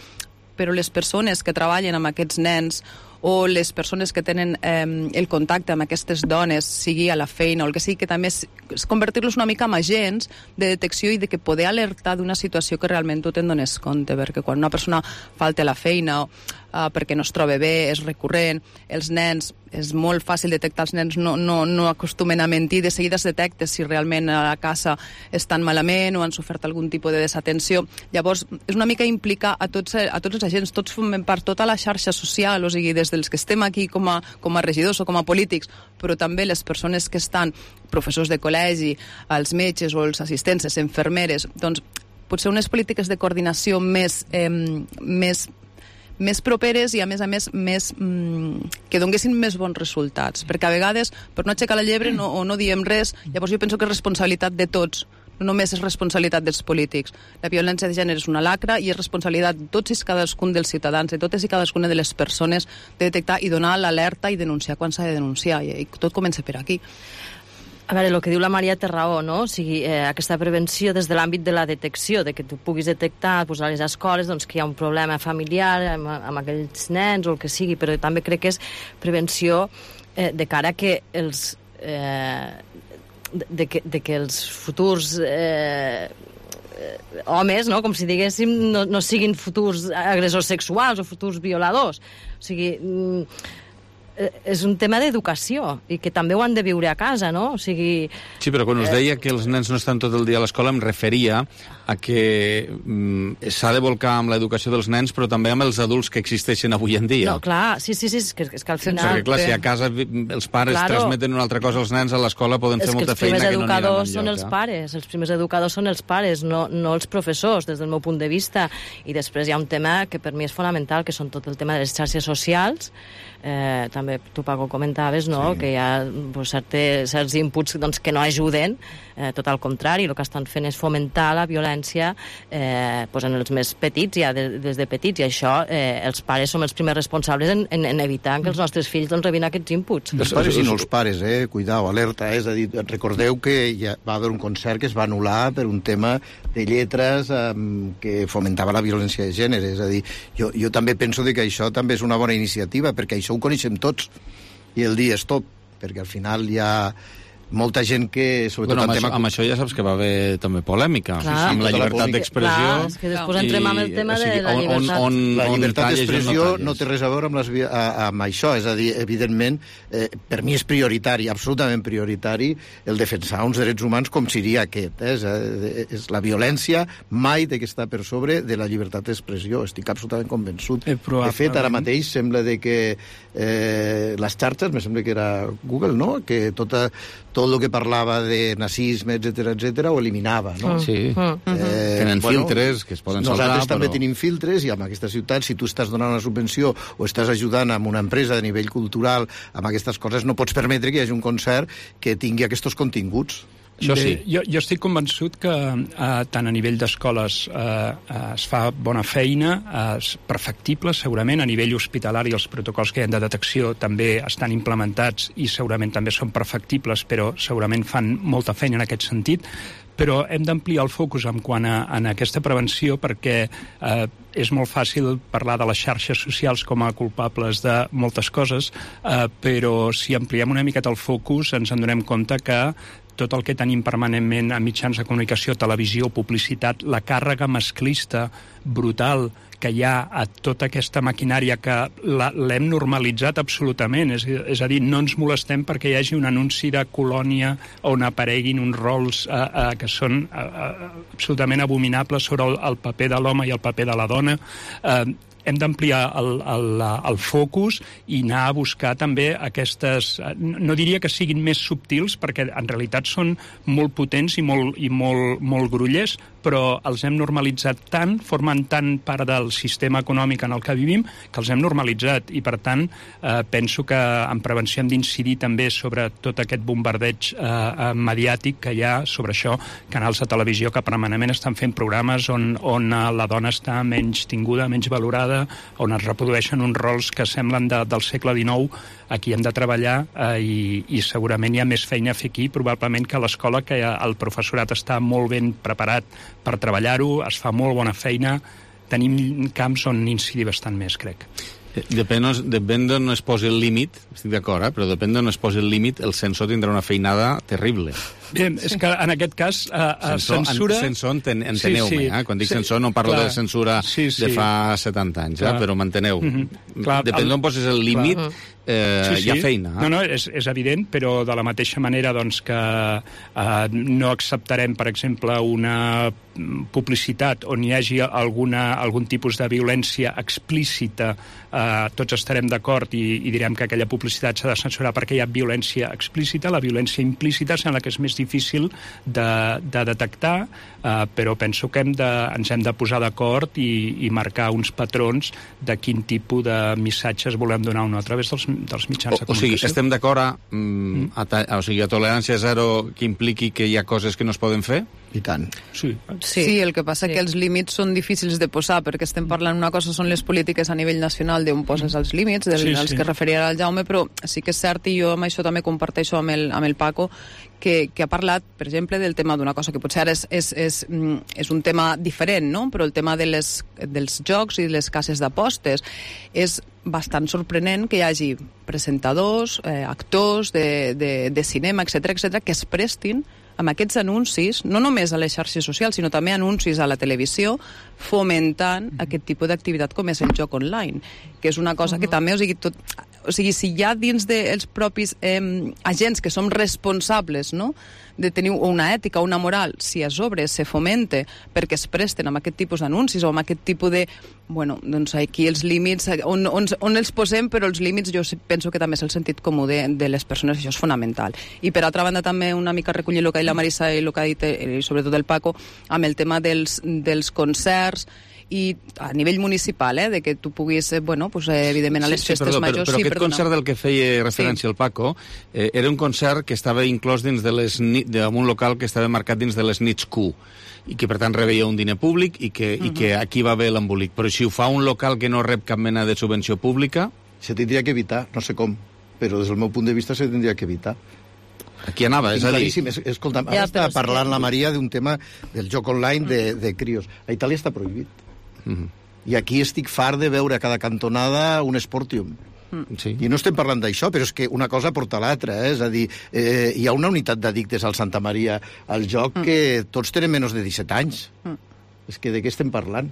[SPEAKER 4] però les persones que treballen amb aquests nens o les persones que tenen eh, el contacte amb aquestes dones, sigui a la feina o el que sigui, que també és, és convertir-los una mica en agents de detecció i de que poder alertar d'una situació que realment tu te'n dones compte, perquè quan una persona falta a la feina o uh, perquè no es troba bé, és recurrent, els nens, és molt fàcil detectar, els nens no, no, no acostumen a mentir, de seguida es detecta si realment a la casa estan malament o han sofert algun tipus de desatenció. Llavors, és una mica implicar a tots, a tots els agents, tots formem part, tota la xarxa social, o sigui, des dels que estem aquí com a, com a regidors o com a polítics, però també les persones que estan, professors de col·legi, els metges o els assistents, les infermeres, doncs potser unes polítiques de coordinació més, eh, més més properes i, a més a més, més mm, que donguessin més bons resultats. Perquè a vegades, per no aixecar la llebre no, o no diem res, llavors jo penso que és responsabilitat de tots, no només és responsabilitat dels polítics. La violència de gènere és una lacra i és responsabilitat de tots i cadascun dels ciutadans, de totes i cadascuna de les persones, de detectar i donar l'alerta i denunciar quan s'ha de denunciar. I, i tot comença per aquí.
[SPEAKER 7] A veure, el que diu la Maria té raó, no? O sigui, eh, aquesta prevenció des de l'àmbit de la detecció, de que tu puguis detectar pues, a les escoles doncs, que hi ha un problema familiar amb, amb aquells nens o el que sigui, però també crec que és prevenció eh, de cara que els... Eh, de, que, de que els futurs... Eh, homes, no? Com si diguéssim, no, no siguin futurs agressors sexuals o futurs violadors. O sigui... Mm, és un tema d'educació i que també ho han de viure a casa, no? O sigui...
[SPEAKER 3] Sí, però quan us deia que els nens no estan tot el dia a l'escola em referia a que mm, s'ha de volcar amb l'educació dels nens però també amb els adults que existeixen avui en dia.
[SPEAKER 7] No, clar, sí, sí, sí, és que, és que al final...
[SPEAKER 3] Perquè, clar, si a casa els pares claro. transmeten una altra cosa als nens, a l'escola poden fer molta feina que no aniran enlloc.
[SPEAKER 7] Els primers educadors són els pares, els primers educadors són els pares, no, no els professors, des del meu punt de vista. I després hi ha un tema que per mi és fonamental, que són tot el tema de les xarxes socials. Eh, també tu, Paco, comentaves, no? Sí. Que hi ha pues, certes, certs inputs doncs, que no ajuden, eh, tot al contrari, el que estan fent és fomentar la violència eh, pues, en els més petits, ja de, des de petits, i això eh, els pares som els primers responsables en, en, en evitar que els nostres fills doncs, rebin aquests inputs.
[SPEAKER 5] Els pares i no els pares, eh? Cuidao, alerta, eh? És a dir, recordeu que ja va haver un concert que es va anul·lar per un tema de lletres eh, que fomentava la violència de gènere, és a dir, jo, jo també penso que això també és una bona iniciativa, perquè això ho coneixem tots i el dia és tot, perquè al final hi ha molta gent que... Sobretot
[SPEAKER 3] bueno, amb,
[SPEAKER 5] tema...
[SPEAKER 3] això, amb això ja saps que va haver també polèmica,
[SPEAKER 7] clar,
[SPEAKER 3] sí, amb la llibertat d'expressió.
[SPEAKER 7] És que després i, entrem amb el tema o sigui, de la llibertat.
[SPEAKER 3] On, on,
[SPEAKER 5] la llibertat d'expressió
[SPEAKER 3] no,
[SPEAKER 5] no té res a veure amb, les, a, amb això, és a dir, evidentment, eh, per mi és prioritari, absolutament prioritari, el defensar uns drets humans com seria aquest. Eh? És, eh, és la violència mai de que està per sobre de la llibertat d'expressió, estic absolutament convençut.
[SPEAKER 10] Eh,
[SPEAKER 5] de fet, ara mateix sembla de que eh, les xarxes, me sembla que era Google, no? Que tota, tot el que parlava de nazisme, etcètera, etcètera, ho eliminava, no?
[SPEAKER 3] Sí.
[SPEAKER 5] Eh,
[SPEAKER 3] Tenen
[SPEAKER 5] bueno,
[SPEAKER 3] filtres que es poden saltar,
[SPEAKER 5] nosaltres també
[SPEAKER 3] però...
[SPEAKER 5] tenim filtres, i en aquesta ciutat, si tu estàs donant una subvenció o estàs ajudant amb una empresa de nivell cultural amb aquestes coses, no pots permetre que hi hagi un concert que tingui aquests continguts.
[SPEAKER 10] Això sí. Bé, jo, jo estic convençut que eh, tant a nivell d'escoles eh, es fa bona feina, és eh, perfectible, segurament, a nivell hospitalari els protocols que hi ha de detecció també estan implementats i segurament també són perfectibles, però segurament fan molta feina en aquest sentit, però hem d'ampliar el focus en quant a en aquesta prevenció perquè eh, és molt fàcil parlar de les xarxes socials com a culpables de moltes coses, eh, però si ampliem una miqueta el focus ens en donem compte que tot el que tenim permanentment a mitjans de comunicació, televisió, publicitat, la càrrega masclista brutal que hi ha a tota aquesta maquinària que l'hem normalitzat absolutament. És, és a dir, no ens molestem perquè hi hagi un anunci de colònia on apareguin uns rols eh, eh, que són eh, absolutament abominables sobre el, el paper de l'home i el paper de la dona. Eh, hem d'ampliar el, el, el focus i anar a buscar també aquestes... No diria que siguin més subtils, perquè en realitat són molt potents i molt, i molt, molt grullers, però els hem normalitzat tant, formen tant part del sistema econòmic en el que vivim, que els hem normalitzat. I, per tant, eh, penso que en prevenció hem d'incidir també sobre tot aquest bombardeig eh, mediàtic que hi ha sobre això, canals de televisió que permanentment estan fent programes on, on la dona està menys tinguda, menys valorada, on es reprodueixen uns rols que semblen de, del segle dinou. Aquí hem de treballar eh, i, i segurament hi ha més feina a fer aquí, probablement que a l'escola, que el professorat està molt ben preparat per treballar-ho, es fa molt bona feina, tenim camps on incidir bastant més, crec.
[SPEAKER 3] Depèn, depèn d'on es posi el límit, estic d'acord, eh? Però depèn d'on es posi el límit, el censor tindrà una feinada terrible.
[SPEAKER 10] Bé, és que en aquest cas eh,
[SPEAKER 3] censor,
[SPEAKER 10] censura...
[SPEAKER 3] En, censor, enten, enteneu-me,
[SPEAKER 10] sí, sí.
[SPEAKER 3] eh? Quan dic
[SPEAKER 10] sí,
[SPEAKER 3] censor no parlo
[SPEAKER 10] clar.
[SPEAKER 3] de censura
[SPEAKER 10] sí, sí.
[SPEAKER 3] de fa setanta anys, eh? Però m'enteneu.
[SPEAKER 10] Mm-hmm. Clar,
[SPEAKER 3] depèn
[SPEAKER 10] el...
[SPEAKER 3] d'on posis el límit, eh, sí, sí. hi ha feina. Eh?
[SPEAKER 10] No, no, és, és evident, però de la mateixa manera doncs, que eh, no acceptarem, per exemple, una publicitat on hi hagi alguna, algun tipus de violència explícita, eh, tots estarem d'acord i, i direm que aquella publicitat s'ha de censurar perquè hi ha violència explícita. La violència implícita sembla que és més difícil de, de detectar, eh, però penso que hem de, ens hem de posar d'acord i, i marcar uns patrons de quin tipus de missatges volem donar o no a través dels, dels mitjans de
[SPEAKER 3] comunicació. O, o sigui, estem d'acord a, mm, a, a, o sigui, a tolerància zero que impliqui que hi ha coses que no es poden fer?
[SPEAKER 5] I tant.
[SPEAKER 10] Sí,
[SPEAKER 4] sí. sí el que passa sí. que els límits són difícils de posar, perquè estem parlant una cosa són les polítiques a nivell nacional d'on poses els límits, dels sí, sí. que referia al Jaume, però sí que és cert, i jo amb això també comparteixo amb el, amb el Paco, que, que ha parlat, per exemple, del tema d'una cosa que potser ara és, és, és, és un tema diferent, no? Però el tema de les, dels jocs i les cases d'apostes és bastant sorprenent que hi hagi presentadors, eh, actors de, de, de cinema, etcètera, etcètera, que es prestin amb aquests anuncis, no només a les xarxes socials, sinó també anuncis a la televisió, fomentant mm-hmm. aquest tipus d'activitat com és el joc online, que és una cosa mm-hmm. que també, o sigui, tot, o sigui, si hi ha dins dels propis eh, agents que som responsables, no?, de tenir una ètica, una moral, si a sobre se fomente perquè es presten amb aquest tipus d'anuncis o amb aquest tipus de... Bueno, doncs aquí els límits, on, on, on els posem, però els límits jo penso que també és el sentit comú de, de les persones, això és fonamental. I per altra banda també una mica recollir el que ha dit la Marisa i el que ha dit, eh, sobretot el Paco, amb el tema dels, dels concerts, i a nivell municipal, eh, de que tu puguis, eh, bueno, pues, eh, evidentment a les
[SPEAKER 3] sí, sí,
[SPEAKER 4] festes
[SPEAKER 3] perdó,
[SPEAKER 4] majors...
[SPEAKER 3] Però, però
[SPEAKER 4] sí,
[SPEAKER 3] aquest
[SPEAKER 4] perdona.
[SPEAKER 3] concert del que feia referència sí. el Paco eh, era un concert que estava inclòs dins de les d'un local que estava marcat dins de les nits Q i que per tant rebeia un diner públic i que, uh-huh. i que aquí va haver l'embolic. Però si ho fa un local que no rep cap mena de subvenció pública...
[SPEAKER 5] Se tindria que evitar, no sé com, però des del meu punt de vista se tindria que evitar.
[SPEAKER 3] Aquí anava, és a dir...
[SPEAKER 5] Escolta, ara ja, està parlant que... la Maria d'un tema del joc online de, de crios. A Itàlia està prohibit. Uh-huh. I aquí estic fart de veure a cada cantonada un Sportium. Sí. I no estem parlant d'això, però és que una cosa porta a l'altra, eh? És a dir, eh, hi ha una unitat d'addictes al Santa Maria al joc mm. que tots tenen menys de disset anys. Mm. És que de què estem parlant?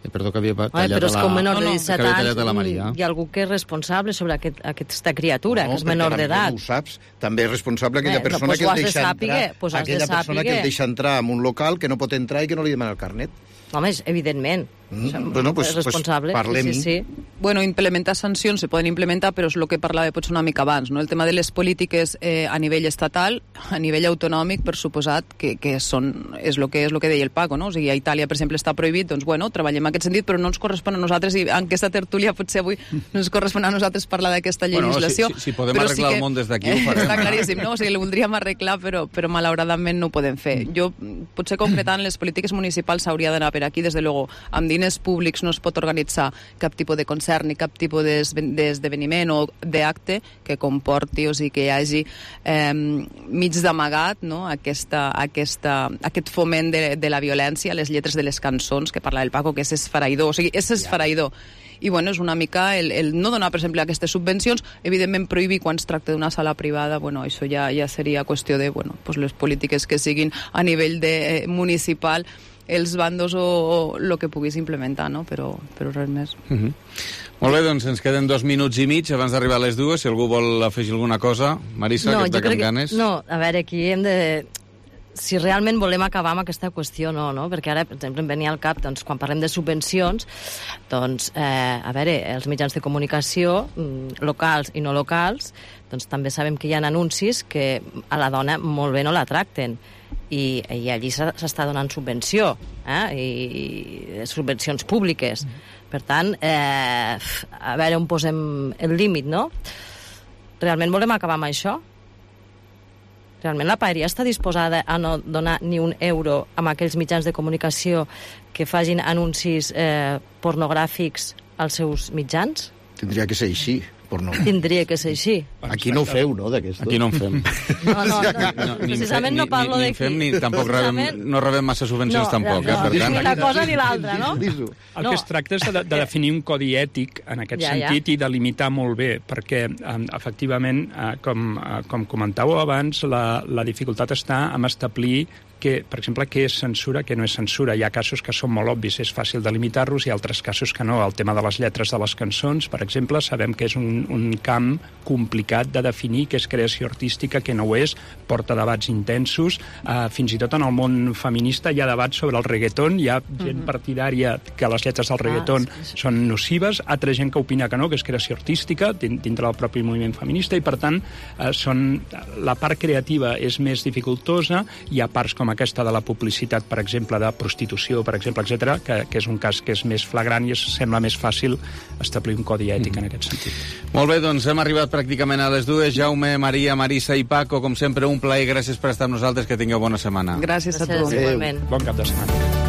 [SPEAKER 3] Eh, perdó, que havia tallat
[SPEAKER 7] Home, però és que un menor
[SPEAKER 3] a
[SPEAKER 7] de
[SPEAKER 3] la...
[SPEAKER 7] disset
[SPEAKER 3] que havia
[SPEAKER 7] anys
[SPEAKER 3] tallat a la Maria.
[SPEAKER 7] hi ha algú que és responsable sobre aquest, aquesta criatura,
[SPEAKER 5] No,
[SPEAKER 7] que és
[SPEAKER 5] perquè
[SPEAKER 7] menor
[SPEAKER 5] també
[SPEAKER 7] d'edat.
[SPEAKER 5] no ho saps. També és responsable aquella
[SPEAKER 7] Bé,
[SPEAKER 5] persona
[SPEAKER 7] doncs
[SPEAKER 5] que
[SPEAKER 7] ho
[SPEAKER 5] el
[SPEAKER 7] has de
[SPEAKER 5] deixa
[SPEAKER 7] sàpiga,
[SPEAKER 5] entrar,
[SPEAKER 7] doncs has de
[SPEAKER 5] aquella persona que
[SPEAKER 7] sàpiga.
[SPEAKER 5] el deixa entrar en un local que no pot entrar i que no li demana el carnet.
[SPEAKER 7] Home, és evidentment.
[SPEAKER 5] Mm, bueno, pues,
[SPEAKER 7] és responsable.
[SPEAKER 5] pues parlem-hi.
[SPEAKER 7] Sí, sí, sí.
[SPEAKER 4] Bueno, implementar sancions se poden implementar, però és el que parlava potser una mica abans, no? El tema de les polítiques eh, a nivell estatal, a nivell autonòmic, per suposat, que, que són, és el que és el que deia el Paco, no? O sigui, a Itàlia, per exemple, està prohibit, doncs, bueno, treballem en aquest sentit, però no ens correspon a nosaltres, i en aquesta tertúlia potser avui no ens correspon a nosaltres parlar d'aquesta legislació.
[SPEAKER 3] Bueno, si, si, si podem
[SPEAKER 4] però
[SPEAKER 3] arreglar
[SPEAKER 4] sí que,
[SPEAKER 3] el món des d'aquí, ho farem.
[SPEAKER 4] Està claríssim, no? O sigui, el voldríem arreglar, però, però malauradament no ho podem fer. Jo, potser concretant, les polítiques municipals s'hauria d'anar per aquí, des de luego, amb diners públics no es pot organitzar cap tipus de concert ni cap tipus d'esdeveniment o d'acte que comporti, o sigui, que hi hagi eh, mig d'amagat, no? aquesta, aquesta, aquest foment de, de la violència, les lletres de les cançons que parla el Paco, que és esfereïdor, o sigui, és esfereïdor. I bueno, és una mica el, el no donar, per exemple, aquestes subvencions, evidentment prohibir quan es tracta d'una sala privada, bueno, això ja, ja seria qüestió de, bueno, pues les polítiques que siguin a nivell de, eh, municipal, els bandos o el que puguis implementar, no? Però, però res més.
[SPEAKER 3] Uh -huh. Molt bé, doncs ens queden dos minuts i mig abans d'arribar a les dues. Si algú vol afegir alguna cosa, Marisa,
[SPEAKER 7] no,
[SPEAKER 3] que està amb ganes.
[SPEAKER 7] No, a veure, aquí hem de... Si realment volem acabar amb aquesta qüestió, no, no? Perquè ara, per exemple, em venia al cap, doncs, quan parlem de subvencions, doncs, eh, a veure, els mitjans de comunicació, mm, locals i no locals, doncs també sabem que hi ha anuncis que a la dona molt bé no la tracten. I, i allí s'està donant subvenció, eh? I, i subvencions públiques. Mm. Per tant, eh, a veure on posem el límit, no? Realment volem acabar amb això? Realment la paeria està disposada a no donar ni un euro amb aquells mitjans de comunicació que facin anuncis eh, pornogràfics als seus mitjans?
[SPEAKER 5] Tindria que ser així. No.
[SPEAKER 7] Tindria que ser així.
[SPEAKER 5] Aquí no ho feu, no, d'aquestos?
[SPEAKER 3] Aquí no en fem.
[SPEAKER 7] No, no, no, no. Precisament no parlo
[SPEAKER 3] d'aquí. Ni, ni, ni
[SPEAKER 7] d'aquí.
[SPEAKER 3] fem, ni tampoc rebem, no rebem massa subvencions
[SPEAKER 7] no,
[SPEAKER 3] tampoc.
[SPEAKER 7] No,
[SPEAKER 3] eh, per tant.
[SPEAKER 7] ni la cosa ni l'altra, no?
[SPEAKER 10] El que es tracta és de, de definir un codi ètic en aquest
[SPEAKER 7] ja,
[SPEAKER 10] sentit
[SPEAKER 7] ja.
[SPEAKER 10] i delimitar molt bé, perquè efectivament, com, com comentàveu abans, la, la dificultat està en establir que, per exemple, què és censura, què no és censura. Hi ha casos que són molt obvis, és fàcil delimitar-los, i altres casos que no. El tema de les lletres de les cançons, per exemple, sabem que és un, un camp complicat de definir què és creació artística, què no ho és, porta debats intensos. Uh, fins i tot en el món feminista hi ha debats sobre el reggaeton, hi ha gent partidària que les lletres del reggaeton ah, sí. són nocives, altra gent que opina que no, que és creació artística, dintre del propi moviment feminista, i per tant uh, són, la part creativa és més dificultosa. Hi ha parts com aquesta de la publicitat, per exemple, de prostitució, per exemple, etcètera, que, que és un cas que és més flagrant i es sembla més fàcil establir un codi ètic mm. en aquest sentit.
[SPEAKER 3] Molt bé, doncs hem arribat pràcticament a les dues. Jaume, Maria, Marisa i Paco, com sempre, un plaer. Gràcies per estar amb nosaltres. Que tingueu bona setmana.
[SPEAKER 4] Gràcies, Gràcies a tu.
[SPEAKER 7] Igualment.
[SPEAKER 10] Bon cap de setmana.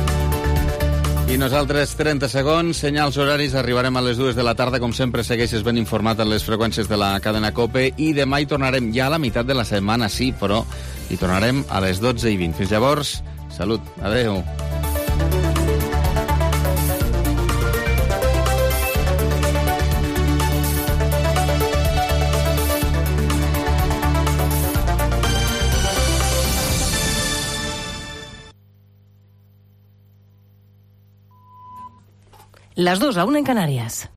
[SPEAKER 3] I nosaltres, trenta segons, senyals horaris, arribarem a les dues de la tarda. Com sempre, segueixes ben informat en les freqüències de la cadena COPE, i demà hi tornarem ja a la meitat de la setmana, sí, però hi tornarem a les dotze i vint. Fins llavors, salut. Adéu.
[SPEAKER 1] Las dos a una en Canarias.